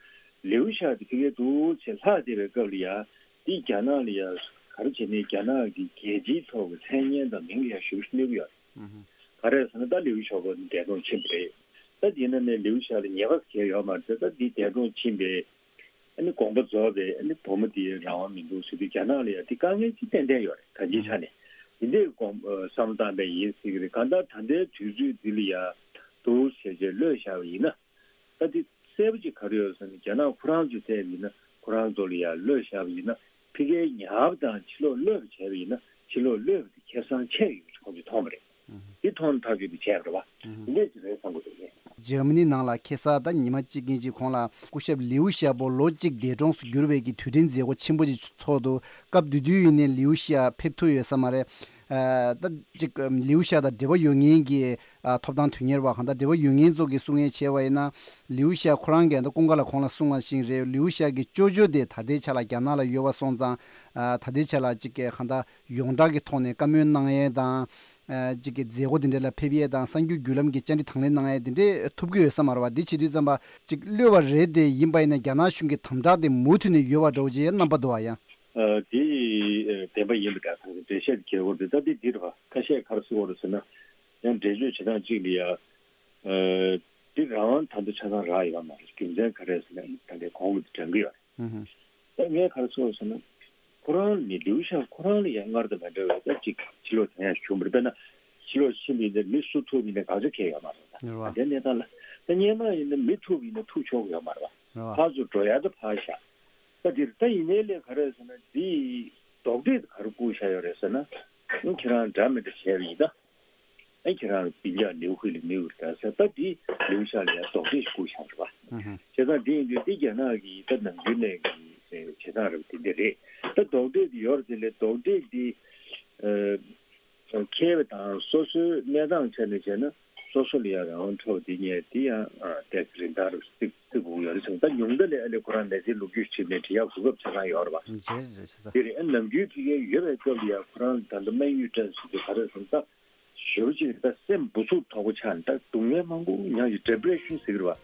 ལེའུ་ཞ་དེ་ཕ་གིར་འདུག་ཅེས་ལྷག་བསྡད་པའི་སྐབས་ལ་ཡང་དེ་རྒྱ་ནག་ལ་ཡང་ག་རེ་བྱས་ནས་རྒྱ་ནག་གི་རྒྱལ་སྤྱིའི་ཐོག་གི་མཚན་སྙན་དང་མིང་ལ་ཡང་ཞེ་པོ་ཅིག་གནོད་ཀྱི་ཡོད་རེད། ག་རེ་ཟེར་ན་ད་ལེའུ་ཞའོ་པོ་འདས་གྲོངས་ཕྱིན་པ་རེད། ད་དེ་ཡིན་ན་ནས་ལེའུ་ཞ་ལ་ཉེས་པ་གང་ཡང་ཡོད་མ་རེད། ད་འདི་འདས་གྲོངས་ཕྱིན་པའི་ཨ་ནི་དགོངས་པ་རྫོགས་པའི་ཨ་ནི་བུ་མོ་དེའི་རང་དབང་མི་འདུག་ཟེར་དུས་རྒྱ་ནག་ལ་ཡང་དེ་དཀའ་ངལ་ཅིག་ཏན་ཏན་ཡོད་རེད། གང་ཅིའི་ཆ་ནས་དེ་འདྲའི་དགོངས་བསམ་བློ་བཏང་པའི་ཡིན་ཟེར་གྱི་རེད། གང་ལྟར་ད་ལྟའི་དུས་ཚོད་འདི་ལ་ཡང་འདུག་ཟེར་བྱས་གློད་བཞག་པ་ཡིན་ན། ད་དེ་གསལ་པོ་ཅིག་ག་རེ་ཡོད་ཟེར་ན་རྒྱ་ནག་ཁོ་རང་ཚོས་བལྟས་པ་ཡིན་ན་ཁོ་རང་ཚོ་ལ་ཡང་གློད་བཞག་པ་ཡིན་ན་ཕ་གིའི་ཉར་བ་དང་ཕྱི་ལོགས་གློད་པ་བྱས་པ་ཡིན་ན་ཕྱི་ལོགས་གློད་པ་དེ་ཁེ་བཟང་ཆེ་ཡོད་ཅེས་ཁོང་ཚོས་མཐོང་བ་རེད། འདི་མཐོང་ཐག་ཆོད་དེ་བྱས་པ་རེད་བ། འདི་འདྲས་ཅིག་རེད་བསམ་གྱི་འདུག་ངས། འཇར་མ་ནི་ནང་ལ་ཁ་སང་ད་ཉི་མ་གཅིག་གཉིས་ཅིག་གོང་ལ་སྐུ་ཞབས་ལིའུ་ཞའོ་པོ་ལོ་གཅིག་འདས་གྲོངས་སུ་གྱུར་བའི་གི་དུས་དྲན་མཛད་སྒོ་ཆེན་པོ་ཅིག་ཚོགས་འདུག་སྐབས་དེ་དུས་ཡིན་ནའི་ལིའུ་ཞའོ་ཕེབས་ཐུབ་ཡོད་ས་མ་རེད། ཨ་ད་ཅིག་ལིའུ་ཞའོ་དང་འབྲེལ་བ་ཡོད་མཁན་གྱི་ཨ་ཐོབ་ཐང་དོན་གཉེར་བ་གང་ལྟར་འབྲེལ་བ་ཡོད་མཁན་ཚོ་གིས་གསུང་ཡས་བྱས་པ་ཡིན་ན་ལིའུ་ཞའོ་ཁོ་རང་གིས་ད་སྐུ་ཁམས་ལ་གོང་ལ་གསུངས་པ་བཞིན་རེད། ལིའུ་ཞའོ་གི་ཅོ་ཅོ་དེ་ད་ལྟའི་ཆ་ལ་རྒྱ་ནག་ལ་ཡོད་པ་སོང་ཙང་ཨ་ད་ལྟའི་ཆ་ལ་ཅིག་གང་ལྟར་ཡོངས་གྲགས་ཀྱི་ཐོག་ནས་བཀའ་མོལ་གནང་ཡས་དང་། ཨ་ཅིག་གི་མཛད་སྒོ་དེ་འདྲ་ལ་ཕེབས་ཡས་དང་གསར་འགྱུར་བརྒྱུད་ལམ་གྱི་བཅར་འདྲི་དང་ལེན་གནང་ཡས་དེ་འདྲས་ཐུབ་ཀྱི་ཡོད་ས་མ་རེད་བ། འདི་བྱེད་དུས་ཙམ་པ་ཅིག་གློད་པ་རེད་དེ་ཡིན་པ་ཡིན་ན་རྒྱ་ནག་གཞུང་གི་དམ་དྲག་དེ་མུ་མཐུད་ནས་ཡོད་པ་འདྲ་བོ་ཅིག་རྣམ་པ་འདུག་བ་ཡང་། ཨ་དེ་ཨ་བདེན་པ་ཡིན་པ་འདྲ་ཁང་གི་འགྲེལ་བཤད་དེ་གལ་བོ་རེད། ད་དེ་འདི་རེད་བ། ཁ་ཤས་ག་རེ་ཟེར་བ་རེད་ཟེར་ན་ཡང་འགྲེལ་བརྗོད་བྱེད་སྟངས་གཅིག་ལ་ཡ། ཨ་དེ་རང་དབང་ད་ལྟ་ཆ་ཚང་རག་ཡོད་མ་རེད། རྒྱུ་མཚན་ག་རེ་ཟེར་ན་ད་ལྟའི་གོང་གི་དེ་དྲན་གི་ཡོད་རེད། ཨུ་ཧུ། ད་ངས་ག་རེ་ཟེར་བ་ཟེར་ན། ཁོ་རང་ནི་ལིའུ་ཞའོ་ཁོ་རང་ལ་ཡང་སྔར་དང་མ་འདྲ་བའི་ད་ཅིག་ཕྱི་ལོགས་ཐོན་ཡག་བྱུང་བ་རེད། དཔེར་ན་ཕྱི་ལོགས་ཕྱིན་པ་ཡིན་ན་མི་སུ་ཐུག་ཡིན་ན་དགག་བྱ་གང་ཡང་ཡོད་མ་རེད། རེད་བ། ད་ལྟའི་གནས་སྟངས་ལ་ད་སྔོན་མ་ཡིན་ན་མི་ཐུག་ཡིན་ན་ཐུག་ཆོག་གི་ཡོད་མ་རེད་བ། རེད་བ། ཕར་ཚུར་འགྲོ་ཡག་ད་ཕར་བཞག་ད་འདིར་ད་ཡིན་ནའི་ལས་ག་རེ་ཟེར་ན་འདི་རྡོག་ཁྲེས་ག་རེ་བསྐུར་བཞག་ཡོད་རེད་ཟེར་ན། ཁྱེད་རང་འདྲ་མི་འདྲ་བྱས་པ་ཡིན་ད། ཨ་ཁྱེད་རང་སྤུན་ཀྱག་ལིའུ་ཧུའེ་ལ་མི་འུར་ད་ཟེར་ད་འདི་ལིའུ་ཞའོ་ལ་ཡང་རྡོག་ཁྲེས་ཤིག་བསྐུར་བཞག་རེད་བ། ཨུ་ཧུ། བྱས་ཙང་འདི་ཡིན་དུས་འདི་རྒྱ་ནག་གི་ད་ནམ་རྒྱུན་ནས་ཀྱི་བྱེད་སྟངས་རེད་བ། དེ་འདི་རེད། ད་རྡོག་ཁྲེས་འདི་ཡོད་རེད། དེ་ལས་རྡོག་ཁྲེས་འདི་ཨ་མཁས་པ་དང་སོ་སོའི་གནས་སྟངས་ཆ་ནས་བྱས་ན་སོ་སོ་ལ་ཡང་རང་དབང་འཕྲོག་འདི་ཉེས་འདི་ཡང་ཨ་ཏོག་ཙམ་རིན་ཐང་རེད་བརྩི་དགོས་ཡོད་རེད་བསམ། ད་ཉུང་མཐའ་ལ་ཨ་ལས་ཁོ་རང་མི་ཚེ་ལོ་རྒྱུས་བྱས་ནས་འབྲི་ཡག་གོ་སྐབས་ཆ་ཚང་ཡོད་རེད་བ། འདི་རེད། ཨ་ནམ་རྒྱུན་ཕ་གིར་ཡོད་པའི་སྐབས་ལ་ཡང་ཁོ་རང་ད་ལྟ་སྨན་ཡུས་ཀྲན་ཟེར་དུས་ག་རེ་ཟེར་ན་ད། ཞེ་པོ་ཅིག་ད་སེམས་འབུ་ཚུགས་དོག་པོ་ཆགས་ནས་ད་སྡུག་བསྔལ་མང་པོ་མྱངས་ཀྱི་ཌི་པི་རེ་ཤན་ཟེར་གི་རེད་བ།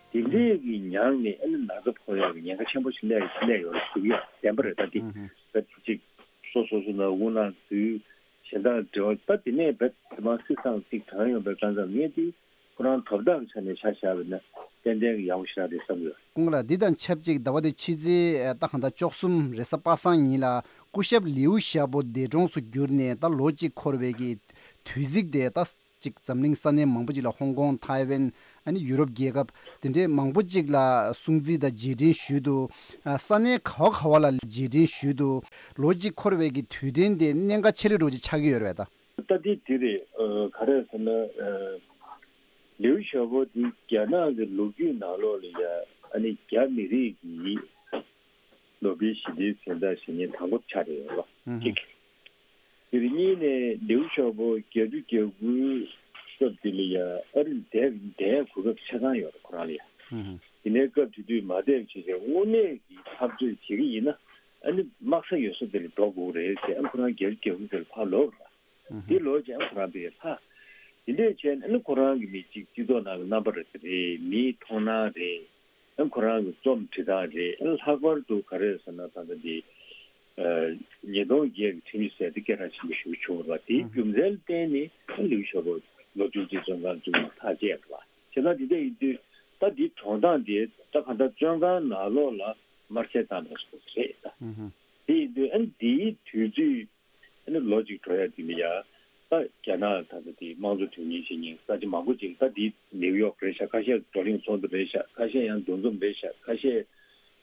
དེ་འདྲས་ཀྱི་མྱངས་ནས་ཨ་ནི་ན་ཚ་ཕོག་ཡག་གི་ཉེན་ཁ་ཆེན་པོ་ཞིག་སླེབས་སླེབས་ཡོད་རེད་ཟེར་གི་ཡོད། བདེན་པ་རེད། ད་དེ་ད་དེ་ཅིག་སོ་སོ་སོ་ནང་དབུགས་ནང་འཛུལ་གཞན་དག་འབྲེལ་བ་ད་དེ་ནས་རྦད་དེ་མ་སྲིད་སང་ཅིག་གྲང་ཡོང་པའི་ཀ་ཙམ་ངས་དེ་ཁོ་རང་དོ་བདག་གི་ཆ་ནས་ཆ་བཞག་པ་ཡིན་ན་ཏན་ཏན་གྱི་ཡག་པོ་ཞེ་དྲག་རེད་བསམ་ཡོད། སྐུ་ངོ་ལགས། འདི་དང་ཆབས་ཅིག་ཟླ་བ་འདི་ཕྱི་ཚེས་ད་གང་ལྟར་བཅུ་གསུམ་རེས་གཟའ་པ་སངས་ཉིན་ལ་སྐུ་ཞབས་ལིའུ་ཞའོ་པོ་འདས་གྲོངས་སུ་གྱུར་ནས་ད་ལོ་གཅིག་འཁོར་བའི་གི་དུས་ཚིགས་དེ་ད་ཅིག་འཛམ་གླིང་ས་གནས་མང་པོ་ཅིག་ལ་ཧོང་ཀོང་ཐའེ་ཝན་ཨ་ནི་ཡུ་རོབ་རྒྱལ་ཁབ་དེ་འདྲའི་མང་པོ་ཅིག་ལ་སྲུང་བརྩི་དང་རྗེས་དྲན་ཞུས་འདུག་ས་གནས་ག་བ་ག་བ་ལ་རྗེས་དྲན་ཞུས་འདུག་ལོ་གཅིག་འཁོར་བའི་གི་དུས་དྲན་དེ་གནད་འགག་ཆེ་ལོས་འགྲོ་ཅིག་ཆགས་ཀྱི་ཡོད་རེད་པས་ད། ད་འདི་འདི་རེད། ཨ་ག་རེ་ཟེར་ན་ཨ་ལིའུ་ཞའོ་པོ་འདི་རྒྱ་ནག་གི་ལོ་རྒྱུས་ནང་ལོགས་ལ་ཡ་ཨ་ནི་རྒྱ་མི་རིགས་ཀྱི་ནོ་བེལ་ཞི་བདེའི་གཟེངས་རྟགས་བཞེས་མཁན་དང་པོ་ཆགས་བསྡད་ཡོད་རེད་པ། ཨུ་ཧུ། གཅིག་དེ་རེད། གཉིས་ནས་ལིའུ་ཞའོ་པོ་བརྒྱད་ཅུ་གྱ་དགུའི་སྐབས་དེ་ལ་ཡ་ཨ་རིར་བསྡད་བསྡད་གོ་སྐབས་ཆ་ཚང་ཡོད་རེད་ཁོ་རང་ལ་ཡ། ཨུ་ཧུ། དེ་ནས་སྐབས་དེ་དུས་མ་བསྡད་བྱས་བྱས་དངོས་གནས་ཀྱི་འཐབ་རྩོད་བྱེད་ཀྱི་ཡིན་ན་ཨ་ནི་དམག་ས་ཡོད་ས་དེ་ལ་འགྲོ་དགོས་རེད་ཟེར། ཨ་ཁོ་རང་བརྒྱད་ཅུ་གྱ་དགུ་དེ་ལ་ཕར་ལོག་རེད། འདི་ལོ་ཅན་ཁོ་རང་པའི་ལྷ། དེ་འདྲས་བྱས་ནས་ཨ་ནི་ཁོ་རང་གི་མི་གཅིག་སྤྱི་ཚོགས་ནང་གི་རྣམ་པ་རེད་དེ་རེད། མིའི་མཐོང་སྣང་རེད། ཨ་ཁོ་རང་གི་རྩོམ་འབྲི་སྟངས་རེད། ཨ་ལྷག་པར་དུ་ག་རེ་ཟེར་ན་ད་ལྟ་འདི་ཉིས་སྟོང་བརྒྱད་ཀྱི་ཁྲིམས་ཡིག་ཟེར་དེ་སྐད་གྲགས་ཆེན་པོ་ཞིག་བྱུང་བ་རེད་པ། དེའི་རྒྱུ་མཚན་ལ་བརྟེན་ནས་ཨ་ལིའུ་ཞའོ་པོ་ལོ་བཅུ་གཅིག་བཙོན་ཁང་བཅུག་ནས་ཐག་བཅད་པ་རེད་པ། བྱས་ཙང་འདི་འདྲ་ཡིན་དུས་ད་འདི་གྲོངས་སྟངས་དེ་ད་ག་འདྲ་བཙོན་ཁང་ནང་ལོགས་ལ་དམར་གསོད་བཏང་པ་རེད་ད། དེ་ཡིན་དུས་ཨ་ནི་འདིའི་དུས་ཚོད་ འགྲོ་ཡ་དེ་ལ་ཡ། ད་རྒྱ་ནག་ད་ལྟ་དེ་དམངས་གཙོ་དོན་གཉེར་བྱེད་མཁན་ས་ཆ་མང་པོ་ཅིག་ད་དེ་ནེའུ་ཡོག་རེད་ཤག་ཁ་ཤས་བགྲོ་གླེང་ཚོགས་འདུ་རེད་ཤག་ཁ་ཤས་ཡང་འདུ་འཛོམས་རེད་ཤག་ཁ་ཤས་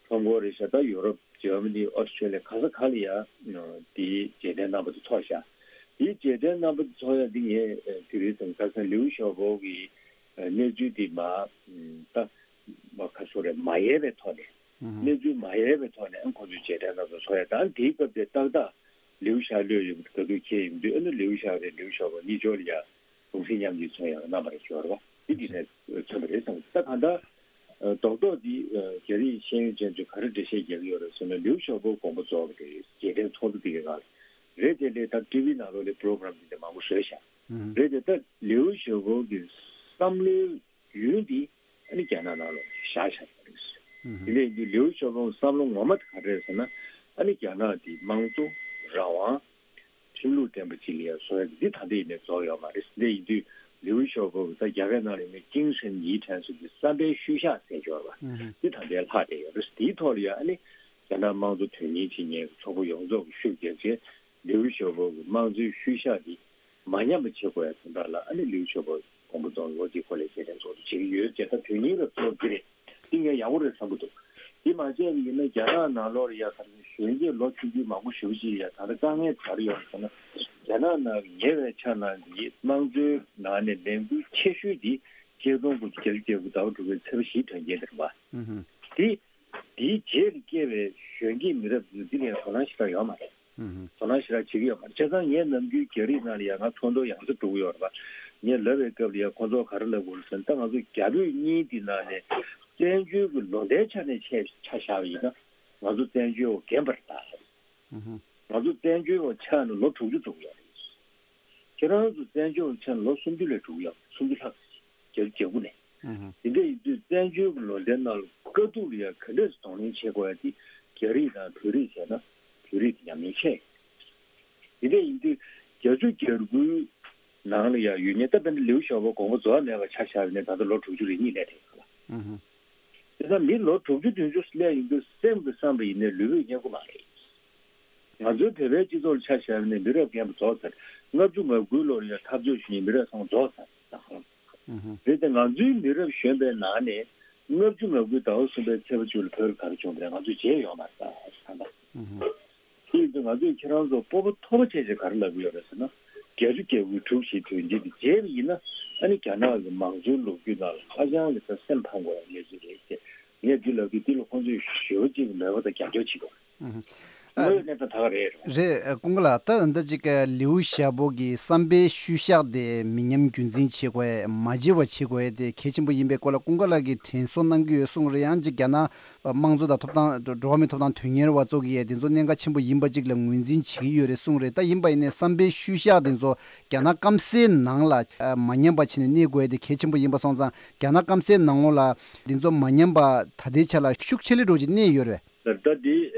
ཁྲོམ་སྐོར་རེད་ཤག་ད་ཡོ་རོབ། འཇར་མ་ནི། ཨོ་སི་ཁྲེ་ལི་ཡ། ག་ས་ག་ལ་ཡ་དེ་རྗེས་དྲན་རྣམ་པ་དེ་ཚོགས་ཤག་དེ་རྗེས་དྲན་རྣམ་པ་དེ་ཚོགས་ཡ་དེ་ངས་དེ་རེད་བསམ། ཁ་སང་ལིའུ་ཞའོ་པོ་གི་གནས་ཚུལ་དེ་མ་ད་མ་ཁ་སོ་རེད་མ་ཡལ་བའི་ཐོག་ནས། གནས་ཚུལ་མ་ཡལ་བའི་ཐོག་ནས་ཨ་ཁོ་ཚོའི་རྗེས་དྲན་རྣམ་པ་ཚོགས་ཡ་ད་དེའི་སྐབས་དེ་ཏག་ཏག་ལིའུ་ཞའོ་ལོས་ཡོང་གི་ག་དུས་ཁྱེད་ཡིན་དུས་ཨ་ནི་ལིའུ་ཞའོ་རེད། ལིའུ་ཞའོ་པོ་གཉིས་ཆོག་ལ་ཡ་གུང་སེང་མཉམ་གྱིས་མཚོན་ཡག་རྣམ་པར་སྦྱོར་བ་འདི་འདི་ནས་མཚོན་པ་རེད་བསམ། ད་གང་ལྟར་རྡོག་རྡོག་འདི་རྒྱ་རིགས་ཤེས་ཡོན་ཅན་ཚོས་ག་རེ་འགྲེལ་བཤད་རྒྱག་གི་ཡོད་རེད་ཟེར་ན། ལིའུ་ཞའོ་པོ་དགོངས་པ་རྫོགས་པ་རེད། རྗེས་དྲན་ཚོགས་འདུ་འདི་གའི་ནང་ལ་རེད་དེ་ལས་ད་ཊི་ཝི་ནང་ལོགས་ལ་པོ་རོ་གྷ་རམ་འདི་འདྲ་མང་པོ་བཟོས་ཤག་རེད་དེ་ད་ལིའུ་ཞའོ་པོ་གི་བསམ་བློའི་ཡུལ་འདི་ཨ་ནི་རྒྱ་ནག་ནང་ལ་བཞག་བཞག་པ་རེད། དེ་ལས་འདི་ལིའུ་ཞའོ་པོ་བསམ་བློ་ངོ་མ་དེ་ག་རེ་རེད་ཟེར་ན། ཨ་ནི་རྒྱ་ནག་འདི་དམངས་གཙོ་རང་དབང་ཁྲིམས་ལུགས་ལྡན་པ་ཅིག་ལ་ཡང་བཟོ་ཡ་འདི་ད་ལྟ་ཡིན་ནའི་རྫོགས་ཡོད་མ་རེད། འདི་ཡིན་དུས་ལིའུ་ཞའོ་པོ་གི་ད་རྒྱ་སྐད་ནང་ལ་ཡིན་ནའི་精神遗产ཟེར་གྱི་བསམ་པའི་ཤུལ་བཞག་ཟེར་གྱི་ཡོད་རེད་པ། འདི་ད་ལྟའི་ལྷག་བསྡད་ཡོད་རེད། དེའི་ཐོག་ལ་ཡང་ཨ་ནི་རྒྱ་ནག་དམངས་གཙོ་དོན་གཉེར་བྱེད་མཁན་གྱི་ཚོགས་པ་ཡོངས་རྫོགས་ཀྱིས་ཤུགས་རྒྱབ་བྱས། ལིའུ་ཞའོ་པོ་གི་དམངས་གཙོའི་ཤུལ་བཞག་འདི་མ་ཉམས་པ་བྱེད་དགོས་ཡ་དོན་དག་ལ་ཨ་ནི་ལིའུ་ཞའོ་པོ་དགོངས་པ་རྫོགས་ལོ་གཅིག་འཁོར་ལ་རྗེས་དྲན་ཚོགས་འདུ་བྱེད་ཀྱི་ཡོད་ཅེས་ད་དོན་སྙིང་རབ་ཚོགས་འདི་རེད། འདི་ངས་ཡག་པོ་རེད་བསམ་གྱི་འདུག་འདི་མ་བྱས་པ་ཡིན་ན་རྒྱ་ནག་ནང་ལོགས་ལ་ཡ་ག་རེ་གཞོན་སྐྱེས་ལོ་ཆུང་ཆུང་མང་པོ་ཞེ་པོ་ཅིག་ཡ་ད་ལྟ་དཀའ་ངལ་ག་རེ་ཡོད་ཟེར་ན། རྒྱ་ནག་ནང་གི་ཉེ་བའི་ཆར་ནང་གི་དམངས་གཙོའི་ནང་ནས་ལས་འགུལ་ཆེ་ཤོས་འདི་ཆིག་སྟོང་དགུ་བརྒྱ་བརྒྱད་ཅུ་གྱ་དགུ་ཟླ་བ་དྲུག་པའི་ཚེས་པ་བཞིའི་དོན་རྐྱེན་དེ་རེད་པ། འདི་དེའི་རྗེས་ལ་སྐྱེས་པའི་གཞོན་སྐྱེས་མི་རབས་འདི་འདི་ལ་དོ་སྣང་ཞེ་དྲག་ཡོད་མ་རེད། དོ་སྣང་ཞེ་དྲག་བྱེད་ཀྱི་ཡོད་མ་རེད། བྱས་ཙང་ངས་ནམ་རྒྱུན་རྒྱ་རིགས་ནང་ལ་ཡང་ང་ཚོགས་འདུ་ཡང་སེ་འགྲོ་གི་ཡོད་རེད་པ། ངས་ལབ་པའི་སྐབས་ལ་ཡང་ཁོང་ཚོ་ག་རེ་ལབ་དགོས་རེད་ཟེར་ན། ད་ང་ཚོ་རྒྱ་བོད་གཉིས་འདི་ནང་ནས་བཙན་བྱོལ་གྱི་ལོ་ཟླའི་ཆ་ནས་ཆ་ཆ་བཞག་པ་ཡིན་ན་ང་ཚོ་བཙན་བྱོལ་བ་རྒན་པ་རེད་ད། ང་ཚོ་བཙན་བྱོལ་བ་ཆགས་ནས་ལོ་དྲུག་ཅུ་ཙམ་ཡོད་རེད། ཁྱེད་རང་ཚོ་བཙན་བྱོལ་བ་ཆགས་ནས་ལོ་སུམ་ཅུ་ལས་དྲུག་ཡོད་རེད། སུམ་ཅུ་ལྷག་ཙམ་ཞིག་བརྒྱད་ཅུ་གྱ་དགུ་ནས། དེ་འདྲ་ཡིན་དུས་བཙན་བྱོལ་གྱི་ལོ་ཟླའི་ནང་ལ་དཀའ་སྡུག་ལ་ཡང་ག་འདྲས་སེ་གདོང་ལེན་བྱེད་དགོས་ཡ་དེ་རྒྱ་རིགས་དང་བོད་རིགས་བྱས་ན་བོད་རིགས་དེ་ཉམས་མྱོང་ཆེ། དེ་འདྲ་ཡིན་དུས་བརྒྱད་ཅུ་གྱ་དགུའི་ནང་ལ་ཡང་ཡོད་མཁན་ད་དཔེར་ན་ལིའུ་ཞའོ་པོ་དགོངས་པ་རྫོགས་མེད་པ་ཆ་བཞག་པ་ཡིན་ན་ད་ལྟ་ལོ་དྲུག་ཅུ་རེ་གཉིས་སླེབས་བསྡད་ཡོད་ལ། དེ་ཙང་མི་ལོ་དྲུག་ཅུ་བདུན་ཅུ་སླེབས་ཡོང་དུས་སེམས་ཀྱིས་བསམ་པ་ཡིན་ནའི་ལུས་པོས་མཉན་གྱི་མ་རེད། ང་ཚོའི་བོད་པའི་སྤྱི་ཚོགས་ལ་ཆ་བཞག་ནས་མི་རབས་རྒན་པ་རྫོགས་ཚར། ལྔ་བཅུ་ང་དགུའི་ལོར་ཡང་འཐབ་རྩོད་བྱེད་མཁན་མི་རབས་ཚང་མ་རྫོགས་ཚར། རེད་དེ་ང་ཚོའི་མི་རབས་གཞོན་པའི་ནང་ནས་ལྔ་བཅུ་ང་དགུའི་ཟླ་བ་གསུམ་པའི་ཚེས་པ་བཅུ་ལ་བོད་ལ་ག་རེ་བྱུང་བ་རེད། ང་ཚོས་བརྗེད་ཡོད་མ་རེད་ད་ད་ལྟ། དེ་ཡིན་དུས་ང་ཚོས་ཁྱེད་རང་ཚོ་སྤོབས་པ་མཐོ་པོ་བྱས་བྱས་ག་རེ་ལབ་ཀྱི་ཡོད་རེད་ཟེར་ན། བརྒྱད་ཅུ་གྱ་དགུའི་གྲུ་བཞིའི་དོན་རྐྱེན་དེ་བརྗེད་པ་ཡིན་ན་ཨ་ནི་རྒྱ་ནག་གི་མང་གཙོའི་ལོ་རྒྱུས་ནང་ལ་ཧ་ཅང་གི་ད་སེམས་ཕམ་དགོས་པའི་གནས་ཚུལ་རེད་ཅེས་ངས་འདི་ལབ་དུས་འདི་ལ་ཁོང་ཚོས་ཞེ་པོ་ཅིག་མོས་པ་དང་རྒྱབ་སྐྱོར་བྱེད་དགོས། དངོས་ཡོད་གནས་སྟངས་ད་ག་རེད། རེད། ཀུན་དགའ་ལགས། ད་ད་ཅིག་ལིའུ་ཞའོ་པོ་གི་བསམ་པའི་ཤུལ་བཞག་དེ་མི་ཉམས་རྒྱུན་འཛིན་བྱེད་དགོས། མ་བརྗེད་པ་བྱེད་དགོས་དེ་གལ་ཆེན་པོ་ཡིན་པའི་སྐོར་ལ་ཀུན་དགའ་ལགས་ཀྱིས་དྲན་གསོ་གནང་གི་ཡོད་གསུངས་རེད། ཡང་ཅིག་རྒྱ་ནག་དམངས་གཙོ་དང་ཐོབ་ཐང་འགྲོ་བ་མིའི་ཐོབ་ཐང་དོན་གཉེར་བ་ཚོ་གིས་དེ་ཚོ་གནད་འགག་ཆེན་པོ་ཡིན་པ་ཅིག་ལ་ངོས་འཛིན་བྱེད་ཀྱི་ཡོད་རེད་གསུངས་རེད། ད་ཡིན་པ་ཡིན་ནའི་བསམ་པའི་ཤུལ་བཞག་དེ་ཚོ་རྒྱ་ནག་སྐམ་སའི་ནང་ལ་མ་ཉམས་པ་བྱས་ནས་གནས་དགོས་དེ་གལ་ཆེན་པོ་ཡིན་པ་སོང་ཙང་རྒྱ་ནག་སྐམ་སའི་ནང་ལོགས་ལ་དེ་ཚོ་མ་ཉམས་པ་ད་ལྟའི་ཆ་ལ་ཤུགས་ཆེ་ལེ་འགྲོ་ཅིག་གནས་ཡོད་རེད། ད་ལྟ་འདི་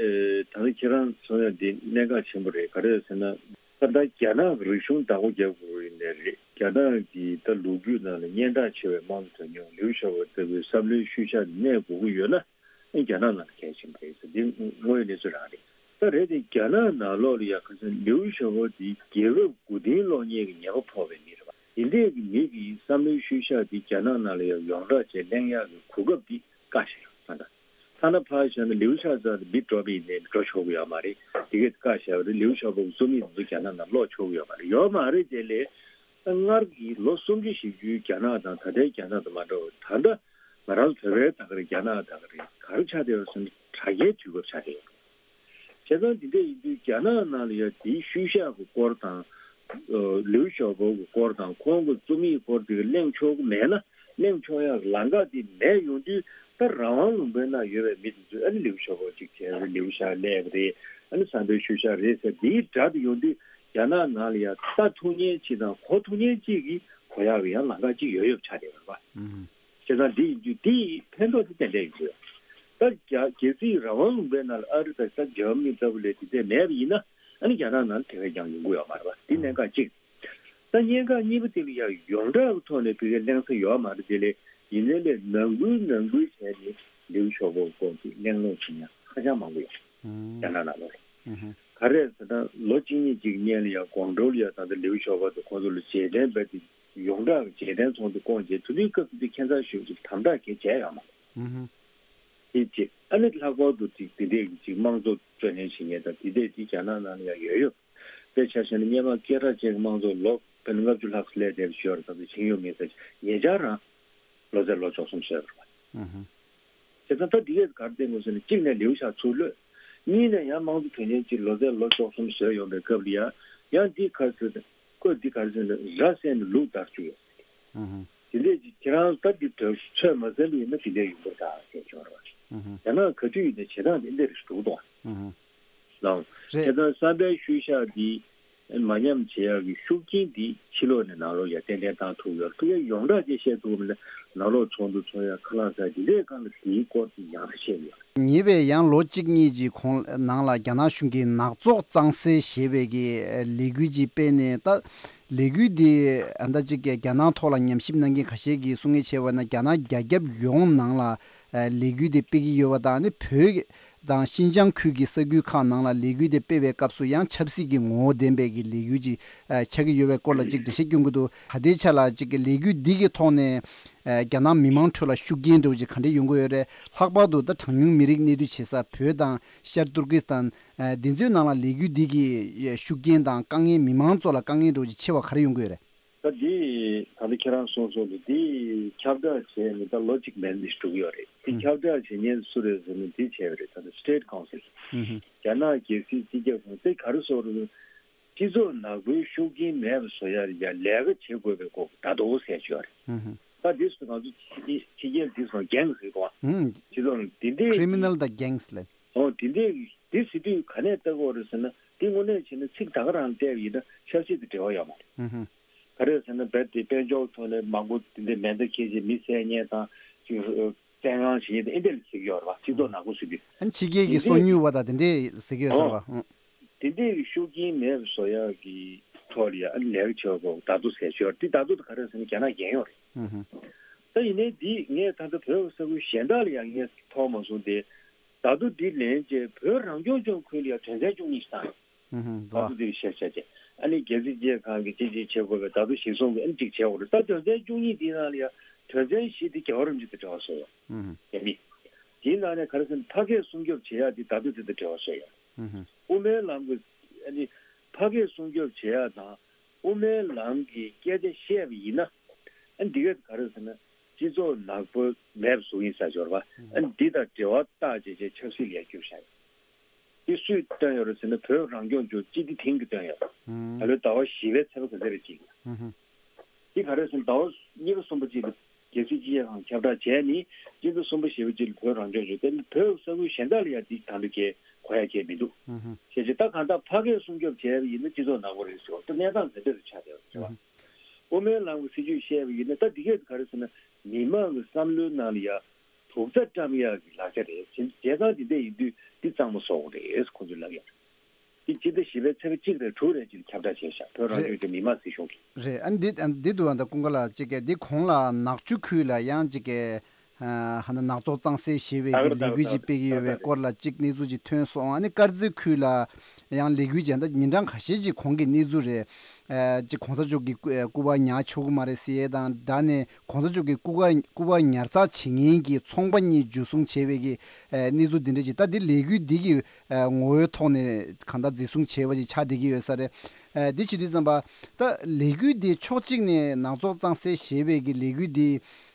ད་ལྟ་ཁྱེད་རང་གསུང་ཡ་འདི་གནད་འགག་ཆེན་པོ་རེད། ག་རེ་ཟེར་ན་ད་ལྟ་རྒྱ་ནག་གི་རིག་གཞུང་བདག་པོ་རྒྱབ་དགོས་ཡིན་ནའི་རེད། རྒྱ་ནག་གི་ད་ལོ་རྒྱུས་ནང་ལ་སྙན་གྲགས་ཆེ་བའི་དམངས་གཙོ་དོན་གཉེར་ལིའུ་ཞའོ་པོ་ལྟ་བུའི་བསམ་བློའི་ཤུལ་བཞག་གནས་དགོས་ཀྱི་ཡོད་ན། ཨ་རྒྱ་ནག་ནང་ལ་གལ་ཆེན་པོ་རེད་ཟེར་འདི་དངོས་ཡོད་གནས་ཚུལ་རང་རེད། ད་རེད་དེ་རྒྱ་ནག་ནང་ལོགས་ལ་ཡ་ཁ་སང་ལིའུ་ཞའོ་པོ་འདི་རྒྱལ་རབས་དགུ་སྟོན་སློག་མཁན་གྱི་ཉེས་པ་ཕོག་པའི་མི་རེད་པ། འདི་འདྲས་ཀྱི་མི་གི་བསམ་བློའི་ཤུལ་བཞག་འདི་རྒྱ་ནག་ནང་ལ་ཡང་ཡོངས་གྲགས་བྱས་གླེང་ཡག་གི་གོ་སྐབས་འདི་བཀག་བཞག་ཡོད་ད་ལྟ། ཐ་ན་ཕར་བཞག་ན་ལིའུ་ཞའོ་ཙང་འདི་འགྲོ་བ་ཡིན་ནའི་འགྲོ་ཆོག་གི་ཡོད་མ་རེད། དེ་གས་བཀག་བཞག་པ་རེད། ལིའུ་ཞའོ་པོ་གི་རྩོམ་ཡིག་འདི་ཚོ་རྒྱ་ནག་ནང་སློག་ཆོག་གི་ཡོད་མ་རེད། ཡོད་མ་རེད་དེ་ལས། ད་སྔར་གྱི་ལོ་སུམ་ཅུ་བཞི་བཅུའི་རྒྱ་ནག་དང་ད་ལྟའི་རྒྱ་ནག་དང་མ་འདྲ་བར་ད་ལྟ་ང་རང་ཚོ་བོད་པའི་ད་ག་རེ་རྒྱ་ནག་ད་ག་རེ་ག་རེ་ཆགས་བསྡད་ཡོད་ཟེར་ན་དྲ་རྒྱའི་དུས་སྐབས་ཆགས་བསྡད་ཡོད། བྱས་ཙང་འདི་འདྲ་ཡིན་དུས་རྒྱ་ནག་ནང་ལ་ཡང་དེའི་ཤུལ་བཞག་གི་སྐོར་དང་། ལིའུ་ཞའོ་པོ་གི་སྐོར་དང་ཁོང་གི་རྩོམ་ཡིག་སྐོར་དེ་ག་གླེང་ཆོག་གི་མེད་ན་གླེང་ཆོག་ཡག་ལམ་ཁ་དེ་མེད་ཡོང་དུས་ད་རང་དབང་ལུང་པའི་ནང་ཡོད་པའི་མི་དེ་ཚོས་ཨ་ནི་ལིའུ་ཞའོ་པོ་གཅིག་བྱས་རེད། ལིའུ་ཞའོ་སླེབས་རེད། ཨ་ནི་བསམ་པའི་ཤུལ་བཞག་རེད་ཟེར་དེའི་སྒྲ་དེ་ཡོང་དུས་རྒྱ་ནག་ནང་ལ་ཡང་ལྟ་ཐུབ་མཁན་གཅིག་དང་གོ་ཐུབ་མཁན་གཅིག་གིས་གོ་ཡག་གི་ཡང་ལམ་ཁ་གཅིག་ཡོད་ཡོད་ཆགས་བསྡད་ཡོད་རེད་པ། བྱས་ཙང་འདི་ཡིན་དུས་འདི་ཡི་ཕན་ཐོགས་དེ་ཏན་ཏན་ཡོང་གི་ཡོད། ད་རྒྱ་རྒྱལ་སྲིད་རང་དབང་ལུང་པའི་ནང་ལ་ཨ་རི་དང་ད་འཇར་མ་ནི་ལྟ་བུ་ལས་དེ་འདྲས་མེད་པ་ཡིན་ན་ཨ་ནི་རྒྱ་ནག་ནང་ལ་དེ་བས་ཀྱང་ཡོང་གི་ཡོད་མ་རེད་པ། འདི་གནད་འགག་གཅིག་ད་གནད་འགག་གཉིས་པ་དེ་ལ་ཡང་ཡོངས་གྲགས་ཀྱི་ཐོག་ནས་བོད་སྐད་གླེང་ས་ཡོད་མ་རེད་དེ་ལས་ཡིན་ནའི་ལས་ནང་ཁུལ་ནང་ཁུལ་བྱས་ནས་ལིའུ་ཞའོ་པོ་སྐོར་གྱི་གླེང་སློང་བྱེད་མཁན་ཧ་ཅང་མང་པོ་ཡོད། རྒྱ་ནག་ནང་ལོགས་ལ། ཨུ་ཧུ། ག་རེ་ཟེར་ན་ལོ་གཅིག་གཉིས་ཅིག་སྔོན་ལ་ཡང་ཀོང་ཀྲོའུ་ལ་ཡང་ད་ལྟ་ལིའུ་ཞའོ་པོ་དང་ཁོང་ཚོ་ལ་རྗེས་དྲན་རྦད་དེ་ཡོངས་གྲགས་ཀྱི་རྗེས་དྲན་ཚོགས་འདུ་བསྐོངས་རྗེས་དེ་དུས་སྐབས་དེ་ཁྱད་མཚར་ཤོས་ཀྱི་དམ་དྲག་གིས་བྱས་ཡོད་མ་རེད། ཨུ་ཧུ། དེ་གཅིག་ཨ་ནི་ལྷག་པར་དུ་ཅིག་དེ་འདྲས་ཀྱི་ཅིག་དམངས་གཙོ་རྩོད་ལེན་བྱེད་མཁན་དང་དེ་འདྲས་ཅིག་རྒྱ་ནག་ནང་ལ་ཡང་ཡོད་ཡོད། དཔེ་ཆ་བཞག་ན་སྔོན་མ་སྐད་གྲགས་ཅན་གྱི་དམངས་གཙོ་ལོ་དཔེར་ན་ལྔ་བཅུ་ལྷག་ཙམ་སླེབས་བསྡད་པ་ཞིག་ཡོད་རེད། ད་ཚོད་ཕྱིན་ཡོད་མེད་ཟེར་ཉེ་ཆར་རང་ལོ་ཙཱ་ལོ་བཅུ་གསུམ་བཟོས་པ་རེད་པ། ཨུ་ཧུ། བྱས་ཙང་ད་འདི་གས་ག་རེ་བསྟན་དགོས་ཟེར་ན་གཅིག་ནས་ལིའུ་ཞའོ་ཚུར་གློད། གཉིས་ནས་ཡང་དམངས་གཙོ་དོན་གཉེར་ཅིག་ལོ་ཙཱ་ལོ་བཅུ་གསུམ་བཟོས་ཡོང་པའི་སྐབས་ལ་ཡང་ཡང་འདི་ག་ཟེར་ན་བཀོད་འདི་ག་རེ་ཟེར་ན་ར་བསད་ནས་ལུག་བདར་བཅུག་ཡོད། ཨུ་ཧུ། དེ་འདྲས་ཀྱི་ཁྱེད་རང་ལྟ་འདི་དོན་ཚོད་མ་ཟིན་པ་ཡིན་ན་དེ་འདྲས་ཡོང་གི་རེད་ཟེར་བྱས་བྱུང་རེད་པ། ཨུ་ཧུ། རྒྱ་ནག་ག་དུས་ཡིན་ན་བྱེད་སྟངས་དེ་འདྲས་རེད་འགྲོ་གི་འདུག་ཨ། ཨུ་ཧུ། ལའོ། རེད། བྱས་ཙང་བསམ་པའི་ཤུལ་བཞག་འདི་མ་ཉམས་བྱེད་ཡག་གི་ཤུགས་རྐྱེན་འདི་ཕྱི་ལོགས་ནས་ནང་ལོགས་ཡར་ཏན་ཏན་བཏང་ཐུབ་ཡོད། ཐུབ་ཡག་ཡོངས་གྲགས་ཅིག་བཤད་ཐུབ་མིན་ན་ནང་ལོགས་ཚོགས་འདུ་ཚོགས་ཡག་ཁ་ལག་ཟ་འདི་འདྲའི་སྒང་ལ་དེའི་སྐོར་དེ་ཡག་ས་བཤད་ཡོད། ཉེ་བའི་ཡང་ལོ་གཅིག་གཉིས་ཀྱི་གོང་ནང་ལ་རྒྱ་ནག་གཞུང་གིས་ནག་ཚོགས་གཙང་སེལ་ཞེས་པའི་གི་ལས་འགུལ་ཅིག་སྤེལ་ནས། ད་ལས་འགུལ་འདི་ཨ་ད་ཅིག་གི་རྒྱ་ནག་ཐོག་ལ་ཉམས་ཞིབ་གནང་མཁན་ཁ་ཤས་ཀྱིས་གསུང་མཁན་བྱས་པ་ན་རྒྱ་ནག་རྒྱ་ཁྱབ་ཡོངས་ནང་ལ་ལས་འགུལ་འདི་སྤེལ་གྱི་ཡོད་པ་དང་ནི་བོད་དང་ཤིན་ཅང་ཁུལ་གྱི་ས་ཁུལ་ཁག་ནང་ལ་ལས་འགུལ་དེ་སྤེལ་བའི་སྐབས་སུ་ཡང་ཆབ་སྲིད་ཀྱི་ངོ་བོ་ལྡན་པའི་གི་ལས་འགུལ་ཅིག་ཨ་ཆགས་ཀྱི་ཡོད་པའི་སྐོར་ལ་ཅིག་འགྲེལ་བཤད་སྐྱོན་གྱི་འདུག་ད་ལྟའི་ཆ་ལ་ཅིག་གི་ལས་འགུལ་འདི་གི་ཐོག་ནས་ཨ་རྒྱ་ནག་མི་མང་ཁྲོད་ལ་ཤུགས་རྐྱེན་འདྲ་བོ་ཅིག་ག་འདྲ་ཡོང་གི་ཡོད་རེད། ལྷག་པར་དུ་ད་གྲངས་ཉུང་མི་རིགས་གནས་སྡོད་བྱེད་ས་བོད་དང་ཤར་ཏུར་ཀི་སི་ཐན་ཨ་འདི་ཚོའི་ནང་ལ་ལས་འགུལ་འདི་གི་ཤུགས་རྐྱེན་དང་དཀའ་ངལ་མི་མང་ཚོ་ལ་དཀའ་ངལ་འདྲ་བོ་ཅིག་ཆེ་བ་ག་རེ་ཡོང་གི་ཡོད་རེད། ད་འདི་ད་ལྟ་ཁྱེད་རང་གསུངས་སོང་དུས་འདི་ཁྱབ་བསྒྲགས་བྱས་ནས་ད་ལོ་གཅིག་མན་འདི་འགྲོ་གི་ཡོད་རེད། འདི་ཁྱབ་བསྒྲགས་བྱེད་མཁན་སུ་རེད་ཟེར་ན་འདི་བྱས་པ་རེད། ད་ལྟ་State Council། ཨུ་ཧུ། རྒྱ་ནག་རྒྱལ་སྲིད་སྤྱི་ཁྱབ་ཁང་དེ་ག་རེ་བཟོ་རེད། སྤྱི་ཚོགས་ནག་པོའི་ཤུགས་རྐྱེན་མེད་པ་བཟོ་ཡ་ཡ་ལས་ཀ་བྱེད་དགོས་པའི་སྐོར་ད་དོ་ཟེར་ཞུ་བ་རེད། ཨུ་ཧུ། ད་འདི་སུ་ང་ཚོ་ཕྱི་རྒྱལ་འདི་སོང་རྒྱང་ཟེར་གོ། ཨུ། སྤྱི་ཚོགས་ནང་འདི་འདྲའི་Criminal དང་Gangs ལ། ཨོ་འདི་འདྲའི་འདི་ཟེར་དུས་ག་ནས་ལྟ་དགོས་རེད་ཟེར་ན་འདི་དངོས་གནས་བྱས་ན་ཚིག་ད་ག་རང་བལྟས་པ་ཡིན་ན་ཆབ་སྲིད་དང་འབྲེལ་བ་ཡོད་མ་རེད། ཨུ་ཧུ། ག་རེ་ཟེར་ན་རྦད་དེ་དཔལ་འབྱོར་ཐོག་ནས་མང་པོ་འདི་འདྲའི་མེ་མདའ་འཁྱེར་བྱས་མི་བསད་མཁན་དང་ཅིག་བཙན་དབང་བྱེད་མཁན་དང་ཨེ་འདྲ་ལ་ཟེར་གྱི་ཡོད་རེད་བ། སྤྱི་ཚོགས་ནག་པོ་ཟེར་དུས། ཨ་ནི་ཕྱི་རྒྱལ་གྱི་སོ་ཉུལ་བ་དང་དེ་འདྲས་ཟེར་གྱི་ཡོད་ས་རེད་བ། ཨང་། དེ་འདྲའི་ཤུགས་རྐྱེན་མེད་པ་བཟོ་ཡག་གི་ཐོག་ལ་ཡང་ལས་ཀ་བྱེད་པ་ད་དུ་ཟེར་ཆོག་འདི་ད་དུ་ག་རེ་ཟེར་ན་རྒྱ་ནག་རྒྱལ་ཡོངས་རེད། ཨུ་ཧུ། ད་ཡིན་ནའི་འདི་ངས་ད་ལྟ་བོད་ས་ཁུལ་གཞན་དག་ལ་ཡང་ངས་མཐོང་མ་སོང་སྟེ། ད་དུ་འདི་ལན་རྗེས་བོད་རང་སྐྱོང་ལྗོངས་ཁུལ་ལ་ཡང་དོན་ཚན་བཅུ་གཉིས་ཤིག་བཏང་ཡོད། ཨུ་ཧུ། ད་དུ་འདི་བཤད་བཤད་བྱས་ཨ་ནི་རྒྱལ་སྲིད་སྤྱི་ཁང་གི་ཅི་ཅི་བྱེད་དགོས་པའི་ད་དུ་གཞི་བཟུང་གི་ཨ་ནི་ཅིག་བྱེད་དགོས་རེད། ད་དོན་ཚན་བཅུ་གཉིས་འདི་ནང་ལ་ཡང་དོན་ཚན་བཞི་འདི་རྒྱལ་བ་རིན་པོ་ཆེ་དང་འབྲེལ་བ་བཟོ་ཡོད། ཨུ་ཧུ། རྒྱ་མི། དེའི་ནང་ནས་ག་རེ་ཟེར་ན་ཕ་སྐད་སྲུང་སྐྱོབ་བྱེད་ཡག་འདི་ད་དུ་དེ་དང་འབྲེལ་བ་བཟོ་ཡོད། ཨུ་ཧུ། དབུ་མའི་ལམ་གྱི་ཨ་ནི་ཕ་སྐད་སྲུང་སྐྱོབ་བྱེད་ཡག་དང་དབུ་མའི་ལམ་གྱི་སྐད་ཆ་བཤད་པ་ཡིན་ན་ཨ་ནི་འདི་ག་ག་རེ་ཟེར་ན་སྤྱི་ཚོགས་ནག་པོ་མེད་པ་བཟོ་གི་ཡིན་ཟེར་ཡོད་རེད་བ། ཨ་ནི་འདི་དང་འབྲེལ་བ་བཏགས་བྱས་བྱས་ཆབ་སྲིད་ལ་བསྒྱུར་བཞག་ཡོད། འདི་སུས་བཏོན་ཡོད་རེད་ཟེར་ན་བོད་རང་སྐྱོང་ལྗོངས་སྤྱི་བདེ་ཐིང་གིས་བཏོན་ཡོད་རེད། ཨུམ། ད་ལོའི་ཟླ་བ་བཞི་པའི་ཚེས་པ་ག་ཚོད་རེད་ཅིག་ཨུམ། འདི་ག་རེ་ཟེར་ན་ཟླ་བ་གཉིས་པ་གསུམ་པ་ཅིག་ལ་རྒྱལ་སྲིད་སྤྱི་ཁྱབ་ཁང་ཁྱབ་བསྒྲགས་བྱས་ནས་སྤྱི་ཟླ་གསུམ་པ་བཞི་པ་ཅིག་ལ་བོད་རང་སྐྱོང་ལྗོངས་དེ་ནི་བོད་ས་ཁུལ་གཞན་དག་ལ་ཡང་འདི་ད་ལྟ་གས་གོ་ཡ་གས་མི་འདུག་ཨུམ། བྱས་ཙང་ད་གང་ལྟར་ཕ་སྐད་སྲུང་སྐྱོབ་བྱས་པ་ཡིན་ན་སྤྱི་ཚོགས་ནག་པོ་རེད་ཟེར་བ་ད་གནས་སྟངས་དེ་འདྲ་རུ་ཆགས་བསྡད་ཡོད་རེད་བ། ཨུམ། དབུ་མའི་ལམ་གྱི་སྲིད་བྱུས་བཤད་པ་ཡིན་ན་ད་འདི་གས་ག་རེ་ཟེར་ན་མི་མང་གི་བསམ་བློའི་ནང་ལ་ཡ་དུག་རྩྭ་བཀྲམ་ཡག་གི་ལག་ཆ་རེད། བྱས་ཙང་དེ་འདྲ་ཡིན་དུས་འདི་གཙང་མ་བཟོ་དགོས་རེད་ཁོང་ཚོས་ལབ་ཡག་རེད། འདི་སྤྱི་ཟླ་བཞི་པའི་ཚེས་པ་གཅིག་རེད་དྲུག་རེད་ཅིག་ཁྱབ་བསྒྲགས་བྱས་ཤག་བོད་རང་སྐྱོང་ལྗོངས་མི་དམངས་སྲིད་གཞུང་གིས། རེད། ཨ་འདི་ཨ་འདི་འདུག་ཨ་ད་ཀུན་དགའ་ལགས་ཅིག་གིས་འདི་གོང་ལ་ནག་ཆུ་ཁུལ་ལ་ཡང་ཅིག་གིས་ཨ་ཧ་ན་ནག་ཚོགས་གཙང་སེལ་ཞེས་པའི་གི་ལས་འགུལ་ཅིག་སྤེལ་གྱི་ཡོད་པའི་སྐོར་ལ་ཅིག་གནས་ཚུལ་ཅིག་ཐོན་སོང་། ཨ་ནི་དཀར་མཛེས་ཁུལ་ལ་ཡང་ལས་འགུལ་ཅིག་ད་ཉིན་གྲངས་ཁ་ཤས་ཅིག་གོང་གི་གནས་ཚུལ་རེད། ཨ་ཅིག་གོང་ས་མཆོག་གི་སྐུ་སྐུ་པར་ཉར་ཆོག་གི་མ་རེད་ཟེར་ཡས་དང་སྦྲགས་ནས་གོང་ས་མཆོག་གི་སྐུ་པར་སྐུ་པར་ཉར་ཚགས་བྱེད་མཁན་གྱི་ཚོང་པ་གཉིས་འཇུ་བཟུང་བྱས་པའི་གི་ཨ་གནས་ཚུལ་འདི་འདྲ་ཅིག་ད་འདི་ལས་འགུལ་འདི་གི་ཨ་ངོ་བོའི་ཐོག་ནས་གང་ལྟར་འཛིན་བཟུང་བྱས་པ་ཅིག་ཆགས་བསྡད་ཀྱི་ཡོད་ས་རེད། ཨ་འདི་བྱེད་དུས་ཙམ་པ་ད་ལས་འགུལ་འདི་ཕྱོགས་གཅིག་ནས་ནག་ཚོགས་གཙང་སེལ་ཞེས་པའི་གི་ལས་འགུལ་འདི་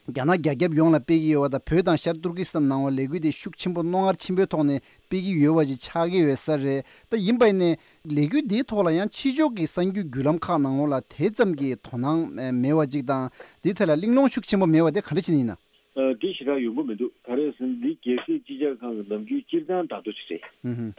རྒྱ་ནག་རྒྱ་ཁྱབ་ཡོངས་ལ་སྤེལ་གྱི་ཡོད་པ་དང་བོད་དང་ཤར་ཏུར་ཀི་སི་ཐན་ནང་ལ་ལས་འགུལ་འདི་ཤུགས་ཆེན་པོ་རྣོ་ངར་ཆེན་པོའི་ཐོག་ནས་སྤེལ་གྱི་ཡོད་པ་ཅིག་ཆགས་ཀྱི་ཡོད་ས་རེད། ད་ཡིན་པ་ཡིན་ནའི་ལས་འགུལ་འདིའི་ཐོག་ལ་ཡང་ཕྱི་ཕྱོགས་ཀྱི་གསར་འགྱུར་བརྒྱུད་ལམ་ཁག་ནང་ལོགས་ལ་དེ་ཙམ་གྱི་དོ་སྣང་མེད་པ་ཅིག་དང་འདིའི་ཐད་ལ་གླེང་སློང་ཤུགས་ཆེན་པོ་མེད་པ་དེ་ག་འདྲ་བྱས་ནས་ཡིན་ན། ཨ་འདི་ཞེ་དྲག་ཡོང་གི་མི་འདུག་ག་རེ་ཟེར་ན་འདི་རྒྱལ་སྲིད་སྤྱི་ཁྱབ་ཁང་གི་ནམ་རྒྱུན་སྤྱིར་བཏང་བརྡ་ཐོ་ཞིག་རེད། ཨུ་ཧུ།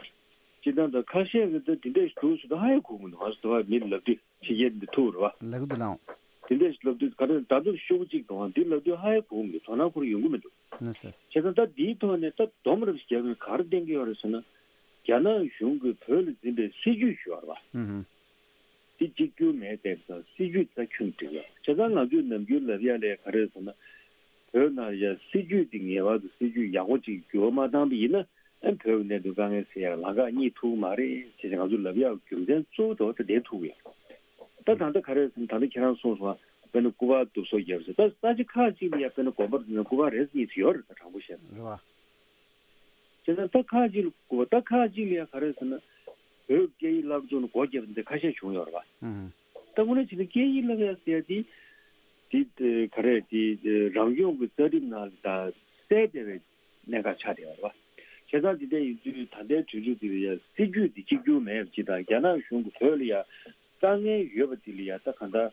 སྤྱིར་བཏང་ད་ཁ་ཤས་ཀྱིས་ད་འདི་འདྲ་ཞིག་འདུག་ཟེར་ད་ཧ་ཡང་གོ་གི་མི་འདུག་ང་ཚོ་ད་བར་མི་ལབ་དུས་ཕྱི་རྒྱལ་འདི་ཐུག་རེད་བ། ལབ་གི་འདུག་ལགས། དེ་འདྲ་ཞིག་ལབ་དུས་ག་རེ་ད་དུང་ཤོག་གཅིག་དང་དེ་ལབ་དུས་ཧ་ཡང་གོ་གི་མི་འདུག་དོ་སྣང་ཁོ་རང་ཡོང་གི་མི་འདུག་ན་ས། བྱས་ཙང་ད་འདིའི་ཐོག་ནས་ད་སྡོམ་རབ་ཞིག་རྒྱག་དགོས་ག་རེ་བསྟན་གྱི་ཡོད་རེད་ཟེར་ན། རྒྱ་ནག་གཞུང་གིས་བོད་ལ་འཛིན་པའི་སྲིད་ཇུས་ཞུ་བ་རེད་བ། ཨུ་ཧུ། དེ་གཅིག་གྱུར་མེད་བསྡད་པ་དང་སྲིད་ཇུས་རྩ་ཁྱོན་བསྒྲིགས་ཡོད། བྱས་ཙང་ང་ཚོས་ནམ་རྒྱུན་ལབ་ཡ་ལས་ག་རེ་ཟེར་ན། བོད་ནང་ཡ་སྲིད་ཇུས་དེ་ངེས་པར་དུ་སྲིད་ཇུས་ཡག་པོ་ཅིག་འགྱུར་བ་མ་བཏང་པ་ཡིན་ན། ཨ་བོད་ཀྱི་གནད་དོན་དཀའ་ངལ་སེལ་ཡག་ལམ་ཁ་རྙེད་ཐུབ་ཀྱི་མ་རེད་ཅེས་ང་ཚོ་ལབ་ཡག་རྒྱུ་མཚན་གཙོ་བོ་དེ་ད་དེ་ཐུག་ཡོད། ད་ད་ལྟ་ག་རེ་ཟེར་ན་ད་ལྟ་ཁྱེད་རང་གསུངས་སོང་བ། དཔེར་ན་སྐུ་པར་བསྡུ་གསོག་བརྒྱབ་ཟེར། ད་ས་ཆ་ཁག་ཅིག་ལ་ཡ་དཔེར་ན་དགོན་པ་རེ་ན་སྐུ་པར་རེ་གཉིས་ཡོད་རེད། ད་དྲང་པོ་བཤད་ན། རེད་བ། བྱས་ཙང་ད་ཁག་ཅིག་ལ་སྐུ་པར། ད་ཁག་ཅིག་ལ་ཡ་ག་རེ་ཟེར་ན་བོད་སྐད་ཡིག་བསླབ་སྦྱོང་ལ་སྒོ་བརྒྱབ་པ་འདི་ཁ་ཤས་བྱུང་ཡོད་རེད་བ། ཨང་། ད་དངོས་གནས་བྱས་ན་སྐད་ཡིག་བསླབ་ཡ་ཟེར་ཡ་དེ་དེ་ག་རེ་དེ་རང་སྐྱོང་གི་རྩ་ཁྲིམས་ནང་ལ་ད་གསལ་བསྡད་པའི་གནད་འགག་ཆགས་བསྡད་ཡོད་རེད་བ། བྱས་ཙང་དེ་འདྲ་ཡིན་དུས་ད་ལྟའི་དུས་ཚོད་འདི་ལ་ཡ་སྲིད་ཇུས་འདི་གཅིག་གྱུར་མེད་པ་ཅིག་དང་། རྒྱ་ནག་གཞུང་གིས་བོད་ལ་ཡ་དཀའ་ངལ་ཡོད་པ་འདི་ལ་ཡ་ད་གང་ལྟར་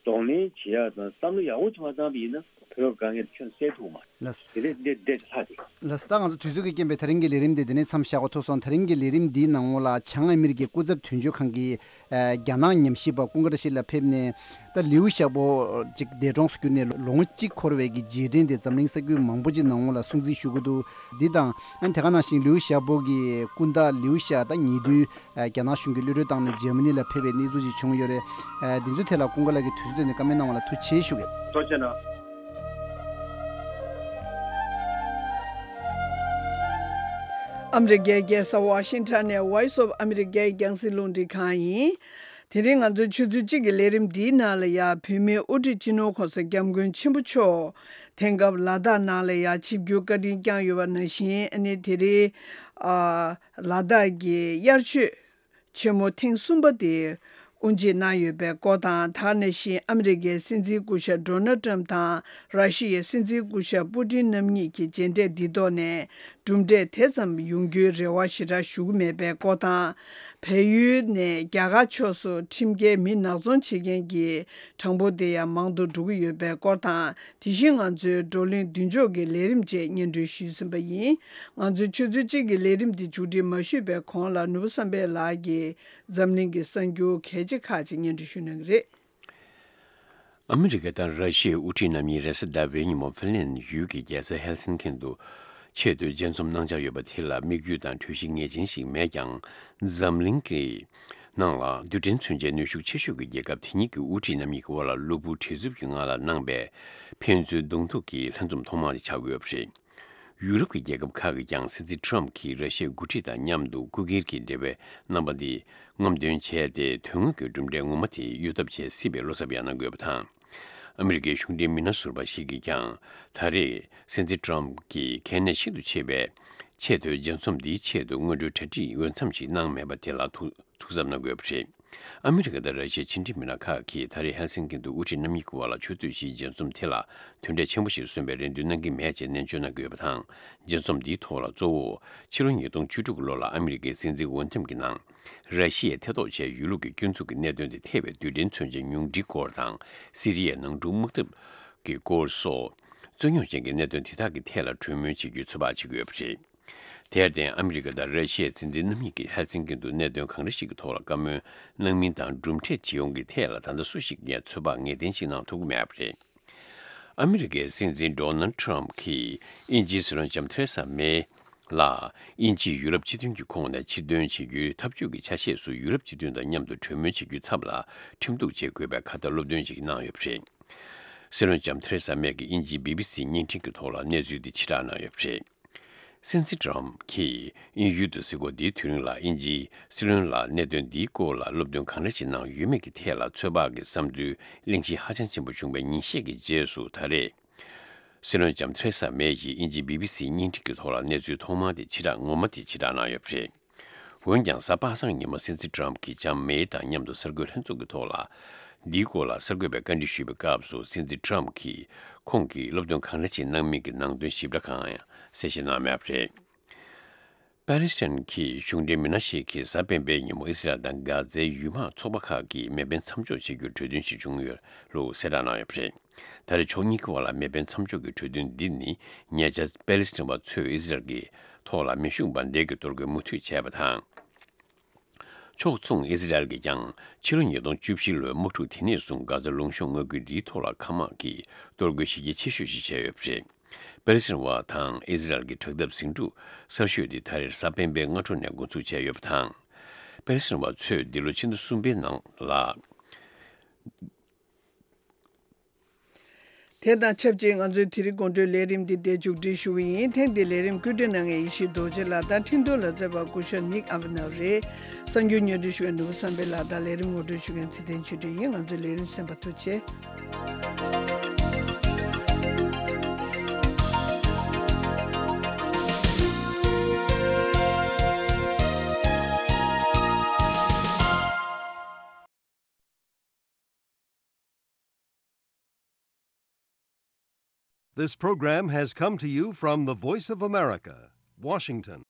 གདོང་ལེན་བྱེད་ཡ་དང་བསམ་བློ་ཡག་པོ་ཅིག་མ་བཏང་པ་ཡིན་ན་བོད་ཀྱི་དཀའ་ངལ་དེ་ཁྱོན་ནས་སེལ་ཐུབ་མ་རེད། ལགས། དེ་འདྲས་འདི་འདྲས་ལྷག་དེ། ལགས། ད་ང་ཚོ་དུས་ཚོད་ཀྱི་རྐྱེན་པས་ད་རིང་གི་ལས་རིམ་འདི་འདི་ནས་མཚམས་བཞག་དགོས་ཐུག་སོང་། ད་རིང་གི་ལས་རིམ་འདིའི་ནང་ལོགས་ལ་བྱང་ཨ་མི་རི་ཀའི་སྐུ་ཚབ་དོན་གཅོད་ཁང་གི་ཨ་རྒྱ་ནག་ཉམས་ཞིབ་པ་ཀུན་དགའ་བཀྲ་ཤིས་ལགས་ཕེབས་ནས། ད་ལིའུ་ཞའོ་པོ་ཅིག་འདས་གྲོངས་སུ་གྱུར་ནས་ལོ་ངོ་གཅིག་འཁོར་བའི་གི་རྗེས་དྲན་དེ་འཛམ་གླིང་ས་ཁུལ་མང་པོ་ཅིག་ནང་ལོགས་ལ་སྲུང་བརྩི་ཞུ་གི་འདུག། འདི་དང་ཨ་ནི་དེ་ག་ནང་བཞིན་ལིའུ་ཞའོ་པོ་གི་སྐུ་ཟླ་ལིའུ་ཞའོ་ད་ཉེ་དུས་ཨ་རྒྱ་ནག་གཞུང་གིས་གློད་གྲོལ་བཏང་ནས་འཇར་མ་ནི་ལ་ཕེབས་པའི་གནས་ཚུལ་ཅིག་བྱུང་ཡོད་རེད། ཨ་འདི་ཚོའི་ཐད་ལ་ཀུན་དགའ་ལགས་ཀྱིས་དུས་ཚོད་བཏོན་ནས་བཀའ་མོལ་གནང་བ་ལ་ཐུགས་རྗེ་ཆེ་ཞུ་གི། ཐུགས་རྗེ་གནང་། ཨ་མི་རི་ཀའི་རྒྱལ་ས་ཝ་ཤིང་ཊོན་ནས་Voice of America རྒྱང་སྲིང་རླུང་འཕྲིན་ཁང་ཡིན། དེ་རིང་ང་ཚོའི་ཆུ་ཚོད་གཅིག་གི་ལས་རིམ་འདིའི་ནང་ལ་ཡ་བོད་མིའི་དབུ་ཁྲིད་སྤྱི་ནོར་གོང་ས་སྐྱབས་མགོན་ཆེན་པོ་མཆོག་དེང་སྐབས་ལ་དྭགས་ནང་ལ་ཡ་ཆིབས་བསྒྱུར་བཀའ་དྲིན་བསྐྱངས་ཡོད་པ་ནང་བཞིན། ཨ་ནི་དེ་རིང་ཨ་ལ་དྭགས་ཀྱི་དབྱར་ཆོས་ཆེན་མོ་ཐེངས་གསུམ་པ་དེ་དབུ་འབྱེད་གནང་ཡོད་པའི་སྐོར་དང་། ད་ག་ནང་བཞིན་ཨ་མི་རི་ཀའི་སྲིད་འཛིན་སྐུ་ཞབས་ཌོ་ནལ་ཊམ་དང་ར་ཤི་ཡའི་སྲིད་འཛིན་སྐུ་ཞབས་པུ་ཏིན་རྣམ་གཉིས་ཀྱི་མཇལ་འཕྲད་འདི་ཐོག་ནས་གྲུབ་འབྲས་དེ་ཙམ་ཡོང་རྒྱུའི་རེ་བ་ཞེ་དྲག་ཞུ་གི་མེད་པའི་སྐོར་དང་། བལ་ཡུལ་ནས་རྒྱ་གར་ཕྱོགས་སུ་ཁྲིམས་འགལ་མི་ནག་ཚོང་བྱེད་མཁན་གྱི་གྲངས་འབོར་དེ་ཡང་མང་དུ་འགྲོ་གི་ཡོད་པའི་སྐོར་དང་། དེ་བཞིན་ང་ཚོའི་བགྲོ་གླེང་མདུན་ལྕོག་གི་ལས་རིམ་བཅས་སྙན་སྒྲོན་ཞུས་ཟིན་པ་ཡིན། ང་ཚོའི་ཆུ་ཚོད་གཅིག་གི་ལས་རིམ་འདི་མཇུག་སྒྲིལ་མ་ཞུས་པའི་གོང་ལ་ནོར་བུ་བསམ་འཕེལ་ལགས་ཀྱིས་འཛམ་གླིང་གི་གསར་འགྱུར་གལ་ཆེ་ཁག་ཅིག་སྙན་སྒྲོན་ཞུ་གནང་གི་རེད། ཨ་མི་རི་ཀ་དང་ར་ཤི་ཡའི་དབུ་ཁྲིད་རྣམ་གཉིས་རེས་གཟའ་ཟླ་བའི་ཉིན་མོ་ཧྥིན་ལན་ཡུལ་གྱི་རྒྱལ་ས་ཧེལ་སིན་ཀིན་དུ་ཆེས་མཐོའི་མཇལ་འཛོམས་གནང་འཆར་ཡོད་པ་དེ་ལ་དམིགས་ཡུལ་དང་གྲོས་གཞི་ངེས་ཅན་ཞིག་མེད་ཀྱང་། འཛམ་གླིང་གི་ནང་ལ་རྡུལ་ཕྲན་མཚོན་ཆའི་ནུས་ཤུགས་ཆེ་ཤོས་ཀྱི་རྒྱལ་ཁབ་དེ་གཉིས་ཀྱི་དབུ་ཁྲིད་རྣམ་གཉིས་ཀྱི་དབར་ལ་གློ་བུར་བྲེལ་འཚུབ་ཀྱི་ངང་ལ་གནང་པའི་ཕན་ཚུན་གདོང་ཐུག་གི་ལྷན་འཛོམས་ཐོག་མ་དེ་ཆགས་ཀྱི་ཡོད་པ་རེད། ཡུ་རོབ་ཀྱི་རྒྱལ་ཁབ་ཁག་གིས་ཀྱང་སྲིད་འཛིན་ཊམ་གྱིས་ར་ཤི་ཡའི་འགོ་ཁྲིད་དང་མཉམ་དུ་སྐུ་སྒེར་གྱི་འབྲེལ་བའི་རྣམ་པ་འདི་རྔམ་སྟོན་བྱས་ཏེ། དོན་དངོས་ཀྱི་གྲུབ་འབྲས་ངོ་མ་དེ་གཡོལ་ཐབས་བྱེད་སྲིད་པའི་བློ་འཚབ་ཡང་གནང་དགོས་པ་དང་། ཨ་མི་རི་ཀའི་གཞུང་འབྲེལ་མི་སྣ་ཟུར་པ་ཞིག་གིས་ཀྱང་ད་རེས་སྲིད་འཛིན་ཊམ་གྱིས་གལ་གནད་ཤིན་ཏུ་ཆེ་བའི་ཆེས་མཐོའི་མཇལ་འཛོམས་འདིའི་ཆེད་དུ་སྔོན་འགྲོའི་གྲ་སྒྲིག་འོས་འཚམ་ཞིག་གནང་མེད་པ་དེ་ལ་ཐུགས་ཐུགས་འཚབ་གནང་དགོས་པ་རེད། ཨ་མི་རི་ཀ་དང་ར་ཤི་ཡའི་ཕྱི་འབྲེལ་མི་སྣ་ཁག་གིས་ད་རེས་ཧེལ་སིན་ཀིན་དུ་དབུ་ཁྲིད་རྣམ་གཉིས་ཀྱི་དབར་ལ་ཆུ་ཚོད་བཞིའི་མཇལ་འཛོམས་དེ་ལ་དོན་འབྲས་ཆེན་པོ་ཞིག་སོན་པའི་རེ་འདུན་གནང་གི་མེད་ཅེས་ནན་བརྗོད་གནང་གི་ཡོད་པ་དང་། མཇལ་འཛོམས་འདིའི་ཐོག་ལ་གཙོ་བོ་ཕྱི་ལོ་ཉིས་སྟོང་བཅུ་དྲུག་གི་ལོ་ལ་ཨ་མི་རི་ཀའི་སྲིད་འཛིན་འོས་འདེམས་ཀྱི་ནང་། ར་ཤི་ཡས་ཐེ་གཏོགས་བྱས་ཡོད་ལུགས་ཀྱི་སྐྱོན་འཛུགས་ཀྱི་གནད་དོན་དེ་ཐེ་བའི་རྡུལ་ཕྲན་མཚོན་ཆའི་ཉུང་འཕྲིའི་སྐོར་དང་། སི་རི་ཡའི་ནང་འཁྲུག་དམག་འཐབ་ཀྱི་སྐོར་སོགས། རྩོད་རྙོག་ཅན་གྱི་གནད་དོན་དེ་དག་གི་ཐད་ལ་གྲོས་མོལ་བྱེད་རྒྱུའི་ཚོད་དཔག་བྱེད་ཀྱི་ཡོད་པ་རེད། དེར་བརྟེན། ཨ་མི་རི་ཀ་དང་ར་ཤི་ཡའི་སྲིད་འཛིན་རྣམ་གཉིས་ཀྱིས་ཧེལ་སིན་ཀིན་དུ་གནད་དོན་གང་འདྲ་ཞིག་གི་ཐོག་ལ་བཀའ་མོལ་གནང་མིན་དང་། གྲུབ་འབྲས་ཇི་ཡོང་གི་ཐད་ལ་ད་ལྟ་སུ་ཞིག་གིས་ཚོད་དཔག་ངེས་གཏན་ཞིག་གནང་ཐུབ་ཀྱི་མེད་པ་རེད། ཨ་མི་རི་ཀའི་སྲིད་འཛིན་ཌོ་ནལ་ཊམ་གྱིས་དབྱིན་ཇིའི་སྲིད་བློན་ལྕམ་ཐེ་རེ་ས་མེ་ལ། དབྱིན་ཇིས་ཡུ་རོབ་སྤྱི་མཐུན་གྱི་ཁོངས་ནས་ཕྱིར་འདོན་བྱེད་རྒྱུའི་ཐབས་ཇུས་ཀྱི་ཆ་ཤས་སུ་ཡུ་རོབ་སྤྱི་མཐུན་དང་མཉམ་དུ་གྲོས་མོལ་བྱེད་རྒྱུའི་ཚབ་ལ་ཁྲིམས་གཏུག་བྱེད་དགོས་པའི་ཁ་ཏ་སློབ་སྟོན་ཞིག་གནང་ཡོད་པ་རེད། སྲིད་བློན་ལྕམ་ཐེ་རེ་ས་མེ་གིས་དབྱིན་ཇིའི་བི་བི་སི་བརྙན་འཕྲིན་གྱི་ཐོག་ལ་གནས་ཚུལ་འདི་ཕྱིར་བསྒྲགས་གནང་ཡོད་པ་རེད། སྲིད་འཛིན་ཊམ་གྱིས་དབྱིན་ཡུལ་དུ་གཟིགས་སྐོར་འདིའི་དུས་རིང་ལ་དབྱིན་ཇིའི་སྲིད་བློན་ལ་གནད་དོན་འདིའི་སྐོར་ལ་སློབ་སྟོན་གང་འདྲ་ཞིག་གནང་ཡོད་མེད་ཀྱི་ཐད་ལ་ཚོད་དཔག་གི་བསམ་ཚུལ་གླེང་གཞི་ཧ་ཅང་ཆེན་པོ་བྱུང་བའི་ཉིན་ཤས་ཀྱི་རྗེས་སུ། ད་རེས་སྲིད་བློན་ལྕམ་ཐེ་རེ་ས་མེ་ཡིས་དབྱིན་ཇིའི་བི་བི་སི་བརྙན་འཕྲིན་གྱི་ཐོག་ལ་གནས་ཚུལ་ཐོག་མ་དེ་ཕྱིར་བསྒྲགས་ངོ་མ་དེ་ཕྱིར་བསྒྲགས་གནང་ཡོད་པ་རེད། འོན་ཀྱང་། གཟའ་པ་སངས་ཉིན་མོ་སྲིད་འཛིན་ཊམ་གྱིས་ལྕམ་མེ་དང་མཉམ་དུ་གསར་འགོད་ལྷན་ཚོགས་ཀྱི་ཐོག་ལ་འདིའི་སྐོར་ལ་གསར་འགོད་པས་བཀའ་འདྲི་ཞུས་པའི་སྐབས་སུ། སྲིད་འཛིན་ཊམ་གྱིས་ཁོང་གིས་སློབ་སྟོན་གང་འདྲ་ཞིག་གནང་མིན་གྱི་ནང་དོན་ཞིབ་ཕྲ་གང་ཡང་གསལ་བཤད་གནང་མེད་པ་རེད། པ་ལི་སི་ཐན་གྱི་གཞུང་འབྲེལ་མི་སྣ་ཞིག་གིས་གཟའ་སྤེན་པའི་ཉིན་མོ་ཨི་སི་རལ་དང་གྷ་ཛའི་ཡུལ་དམག་ཚོགས་པ་ཁག་གིས་མེ་འཕེན་མཚམས་འཇོག་བྱེད་རྒྱུར་གྲོས་མཐུན་ཞིག་བྱུང་ཡོད་ལུགས་གསལ་བསྒྲགས་གནང་ཡོད་པ་རེད། ད་རེས་ཕྱོགས་གཉིས་ཀྱི་བར་ལ་མེ་འཕེན་མཚམས་འཇོག་གི་གྲོས་མཐུན་འདི་ནི་ཉེ་ཆར་པ་ལི་སི་ཐན་པ་ཚོས་ཨི་སི་རལ་གྱི་ཐོག་ལ་མེ་ཤུགས་འབར་མདེལ་གྱི་གཏོར་རྒོལ་མུ་མཐུད་བྱས་པ་དང་། ཕྱོགས་མཚུངས་ཨི་སི་རལ་གྱིས་ཀྱང་ཕྱི་ལོ་ཉིས་སྟོང་བཅུ་བཞི་ལོའི་དམག་འཁྲུག་དེ་ནས་བཟུང་གྷ་ཛ་ལུང་གཤོང་མངའ་ཁུལ་འདིའི་ཐོག་ལ་མཁའ་དམག་གིས་གཏོར་རྒོལ་གཞི་རྒྱ་ཆེ་ཤོས་ཤིག་བྱས་ཡོད་པ་རེད། པ་ལི་སི་ཐན་པ་དང་ཨི་སི་རལ་གྱི་དྲག་འཐབ་ཟིང་འཁྲུག་གསར་ཤོས་འདི་ད་རེས་གཟའ་སྤེན་པའི་སྔ་དྲོ་ནས་འགོ་འཛུགས་བྱས་ཡོད་པ་དང་། པ་ལི་སི་ཐན་པ་ཚོས་འདི་ལོ་ཕྱི་ཟླ་གསུམ་པའི་ནང་ལ། དེ་དང་ཆབས་ཅིག་ང་ཚོའི་དེ་རིང་དགོང་དྲོའི་ལས་རིམ་འདི་འདིར་མཇུག་སྒྲིལ་ཞུ་གི་ཡིན། ཐེངས་འདིའི་ལས་རིམ་བཀོད་སྒྲིག་གནང་མཁན་ཡེ་ཤེས་རྡོ་རྗེ་ལགས་དང་འཕྲིན་གཏོང་ལ་མཛད་པ་སྐུ་ཞབས་ནིག་ཨ་བྷི་ནབ་རེད། གསར་འགྱུར་སྙན་སྒྲོན་ཞུ་མཁན་ནོར་བུ་བསམ་འཕེལ་ལགས་དང་ལས་རིམ་ངོ་སྤྲོད་ཞུ་མཁན་ཚེ་བརྟན་ཆོས་སྒྲོན་ཡིན། ང་ཚོའི་ལས་རིམ་གསན་པར་ཐུགས་རྗེ་ཆེ། This program has come to you from the Voice of America, Washington.